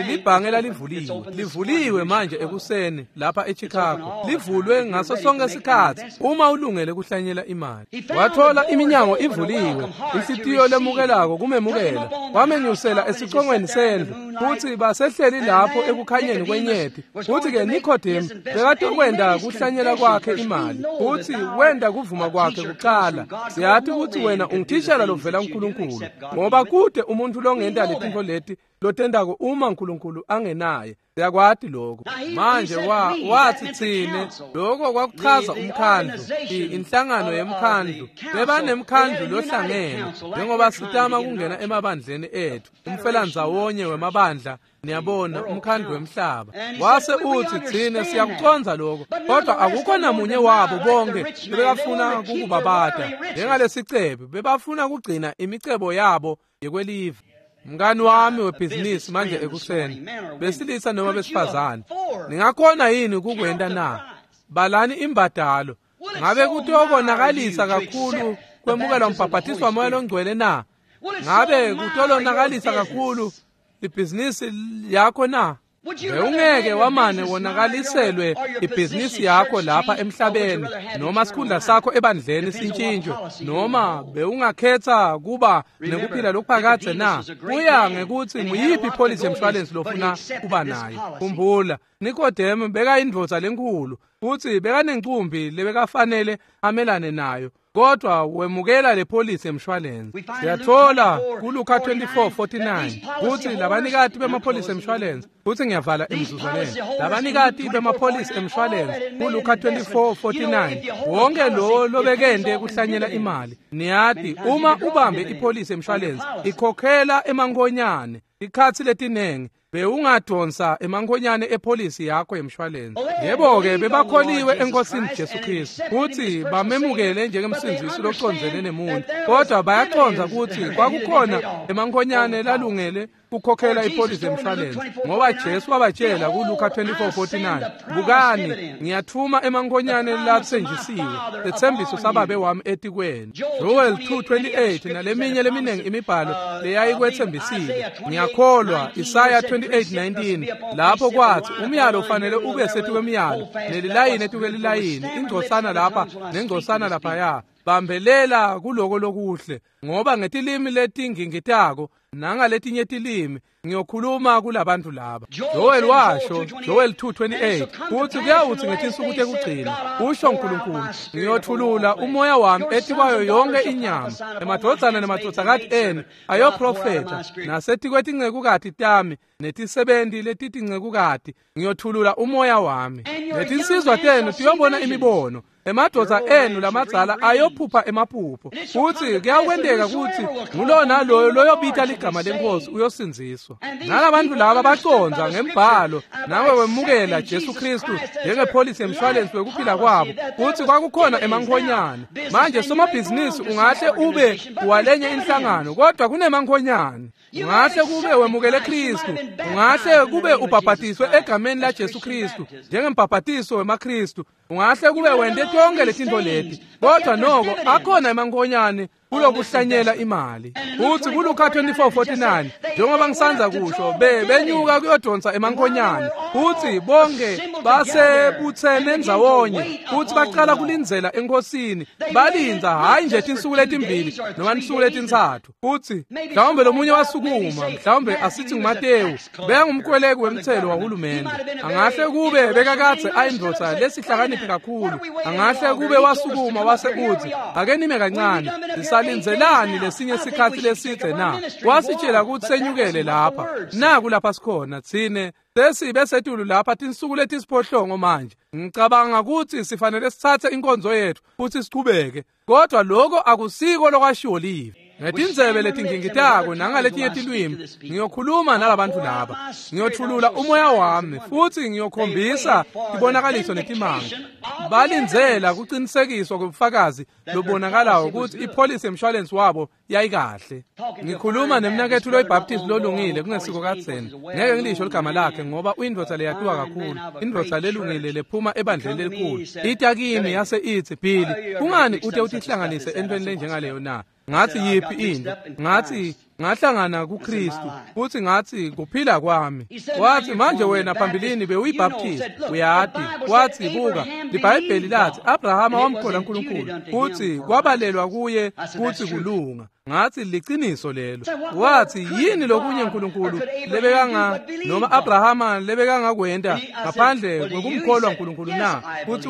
libhange lalivuliwe. Livuliwe manje ekuseni lapha eChicago. Livulwe ngaso sonke isikhathi uma ulungele kuhlanyela imali. Wathola iminyango ivuliwe, inhlitiyo lemukelako kumemukela. Wamenyusela esicongweni sendlu, futhi basehleli lapho ekukhanyeni kwenyeti. Futhi-ke Nikodemu bekatokwenda kuhlanyela kwakhe imali, futhi wenda kuvuma kwakhe kuqala. Siyati ukuthi wena ungithishela lovela kuNkulunkulu, ngoba kude umuntu longenta letintfo leti lotentako uma uNkulunkulu angenaye. Siyakwati lokho. Manje wathi tsine, lokho kwakuchaza umkhandlu, inhlangano yemkhandlu. Bebanemkhandlu lohlangene, njengoba sitama kungena emabandleni ethu, umfelandzawonye wemabandla, niyabona, umkhandlu wemhlaba. Wase uthi tsine siyakucondza lokho, kodwa akukho namunye wabo bonke bebafuna kukubabata njengalesicebe, bebafuna kugcina imicebo yabo yekwelive. Mngani wami webhizinisi manje ekuseni, besilisa noma besifazane, ningakhona yini kukwenta na? Balani imbadalo. Ngabe kutokonakalisa kakhulu kwemukelwa umbhaphathiso waMoya loNgcwele na? Ngabe kutolonakalisa kakhulu ibhizinisi yakho na? Bewungeke wamane wonakaliselwe ibhizinisi yakho lapha emhlabeni, noma sikhundla sakho ebandleni sintshintshwe, noma bewungakhetha kuba nekuphila lokuphakadze na? Kuya ngekuthi nguyiphi ipholisi yemshwalensi lofuna kuba nayo. Khumbula, Nikodemu bekayindvodza lenkhulu, futhi bekanencumbi lebekafanele amelane nayo, kodwa wemukela le polisi emshwalense. Siyathola kuLuka 24:49 kuthi labanikati bemapholisi emshwalense, futhi ngiyavala emzuzwaneni, labanikati bemapholisi emshwalense kuLuka 24:49, wonke lo lobekende kuhlanyela imali. Niyati, uma ubambe ipholisi emshwalense ikhokhela emankonyane ikhathi letinengi, bewungadonsa emankonyane epholisi yakho yemshwalense. Yebo-ke, bebakholiwe eNkosini Jesu Kristu futhi bamemukele njengemsindzisi locondzene nemuntu, kodwa bayacondza ukuthi kwakukhona emankonyane lalungele kukhokhela ipholisi yemshwalense, ngoba Jesu wabatshela kuLuka 24:49, bukani, ngiyathuma emankonyane latsenjisiwe, setsembiso sababe wami etikwenu. Joel 2:28 naleminye leminingi imibhalo leyayikwetsembisile. Ngiyakholwa Isaya 28:19 lapho kwathi umyalo ufanele ube setikwemiyalo, nelilayini etikwelilayini, ingcosana lapha nengcosana laphaya. Bambelela kuloko lokuhle, ngoba ngetilimi letingingitako nangaletinye tilimi ngiyokhuluma kulabantu laba. Joel washo, Joel 2:28, kuthi kuyawuthi ngetinsuku tekugcina, usho uNkulunkulu, ngiyothulula umoya wami etikwayo yonke inyama, emadvodzana nemadvodzakati enu ayoprofetha, nasetikwetingcekukati tami netisebenti letitincekukati ngiyothulula umoya wami. Netinsizwa tenu tiyobona imibono, emadvodza enu lamadzala ayophupha emaphupho. Futhi kuyakwenteka ukuthi ngulona loyo loyobita ligama lenkosi uyosindziswa. kusindziswa. Nalabantu laba bacondza ngembhalo nawe wemukela Jesu Kristu njengepholisi yemshwalensi wekuphila kwabo kutsi kwakukhona emankhonyane. Manje somabhizinisi ungahle ube walenye inhlangano kodwa kunemankhonyane. Ungahle kube wemukele Kristu, ungahle kube ubhabhatiswe egameni la Jesu Kristu njengembhabhatiso wemaKristu, ungahle kube wente tonke letintfo leti kodwa noko akhona emankhonyane kulokuhlanyela imali. Uthi kuLuka 24:49 njengoba ngisanza kusho benyuka kuyodonsa emankhonyane, uthi bonke basebuthene ndzawonye futhi baqala kulindzela enkosini, balindza hayi nje tinsuku letimbili noma tinsuku letintsatfu. Uthi mhlawumbe lomunye wasukuma, mhlawumbe asithi nguMatewu, bekangumkweleki wemthelo wahulumende, angahle kube bekakadze ayindvodza lesihlakaniphi kakhulu, angahle kube wasukuma wase uthi ake nime kancane, sisalindzelani lesinye sikhatsi lesidze na? Wasitshela kutsi senyukele lapha, naku lapha sikhona tsine sesibe setulu lapha tinsuku letisiphohlongo manje. Ngicabanga kutsi sifanele sitsatse inkonzo yethu futsi sichubeke, kodwa lokho akusiko lokwashiwo live. Ngetindzebe letingingitako nangaletinye tilwimi ngiyokhuluma nalabantu laba, ngiyothulula umoya wami futhi ngiyokhombisa tibonakaliso netimanga. Balindzela kucinisekiswa kwebufakazi lobonakalayo kutsi ipholisi yemshwalensi wabo yayikahle. Ngikhuluma nemnaketfu loyiBaptist lolungile kungesiko kadzeni, ngeke ngilisho ligama lakhe ngoba uyindvodza leyatiwa kakhulu, indvodza lelungile lephuma ebandleni lelikhulu. Ita kimi yase itsi, Billy, kungani ute utihlanganise entweni lenjengaleyo na? Ngathi yiphi into? Ngathi ngahlangana kuKristu futhi ngathi kuphila kwami. Wathi manje wena phambilini bewuyibaptist uyati. Wathi buka, liBhayibheli lathi Abrahama wamkholwa uNkulunkulu futhi kwabalelwa kuye kuthi kulunga. Ngathi liciniso lelo. Wathi yini lokunye uNkulunkulu lebekanga noma Abrahama lebekangakwenta ngaphandle kwekumkholwa uNkulunkulu na? Futhi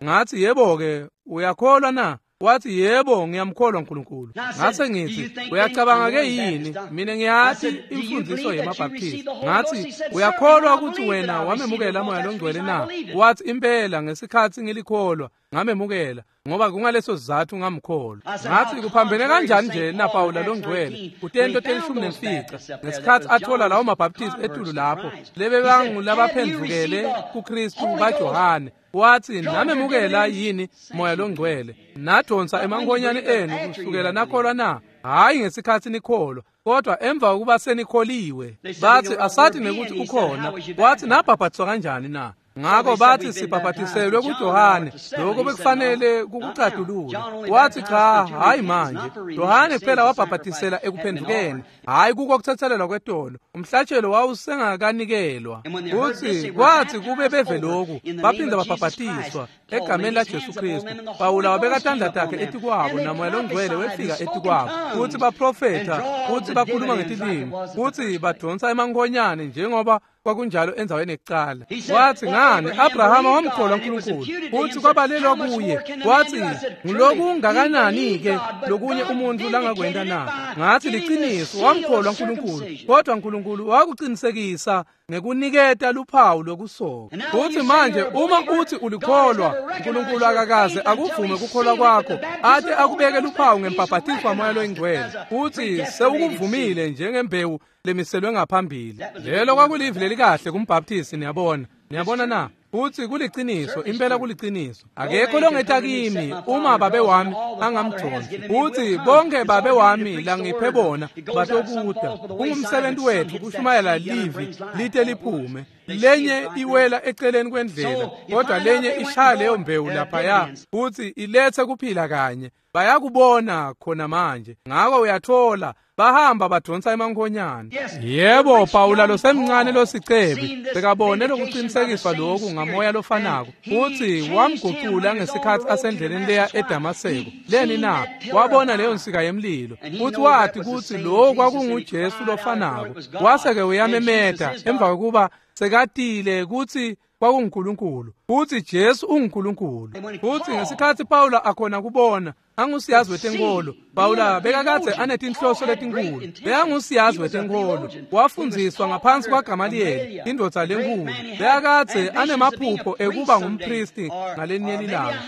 ngathi yebo ke, uyakholwa na? Wathi yebo ngiyamkholwa uNkulunkulu. Ngase ngithi uyacabanga ke yini? Mina ngiyathi imfundiso yemaBaptist. Ngathi uyakholwa ukuthi wena wamemukela moya longcwele na? Wathi impela ngesikhathi ngilikholwa ngamemukela ngoba kungaleso sizathu ngamkholwa. Ngathi kuphambene kanjani nje naPawula longcwele kutento 15 ngesikhathi athola lawo maBaptist etulu lapho lebebangulabaphendvukele kuKristu baJohane. Wathi namemukela yini moya longcwele? Nadonsa emankhonyane enu kusukela nakholwa na? Hayi ngesikhathi nikholwa, kodwa emva kokuba senikholiwe. Bathi asathi nekuthi ukhona. Wathi nabhabhatiswa kanjani na? Ngakho bathi sibhabhatiselwe kuJohane, lokho bekufanele kukucadulula. Wathi cha, hayi manje, Johane kuphela wabhabhatisela ekuphendukeni, hayi kuko kuthethelelwa kwetolo, umhlatshelo wawusengakanikelwa. Uthi kwathi kube beve lokhu baphinda babhabhatiswa egameni la Jesu Kristu. Pawula wabeka tandla takhe etikwabo namoya longcwele wefika etikwabo, futhi baprofetha, futhi bakhuluma ngetilimi, futhi badonsa emankhonyane njengoba kwakunjalo endzaweni ekucala. Wathi ngani Abrahama wamkholwa uNkulunkulu futhi kwabalelwa kuye. Wathi ngulokungakanani ke lokunye umuntu langakwenta na? Ngathi liciniso, wamkholwa uNkulunkulu kodwa uNkulunkulu wakuqinisekisa ngekuniketa luphawu lokusoka. Futhi manje uma uthi ulikholwa, uNkulunkulu akakaze akuvume kukholwa kwakho ate akubeke luphawu ngembhabhatiso wamoya loyingcwele, futhi sewukuvumile njengembewu lemiselwe ngaphambili. Lelo kwakulivi lelikahle kumbaptist, niyabona. Niyabona na? Futhi kuliciniso, impela kuliciniso. Akekho longeta kimi uma babe wami angamdonsi. Futhi bonke babe wami langiphe bona batokuda. Kungumsebenzi wethu kushumayela livi lite liphume. Lenye iwela eceleni kwendlela, kodwa lenye ishaya leyo mbewu laphaya futhi ilethe kuphila kanye. Bayakubona khona manje. Ngakho uyathola bahamba badonsa emankhonyane. Yebo, Pawula losemncane losicebi bekabone lokuqinisekiswa lokhu ngamoya lofanako, futhi wamguqula ngesikhathi asendleleni leya eDamaseko. Leni na? Wabona leyo nsika yemlilo futhi wathi kuthi lo kwakunguJesu lofanako. Wase-ke uyamemeta emva kokuba sekatile kuthi kwakunguNkulunkulu, futhi Jesu unguNkulunkulu. Futhi ngesikhathi Pawula akhona kubona Angusiyazi wetenkolo. Pawula bekakadze anetinhloso letinkulu. Bekangusiyazi wetenkolo. Wafundziswa ngaphansi kwaGamaliyeli, indvodza lenkulu. Bekakadze anemaphupho ekuba ngumpristi ngalenye lilanga,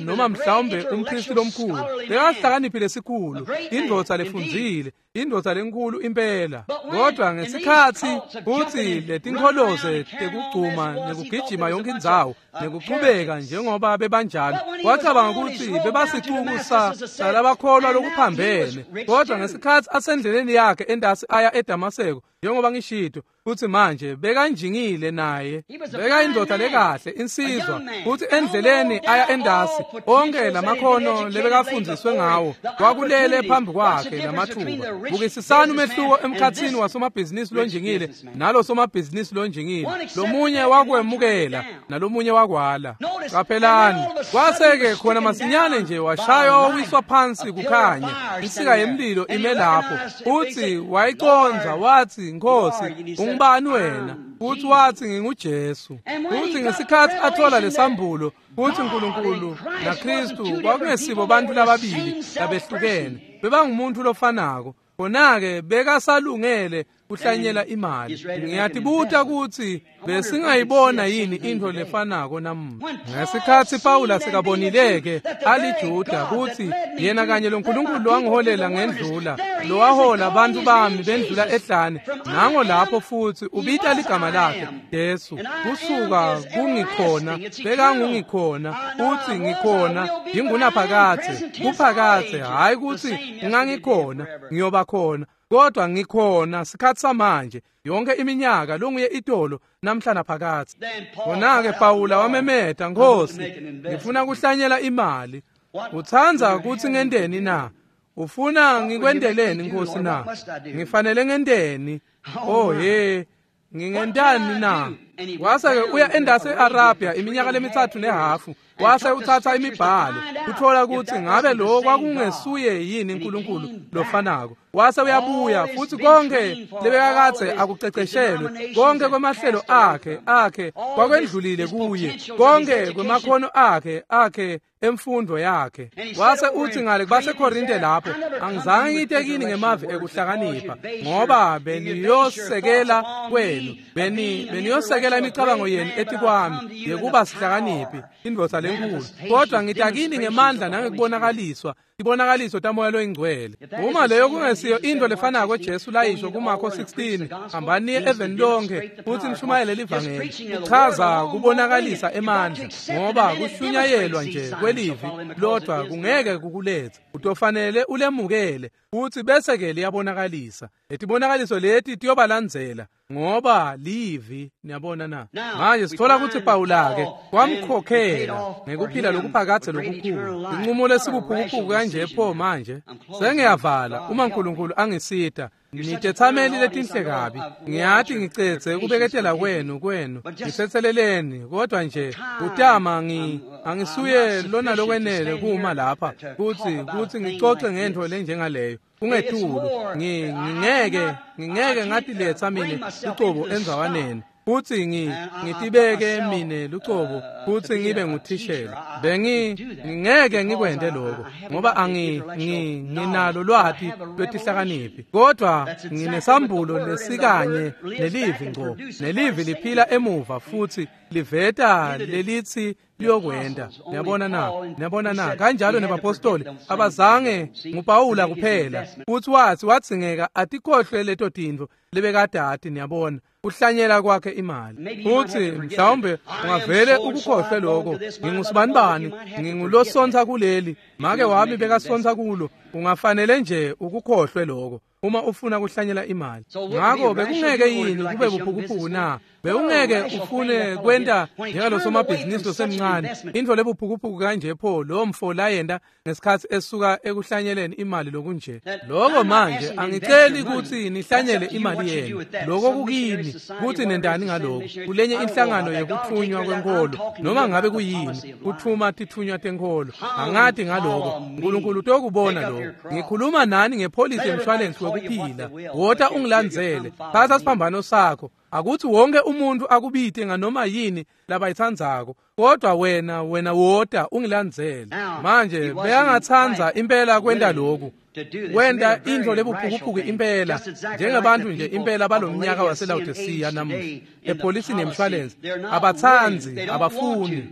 noma mhlawumbe umpristi lomkhulu. Bekahlakaniphile sikhulu, indvodza lefundzile, indvodza lenkulu impela. Kodwa ngesikhatsi kutsi letinkholoze tekugcuma nekugijima yonke indzawo nekuchubeka njengoba bebanjalo, wacabanga kutsi bebasicuku salabakholwa lokuphambene. Kodwa ngesikhatsi asendleleni yakhe endasi aya eDamaseko, njengoba ngishito kutsi manje bekanjingile naye, bekayindvodza lekahle, insizwa, kutsi endleleni aya endasi onke lamakhono lebekafundziswe ngawo kwakulele phambi kwakhe lamathuba. Bukisisani umehluko emkhatsini wasomabhizinisi lonjingile nalo somabhizinisi lonjingile. Lomunye wakwemukela nalomunye wakwala. Qaphelani, kwase-ke khona masinyane nje washaywa wawiswa phansi kukhanya, insika yemlilo ime lapho. Futsi wayiconza wathi, Nkosi, ungubani wena? Futhi wathi, nginguJesu. Futhi ngesikhatsi athola lesambulo kutsi uNkulunkulu naKristu kwakungesibo bantfu lababili labehlukene, bebangumuntu lofanako. Khona-ke bekasalungele kuhlanyela imali. Ngiyatibuta kutsi besingayibona yini intfo lefanako namuhla. Ngesikhatsi Pawula sekabonile-ke aliJuda kutsi yena kanye lo Nkulunkulu lowangiholela ngendlula, lowahola bantfu bami bendlula ehlane, nango lapho futsi ubita ligama lakhe Jesu, kusuka kungikhona bekangungikhona, utsi ngikhona yingunaphakadze, kuphakadze, hhayi kutsi ngangikhona ngiyoba khona, kodwa ngikhona sikhatsi samanje, yonke iminyaka longuye itolo namhla naphakadze. Khona-ke Pawula wamemeta, Nkosi, ngifuna kuhlanyela imali. Utsandza kutsi ngenteni na? Ufuna ngikwenteleni, Nkosi na? Ngifanele ngenteni? Oh he, ngingentani na? Wase-ke uya endasi e-Arabia iminyaka le-3.5, wase utsatsa imibhalo uthola kutsi ngabe lo kwakungesuye yini uNkulunkulu lofanako. Wase uyabuya futsi konke lebekakadze akuceceshelwe, konke kwemahlelo akhe kwakwendlulile kuye, konke kwemakhono akhe emfundo yakhe. Wase uthi ngale kubaseKorinte lapho, angizange ngite kini ngemavi ekuhlakanipha, ngoba beniyosekela kwenu, beniyosekela imicabango yenu etikwami yekuba sihlakaniphi, indvodza lenkulu. Kodwa ngita kini ngemandla nangekubonakaliswa, tibonakaliso taMoya loyiNgcwele. Uma leyo kungesiyo intfo lefanako Jesu layisho kuMarko 16, hambani niye eveni lonke futsi nishumayele livangeli, kuchaza kubonakalisa emandla, ngoba kushunyayelwa nje kwelivi lodwa kungeke kukuletsa. Utofanele ulemukele futsi bese-ke liyabonakalisa. Letibonakaliso leti tiyobalandzela ngoba livi. Niyabona na? Manje sithola kutsi Pawula-ke kwamkhokhela ngekuphila lokuphakadze lokukhulu. Inqumo lesibuphukuphuku kanje pho manje. Sengiyavala uma uNkulunkulu angisita. Nitetsameli letinhle kabi. Ngiyati ngicedze kubeketela kwenu. Ngitsetseleleni, kodwa nje kutama angisuye lona lokwenele kuma lapha kutsi ngicoce ngentfo lenjengaleyo. Kungetulu ngingeke ngatiletsa mine lucobo endzawaneni futsi ngitibeke mine lucobo futsi ngibe nguthishela. Ngingeke ngikwente lokho ngoba nginalo lwati lwetihlakaniphi, kodwa nginesambulo lesikanye nelivi ngco, nelivi liphila emuva futsi liveta lelitsi liyokwenta. Niyabona na? Niyabona na? Kanjalo nebapostoli abazange, nguPawula kuphela futsi watsi wadzingeka atikhohlwe leto tintfo lebekadati. Niyabona, kuhlanyela kwakhe imali. Futsi mhlawumbe ungavele ukukhohlwe lokho. Ngingusibanibani, ngingulosontsa kuleli, make wami bekasontsa kulo. Ungafanele nje ukukhohlwe lokho uma ufuna kuhlanyela imali. Ngakho bekungeke yini kube buphukuphuku na? Bewungeke ufune kwenta njengalo somabhizinisi losemncane, intfo lebuphukuphuku kanje pho lo mfo layenta ngesikhatsi esuka ekuhlanyeleni imali lokunje. Lokho manje angiceli kutsi nihlanyele imali yenu, lokho kukini kutsi nendani ngaloko kulenye inhlangano yekuthunywa kwenkolo, noma ngabe kuyini kuthuma tithunywa tenkholo. Angati ngaloko, uNkulunkulu utokubona lokho. Ngikhuluma nani ngepholisi yemshwalensi wekuphila. Wota ungilandzele, thatha siphambano sakho. Akuthi wonke umuntu akubite nganoma yini labayithandzako, kodwa wena wota ungilandzele. Manje beyangathandza impela kwenta lokhu, kwenta intfo lebuphukuphuku impela, njengebantu nje impela balomnyaka waseLaodicea namuhla epholisini yemshwalense. Abatsandzi, abafuni.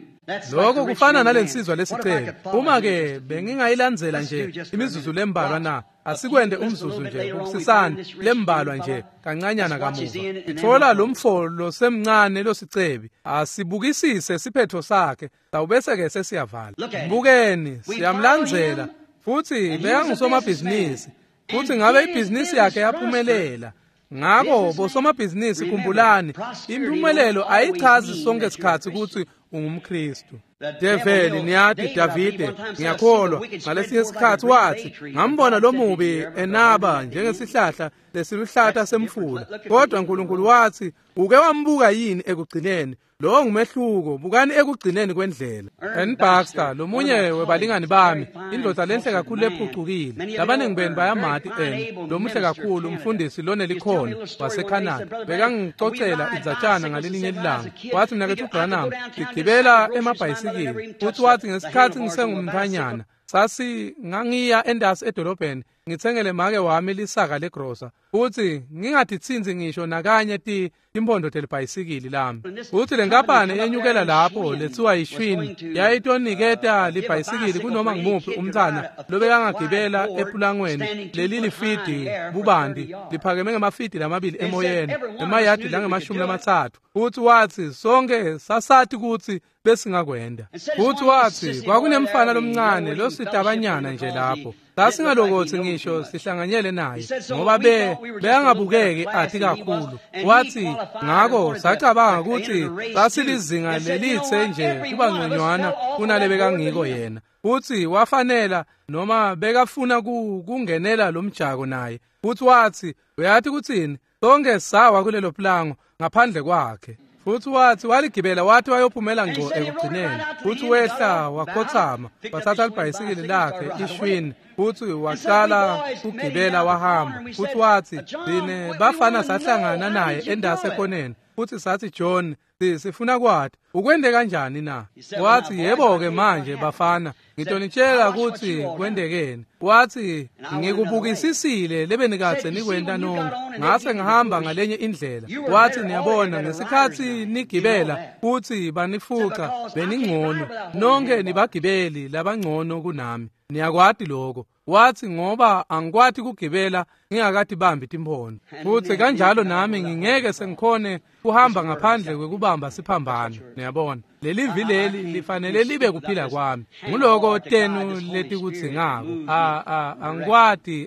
Lokho kufana nalensizwa lesicelo. Uma ke bengingayilandzela nje imizuzu lembalwa na, asikwende umzuzu nje kusisana lembalwa nje kancanyana kamuva. Ithola lo mfo losemncane losicebi, asibukisise siphetho sakhe, sawubese ke sesiyavala. Mbukeni, siyamlandzela futhi bekangusomabhizinisi, futhi ngabe ibhizinisi yakhe yaphumelela. Ngakho bosomabhizinisi, khumbulani, impumelelo ayichazi sonke isikhathi ukuthi ungumKristu. Develi, niyati, Davide, ngiyakholwa ngalesinye isikhathi wathi, ngambona lo mubi enaba njengesihlahla lesiluhlata semfula, kodwa uNkulunkulu wathi, uke wambuka yini ekugcineni? Lo ngumehluko, bukani ekugcineni kwendlela. N. Baxter, lomunye webalingani bami, indvodza lenhle kakhulu lephucukile. Labaningi benu bayamati N, lomuhle kakhulu umfundisi lonelikhono waseCanada. Bekangicocela indzatshana ngalelinye ilanga. Wathi, mnaketfu Branham, ngigibela emabhayisikili. Futhi wathi, ngesikhathi ngisengumntfanyana, sasi ngangiya endasi edolobheni ngitsengele make wami lisaka legrosa, futhi ngingatitsintsi ngisho nakanye timpondo telibhayisikili lami. Futhi lenkampani yenyukela lapho lethiwa yiShwini yayitoniketa libhayisikili kunoma ngimuphi umntfana lobekangagibela epulangweni lelilifidi bubanti liphakeme ngemafidi lamabili emoyeni, emayadi langama-30. Futhi wathi sonke sasati kutsi besingakwenda. Futhi wathi kwakunemfana lomncane lositabanyana nje lapho, sasingalokotsi ngisho sihlanganyele naye ngoba beyangabukeki athi kakhulu. Wathi ngakho sacabanga ukuthi sasilizinga lelitse nje kuba ngconywana kunalebekangiko yena. Futhi wafanela noma bekafuna kungenela lo mjako naye. Futhi wathi, uyathi kuthini, sonke sawa kulelo plango ngaphandle kwakhe. Futhi wathi waligibela wathi wayophumela ngco ekugcineni. Futhi wehla wakhothama, wathatha libhayisikili lakhe iShwini, futhi waqala ukugibela wahamba. Futhi wathi thine bafana sahlangana naye endase ekhoneni, futhi sathi, John, sifuna kwati ukwende kanjani na? Wathi, yebo-ke manje bafana, ngitonitshela ukuthi kwendekeni. Wathi, ngikubukisisile lebenikadze nikwenta nonke, ngase ngihamba ngalenye indlela. Wathi, niyabona, ngesikhathi nigibela futhi banifuca beningcono, nonke nibagibeli labangcono kunami, niyakwati lokho. Wathi, ngoba angikwati kugibela ngingakati bambi timpondo, futhi kanjalo nami ngingeke sengikhone kuhamba ngaphandle kwekubamba siphambano. Niyabona, leli vileli lifanele libe kuphila kwami. Nguloko tenu letikudzingako.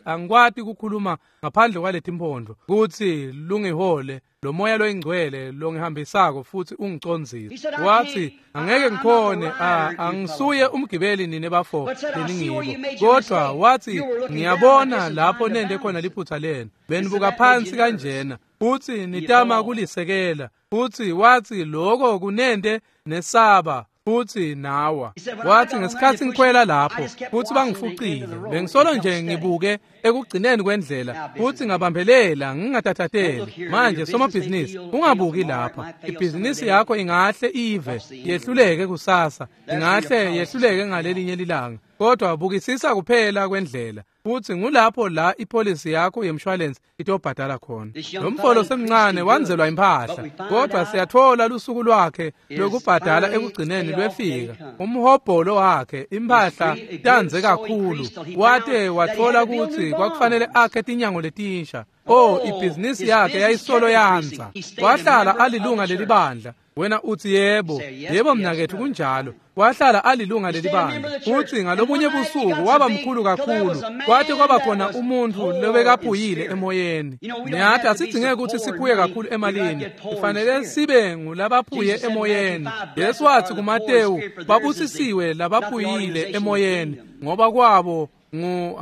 Angikwati kukhuluma ngaphandle kwaletimpondo kutsi lungihole lo moya loyingcwele longihambisako futhi ungicondzise. Wathi, angeke ngikhone, angisuye umgibeli nine bafo leningibo, kodwa wathi ngiyabona lapho nende khona liphutha lenu, benibuka phansi kanjena futhi nitama kulisekela. Futhi wathi lokho kunende nesaba futhi nawa. Wathi ngesikhathi ngikhwela lapho futhi bangifucile, bengisolo nje ngibuke ekugcineni kwendlela futhi ngabambelela ngingatathateli. Manje somabhizinisi, ungabuki lapha. Ibhizinisi yakho ingahle ive yehluleke kusasa, ingahle yehluleke ngalelinye lilanga, kodwa bukisisa kuphela kwendlela. Futhi ngulapho la ipolisi yakho yemshwalense itobhadala khona. Lo mfolo semncane wanzelwa impahla, kodwa siyathola lusuku lwakhe lokubhadala ekugcineni lwefika. Umhobholo wakhe impahla tanze kakhulu, wate wathola ukuthi kwakufanele akhe tinyango letinsha. Oh, ibhizinisi yakhe yayisolo yanza. Wahlala alilunga lelibandla. Wena uthi yebo, yebo mnakethu kunjalo. Wahlala alilunga lelibandla. Uthi ngalobunye busuku waba mkhulu kakhulu, kwathi kwaba khona umuntu lobekaphuyile emoyeni. Niyathi asidingeke ukuthi siphuye kakhulu emalini, kufanele sibe ngulabaphuye emoyeni. Yesu wathi kuMatewu, babusisiwe labaphuyile emoyeni, ngoba kwabo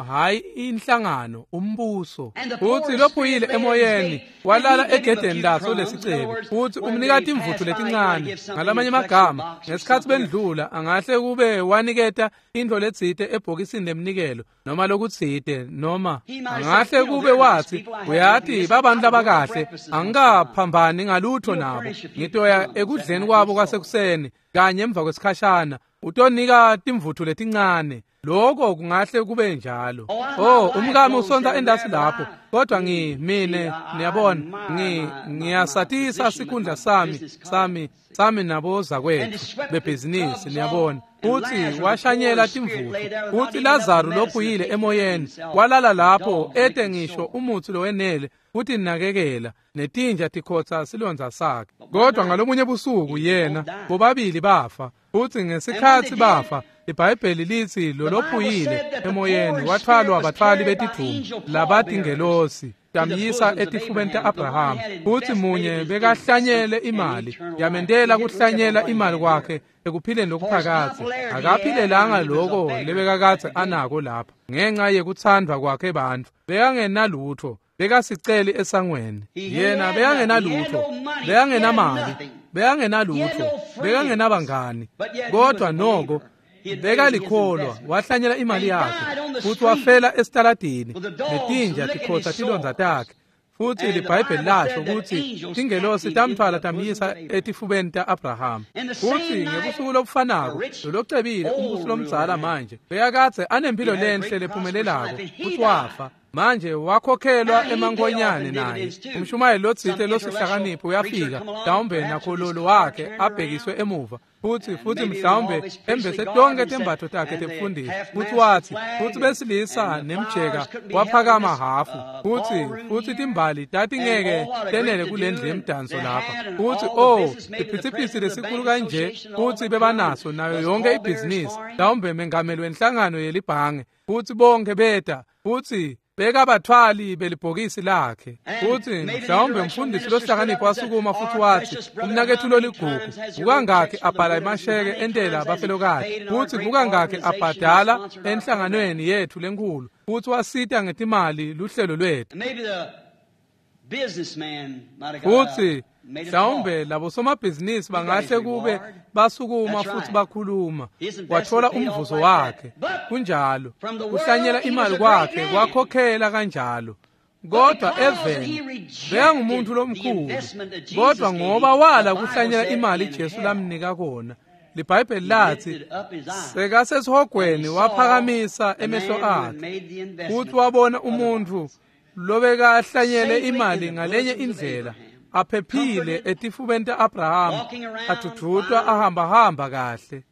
Hayi inhlangano, umbuso. Futsi lophuyile emoyeni walala egedeni laso lesicebi, futsi umnika timvutfu letincane. Ngalamanye amagama, ngesikhatsi bendlula angahle kube waniketa intfo letsite ebhokisini lemnikelo noma lokutsite, noma angahle kube watsi, uyati babantu labakahle, angikaphambani ngalutho nabo, ngitoya ekudleni kwabo kwasekuseni kanye emva kwesikhashana, utonika timvutfu letincane. Lokho kungahle kube njalo. Oh, umkami usonta endasi lapho, kodwa mine niyabona, ngiyasatisa sikhundla sami nabozakwethu bebhizinisi, niyabona. Futsi washanyela timvutfu, futsi Lazaro lophuyile emoyeni walala lapho ete ngisho umutsi lowenele kutinakekela, netinja tikhotsa silondza sakhe. Kodwa ngalomunye busuku yena bobabili bafa, futsi ngesikhatsi bafa iBhayibheli litsi lolophuyile emoyeni wathwalwa abatfwali betidvumbu labatingelosi tamyisa etifubeni ta-Abrahama. Futsi munye bekahlanyele imali, yamentela kuhlanyela imali kwakhe ekuphileni lokuphakadze. Akaphilelanga loko lebekakadze anako lapha ngenxa yekuthandwa kwakhe bantfu. Bekangenalutho, bekasiceli esangweni. Yena bekangenalutho, bekangenamali, bekangenalutho, bekangenabangani, kodwa noko bekalikholwa, wahlanyela imali yakhe, futsi wafela esitaladini netinja tikhotsa tilondza takhe. Futsi liBhayibheli lasho kutsi tingelosi tamtfwala tamyisa etifubeni ta-Abrahama. Futsi ngebusuku lobufanako lolocebile umbusi lomdzala manje bekakadze anempilo lenhle lephumelelako, futsi wafa. Manje wakhokhelwa emankonyane naye. Umshumayeli lotsite losihlakaniphi uyafika, mhlawumbe nakhololo wakhe abhekiswe emuva, futsi mhlawumbe embese tonke tembatfo takhe tebufundisi. Futsi watsi, futsi besilisa nemjeka waphakama hafu, futsi timbali tatingeke tenele kulendlu yemdanso lapha. Futsi oh, siphithiphithi lesikhulu kanje, futsi bebanaso nayo yonke ibhizinisi, mhlawumbe mengameli wenhlangano yelibhange, futsi bonke beta, futsi bekabatfwali belibhokisi lakhe. Futsi mhlawumbe umfundisi lohlakaniphi wasukuma futsi watsi, umnaketfu loligugu, kukangakhi abhala emasheke entela abafelokati, futsi kukangakhi abhadala enhlanganweni yetfu lenkhulu, futsi wasita ngetimali luhlelo lwetfu. Futsi mhlawumbe labo somabhizinisi bangahle kube basukuma futhi bakhuluma, wathola umvuzo wakhe. Kunjalo, kuhlanyela imali kwakhe kwakhokhela kanjalo. Kodwa eveni bekangumuntu lomkhulu, kodwa ngoba wala kuhlanyela imali Jesu lamnika kona, liBhayibheli lathi sekasesihogweni waphakamisa emehlo akhe, futhi wabona umuntu lobekahlanyele imali ngalenye indlela, aphephile etifubeni ta-Abrahama, adudutwa ahambahamba kahle.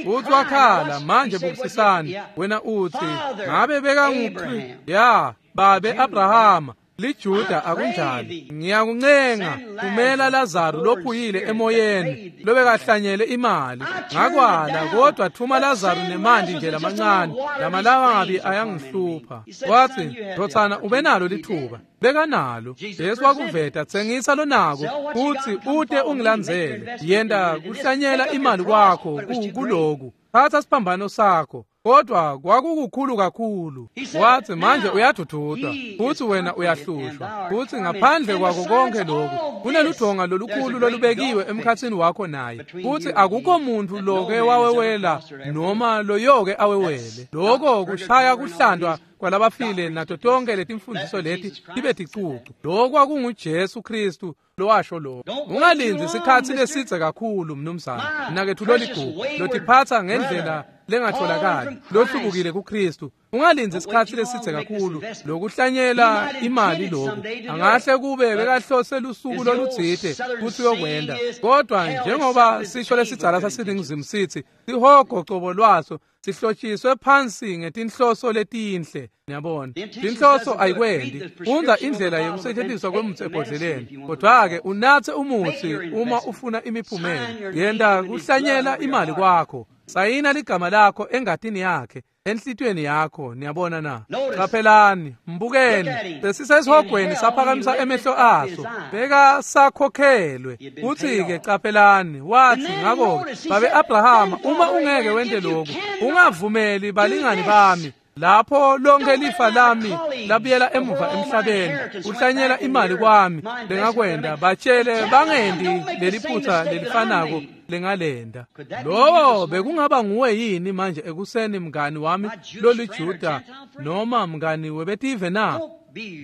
Futsi wakhala, manje bukisisani, wena utsi ngabe bekanguphi? Ya, babe Abrahama, liJuda, akunjalo? Ngiyakuncenga, kumela Lazaro lophuyile emoyeni lobekahlanyele imali. Ngakwala, kodwa thuma Lazaro nemanti nje lamancane, lamalangabi ayangihlupha. Watsi, ndotsana, ubenalo lithuba. Bekanalo. Jesu wakuveta, tsengisa lonako, futsi ute ungilandzele. Yenta kuhlanyela imali kwakho kuloku. Thatha siphambano sakho. Kodwa kwakukukhulu kakhulu. Wathi, manje uyadudutwa, futhi wena uyahlushwa. Futhi ngaphandle kwako konke lokhu, kuneludonga lolukhulu lolubekiwe emkhatsini wakho naye. Futhi akukho muntu loke wawewela noma loyoke awewele. Lokho kushaya kuhlandwa kwalabafile nato tonke letimfundiso leti tibe ticucu. Lokho kwakunguJesu Kristu lowasho lokho. Ungalindzi isikhatsi lesidze kakhulu, mnumzane. Mnaketfu loligugu, lotiphatsa ngendlela lengatholakali, lohlubukile kuKristu. Ungalindzi isikhatsi lesidze kakhulu lokuhlanyela imali lokhu. Angahle kube bekahlose lusuku lolutsite kutsi uyokwenda, kodwa njengoba sisho lesidzala saseNingizimu sithi, sihogo cobo lwaso sihlotshiswe phansi ngetinhloso letinhle. Niyabona, tinhloso ayikwendi. Fundza indlela yekusetshenziswa kwemutsi ebhodleleni, kodwa-ke unatse umutsi uma ufuna imiphumela. Yenta kuhlanyela imali kwakho, sayina ligama lakho engatini yakhe, enhlitiyweni yakho. Niyabona na? Qaphelani, mbukeni. Besisesihogweni saphakamisa emehlo aso, bekasakhokhelwe. Futhi-ke qaphelani, wathi, ngakho-ke babe Abrahama, uma ungeke wente lokhu, ungavumeli balingani bami Lapho lonke lifa lami labuyela emuva emhlabeni, kuhlanyela imali kwami lengakwenda, batshele bangendi leliphutha lelifanako lengalenda. Lowo bekungaba nguwe yini manje ekuseni, mngani wami loliJuda noma mngani webetive na?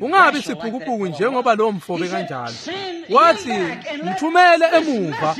Ungabi siphukuphuku njengoba lo mfobe kanjalo. Wathi mthumele emuva,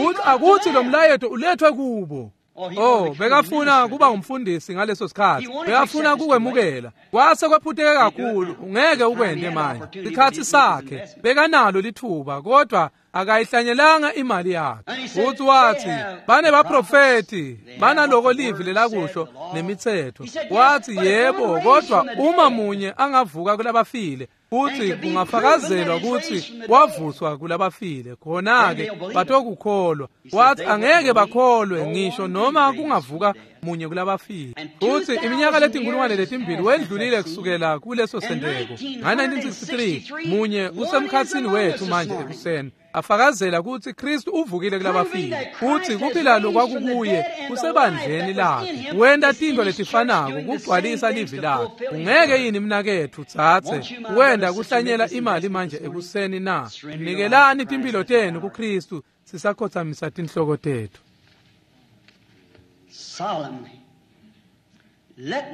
uthi akuthi lo mlayeto ulethwe kubo. Oh, bekafuna kuba ngumfundisi ngaleso sikhathi, bekafuna kukwemukela. Kwase kwephuteke kakhulu, ungeke ukwende manje. Sikhathi sakhe bekanalo lithuba, kodwa akayihlanyelanga imali yakhe. Futhi wathi banebaprofeti, banaloko livi lelakusho nemithetho. Wathi yebo, kodwa uma munye angavuka kulabafile, futhi kungafakazelwa ukuthi wavuswa kulabafile, khona-ke batokukholwa. Wathi angeke bakholwe ngisho noma kungavuka munye kulabafile. Futhi iminyaka letinkulungwane letimbili wendlulile kusukela kuleso senteko. Nga-1963 munye usemkhatsini wethu manje ekuseni, afakazela ukuthi Kristu uvukile kulabafile, futhi kuphila lokwakukuye kusebandleni lakhe. Wenta tintfo letifanako kugcwalisa livi lakhe. Ungeke yini mnaketfu tsatse wenda kuhlanyela imali manje ekuseni na? Nikelani timphilo tenu kuKristu sisakhothamisa tinhloko tethu.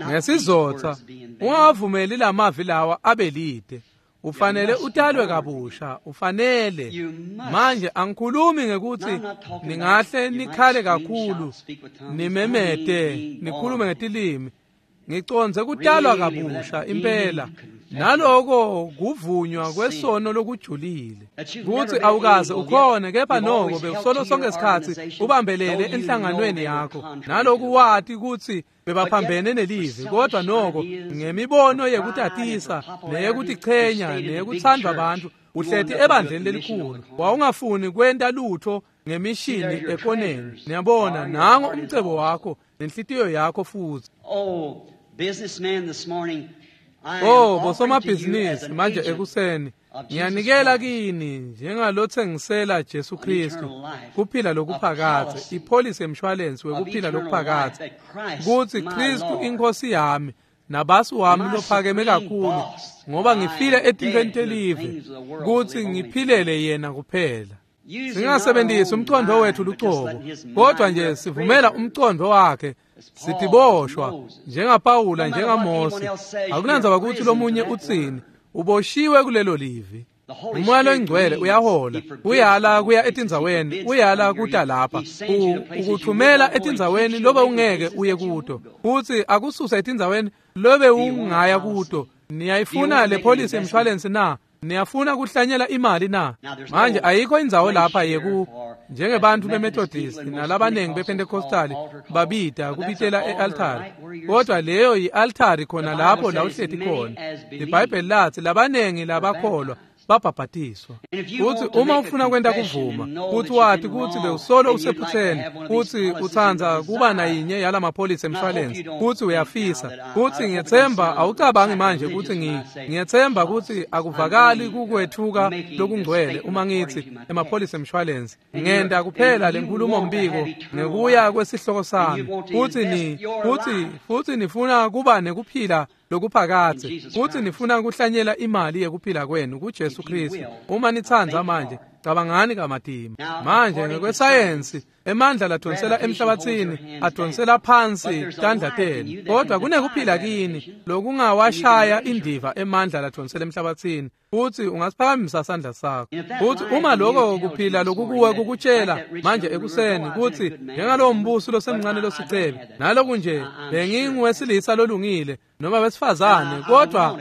Ngesizotha ungavumeli lamavi lawa abe lide. Ufanele utalwe kabusha, ufanele. Manje angikhulumi ngekuthi ningahle nikhale kakhulu, nimemete, nikhulume ngetilimi. Ngiconze kutalwa kabusha impela, naloko kuvunywa kwesono lokujulile. Kuthi awukaze ukhone, kepha noko bekusolo sonke isikhathi ubambelele enhlanganweni yakho, naloku wati ukuthi bebaphambene nelivi, kodwa noko ngemibono yekutatisa neyekutichenya neyekuthandwa abantu uhleti ebandleni lelikhulu, wawungafuni kwenta lutho ngemishini ekoneni. Niyabona, nango umcebo wakho nenhlitiyo yakho futhi. Oh, bosomabhizinisi manje ekuseni, ngiyanikela kini njengalothengisela Jesu Kristu kuphila lokuphakadze, ipholisi yemshwalensi wekuphila lokuphakadze, kutsi Kristu inkosi yami nabasi wami lophakeme kakhulu, ngoba ngifile etintfweni telive kutsi ngiphilele yena kuphela. Singasebenzisi umqondo wethu lucobo, kodwa nje sivumela umqondo wakhe. Sitiboshwa njengaPawula, njengaMose. Akunandzaba ukuthi lomunye utsini, uboshiwe kulelo livi. Umoya loyingcwele uyahola, uyala kuya etindzaweni, uyala kuta lapha, ukuthumela etindzaweni lobe ungeke uye kuto, futhi akususa etindzaweni lobe ungaya kuto. Niyayifuna le polisi yemshwalensi na? Niyafuna kuhlanyela imali na? Manje ayikho indzawo lapha yeku njengebantu beMethodist nalabanengi bePentecostal babida kubitela e-altari, kodwa leyo yi-altari khona lapho la uhleti khona. IBhayibheli lathi labanengi labakholwa babhabhatiswa. Futhi uma ufuna kwenta kuvuma, futhi wati kutsi bewusolo usephutheni, futhi utsandza kuba nayinye yala mapholisi emshwalensi, futhi uyafisa, futhi ngiyethemba awucabangi manje kutsi ngiyethemba kutsi akuvakali kukwethuka lokungcwele uma ngithi emapholisi emshwalensi. Ngenta kuphela lenkhulumo mbiko ngekuya kwesihloko sami, futhi futhi nifuna kuba nekuphila lokuphakadze, futhi nifuna kuhlanyela imali yekuphila kwenu kuJesu Kristu. Uma nitsandza manje, cabangani kamatima. Manje ngekwesayensi, emandla ladonsela emhlabathini adonsela phansi tandla tenu, kodwa kunekuphila kini lokungawashaya indiva emandla ladonsela emhlabathini, futhi ungasiphakamisa sandla sakho. Futhi uma lokho kuphila lokukuwe kukutshela manje ekuseni kutsi njengalowo mbusi losemncane losicebi, naloku nje benginguwesilisa lolungile noma besifazane, kodwa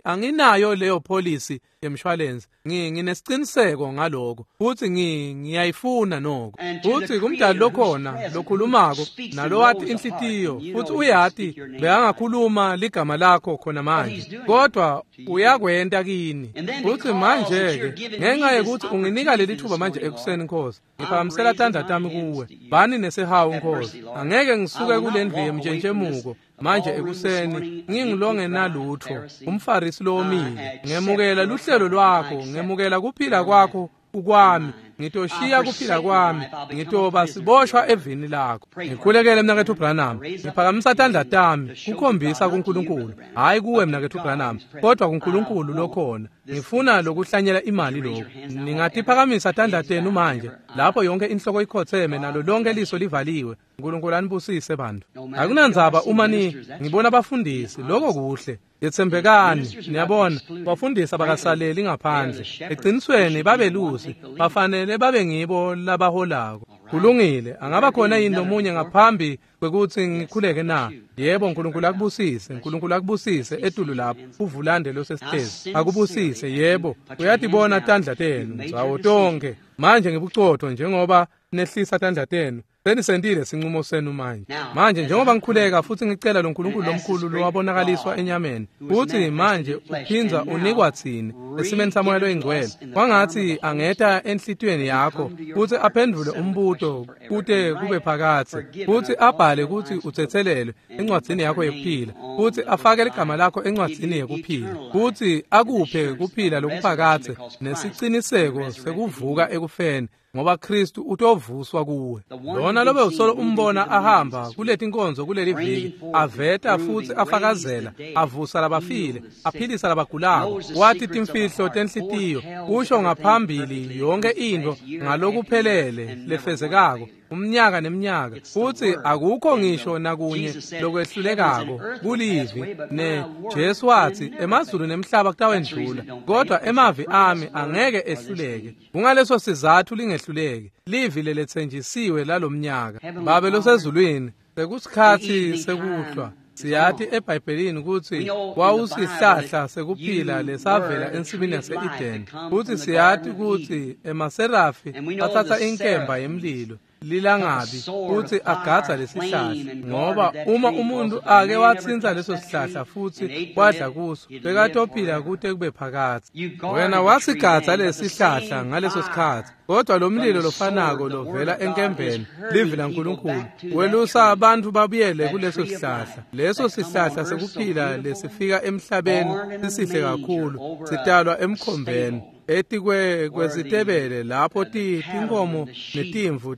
anginayo leyo polisi yemshwalensi, nginesiqiniseko ngaloko, futhi ngiyayifuna noko. Futhi kumdali lokhona lokhulumako nalowati inhlitiyo, futhi uyati bekangakhuluma ligama lakho khona manje, kodwa uyakwenta kini. Futhi manje-ke ngenxa yekuthi unginika leli thuba manje ekuseni, Nkosi, ngiphakamisela tandla tami kuwe. Bani nesihawu, Nkosi. Angeke ngisuke kule ndlu yemtshentschemuko manje ekuseni ngingilongenalutho, umfarisi lowomile. Ngemukela luhlelo lwakho, ngemukela kuphila kwakho ukwami. Ngitoshiya kuphila kwami, ngitoba siboshwa evini lakho. Ngikhulekele mnaketfu Branham, ngiphakamisa tandla tami kukhombisa kuNkulunkulu, hhayi kuwe mnaketfu Branham, kodwa kuNkulunkulu lokhona. Ngifuna lokuhlanyela imali lokhu. Ningatiphakamisa tandla tenu manje, lapho yonke inhloko ikhotheme nalo lonke liso livaliwe. uNkulunkulu anibusise bantu. Akunandzaba uma ngibona abafundisi, lokho kuhle. Yetsembekani, niyabona, bafundisi abakasaleli ngaphandle. Eqinisweni babelusi, bafanele babe ngibo labaholako. Kulungile, angaba khona yini lomunye ngaphambi kwekuthi ngikhuleke na? Yebo, uNkulunkulu akubusise, uNkulunkulu akubusise etulu lapho, uvulande losesitezi. Akubusise, yebo, uyatibona tandla tenu, ndzawo tonke. Manje ngibucotho njengoba nehlisa tandla tenu. Senisentile sinqumo senu manje. Manje njengoba ngikhuleka futhi ngicela lo nkulunkulu lomkhulu lowabonakaliswa enyameni, futhi manje uphindza unikwa tsine esimeni samoya loyingcwele, kwangatsi angeta enhlitiyweni yakho futhi aphendvule umbuto kute kube phakatsi, futhi abhale kutsi utsetselelwe encwadzini yakho yekuphila, futhi afake ligama lakho encwadzini yekuphila, futhi akuphe kuphila lokuphakatsi nesiciniseko sekuvuka ekufeni, ngoba Kristu utovuswa kuwe. Lona lobe usolo umbona ahamba kuletinkonzo kuleli viki, aveta futhi afakazela, avusa labafile, aphilisa labagulako, wathi timfihlo tenhlitiyo, usho ngaphambili yonke intfo ngalokuphelele lefezekako umnyaka neminyaka, futhi akukho ngisho nakunye lokwehlulekako kulivi. Ne Jesu wathi emazulu nemhlaba kutawendlula, kodwa emavi ami angeke ehluleke. Kungaleso sizathu lingehluleki livi leletsenjisiwe lalomnyaka. Babe losezulwini, sekusikhatsi sekuhlwa. Siyati eBhayibhelini ukuthi wawusihlahla sekuphila lesavela ensimini yase-Eden, futhi siyati ukuthi emaserafi athatha inkemba yemlilo lilangabi futhi agadza lesihlahla, ngoba uma umuntu ake watsintsa leso sihlahla futhi wadla kuso, bekatophila kute kube phakatsi. Wena wasigadza lesihlahla ngaleso sikhatsi, kodwa lo mlilo lofanako lovela enkembeni, livi laNkulunkulu, welusa abantu babuyele kuleso sihlahla. Leso sihlahla sekuphila lesifika emhlabeni sisihle kakhulu, sitalwa emkhombeni etikwe kwesitebele lapho tinkomo netimvu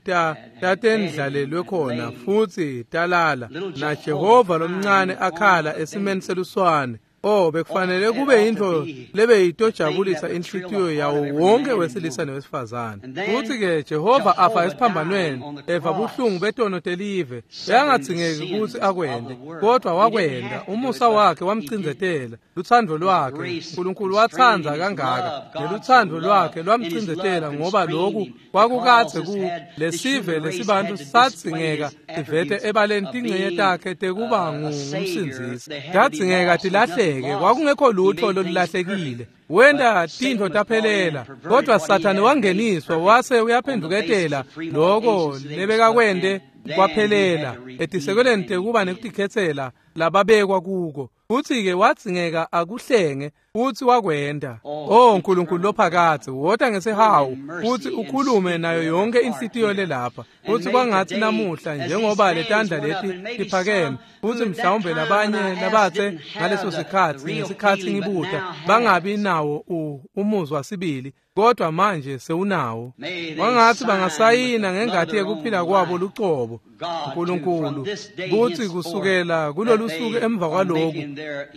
tatendlalelwe khona futhi talala, na Jehova lomncane akhala esimeni seluswane. Oh, bekufanele kube yintfo lebeyitojabulisa inhlitiyo yawo wonke wesilisa newesifazane. Futhi-ke Jehova afa esiphambanweni, eva buhlungu betono telive. Bekangadzingeki kutsi akwente, kodwa wakwenta. Umusa wakhe wamcindzetela, lutsandvo lwakhe. uNkulunkulu watsandza kangaka, nelutsandvo lwakhe lwamcindzetela, ngoba loku kwakukadze ku lesive lesibantu sadzingeka tivete ebaleni tingcenye takhe tekuba ngumsindzisi. Tadzingeka tilahleke, kwakungekho lutho lolulahlekile. Wenta tintfo taphelela, kodwa Sathane wangeniswa wase uyaphenduketela loko lebekakwente kwaphelela etisekelweni tekuba nekutikhetsela lababekwa kuko. Futhi-ke wadzingeka akuhlenge, futhi wakwenta. Oh Nkulunkulu lophakatsi, wota ngesihawu futhi ukhulume nayo yonke inhlitiyo lelapha. Futhi kwangatsi namuhla njengoba letandla leti tiphakeme, futhi mhlawumbe labanye labatse ngaleso sikhatsi ngesikhatsi ngibuta bangabi nawo umuzwa sibili, kodwa manje sewunawo. Kwangatsi bangasayina ngengati yekuphila kwabo lucobo, uNkulunkulu, kutsi kusukela kulolu suku emva kwaloku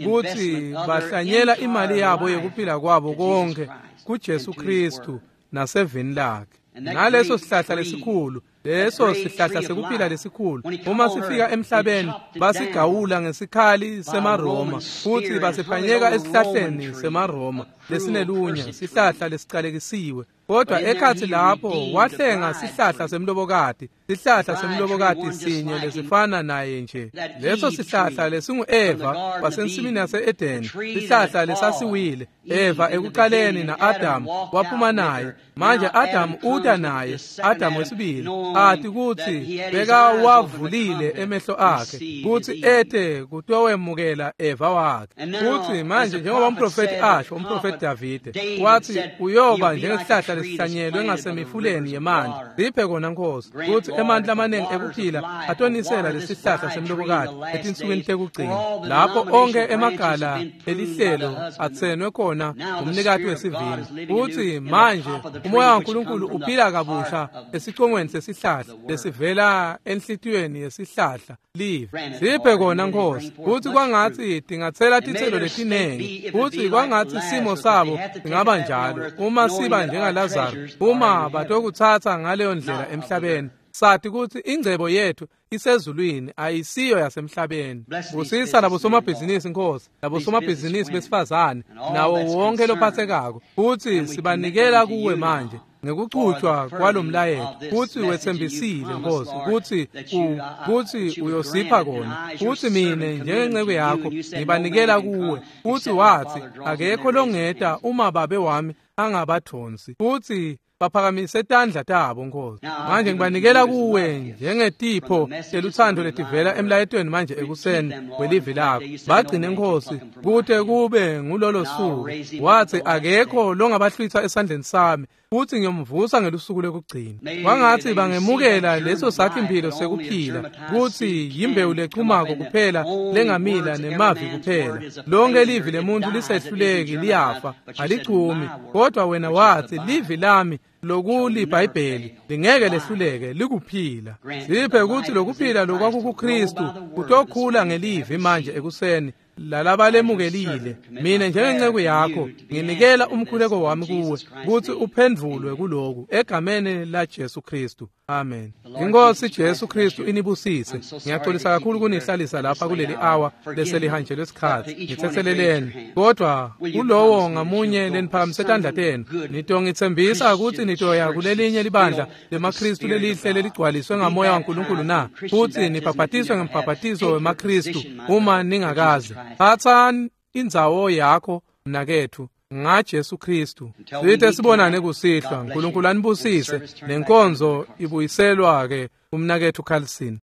kutsi bahlanyela imali yabo yekuphila kwabo konke kuJesu Kristu nasevini lakhe. Ngaleso sihlahla lesikhulu, leso sihlahla sekuphila lesikhulu, uma sifika emhlabeni basigawula ngesikhali semaRoma, futhi basiphanyeka esihlahleni semaRoma lesinelunya, sihlahla lesicalekisiwe. Kodwa ekhatsi lapho wahlenga sihlahla semlobokati, sihlahla semlobokati sinye lesifana naye nje. Leso sihlahla lesingu-Eva wasensimini yase-Edeni, sihlahla lesasiwile. Eva ekuqaleni na-Adamu waphuma naye. Manje Adamu uta naye, Adamu wesibili, ati kutsi bekawavulile emehlo akhe kutsi ete kutowemukela Eva wakhe. Futsi manje njengoba umprofeti asho, umprofeti Davide wathi uyoba njengesihlahla sihlahla lesihlanyelwe ngasemifuleni yemanti. Siphe kona Nkosi kutsi emanti lamaningi ekuphila atonisela lesihlahla semlobokati etinsukwini tekugcina, lapho onkhe emagala elihlelo atsenwe khona umnikati wesivini. Kutsi manje umoya waNkulunkulu uphila kabusha esicongweni sesihlahla lesivela enhlitiyweni yesihlahla live. Siphe kona Nkosi kutsi kwangatsi tingatsela titselo letinengi, kutsi kwangatsi simo sabo singaba njalo uma siba njengaLazaro, uma batokutsatsa ngaleyo ndlela emhlabeni. Sathi kutsi ingcebo yethu isezulwini ayisiyo yasemhlabeni. Busisa labosomabhizinisi Nkosi, labosomabhizinisi besifazane nawo wonke lophathekako, futsi sibanikela kuwe manje ngekuchutshwa kwalomlayeto. Futsi wetsembisile Nkosi kutsi kutsi uyosipha kona, futsi mine njengenceku yakho ngibanikela kuwe. Futsi watsi akekho longeta uma babe wami angabathonsi, futsi baphakamise tandla tabo Nkosi. Manje ngibanikela kuwe njengetipho telutsandvo letivela emlayetweni manje ekuseni welivi lakho. Bagcine Nkosi kute kube ngulolo suku. Watsi akekho longabahlwitha esandleni sami, futsi ngiyomvusa ngelusuku lokugcina. Kwangatsi bangemukela leso sakhi-mphilo sekuphila, kutsi yimbewu lechumako kuphela lengamila nemavi kuphela. Lonke livi lemuntu lisehluleki liyafa, alichumi, kodwa wena watsi livi lami lokulibhayibheli lingeke lehluleke, likuphila. Siphe kutsi lokuphila lokwakukuKristu kutokhula ngelivi manje ekuseni lalabalemukelile. Mina njengenceku yakho nginikela umkhuleko wami kuwe kutsi uphendvulwe kuloku egameni la Jesu Kristu. Amen. Inkosi Jesu Kristu inibusise. Ngiyaxolisa kakhulu kunihlalisa lapha kuleli hour leselihanjelwe isikhathi. Ngithetheleleni. Kodwa kulowo ngamunye leniphakamise tandla tenu, nitongitsembisa kutsi nitoya kulelinye libandla lemaKristu lelihle leligcwaliswe ngamoya waNkulunkulu na, futsi nibhabhatiswe ngembhabhatiso wemaKristu uma ningakaze. Thatha indzawo yakho mnaketfu ngaJesu Kristu. Sithe sibonane kusihlwa. uNkulunkulu anibusise. Nenkonzo ibuyiselwa ke umnaketfu Carlson.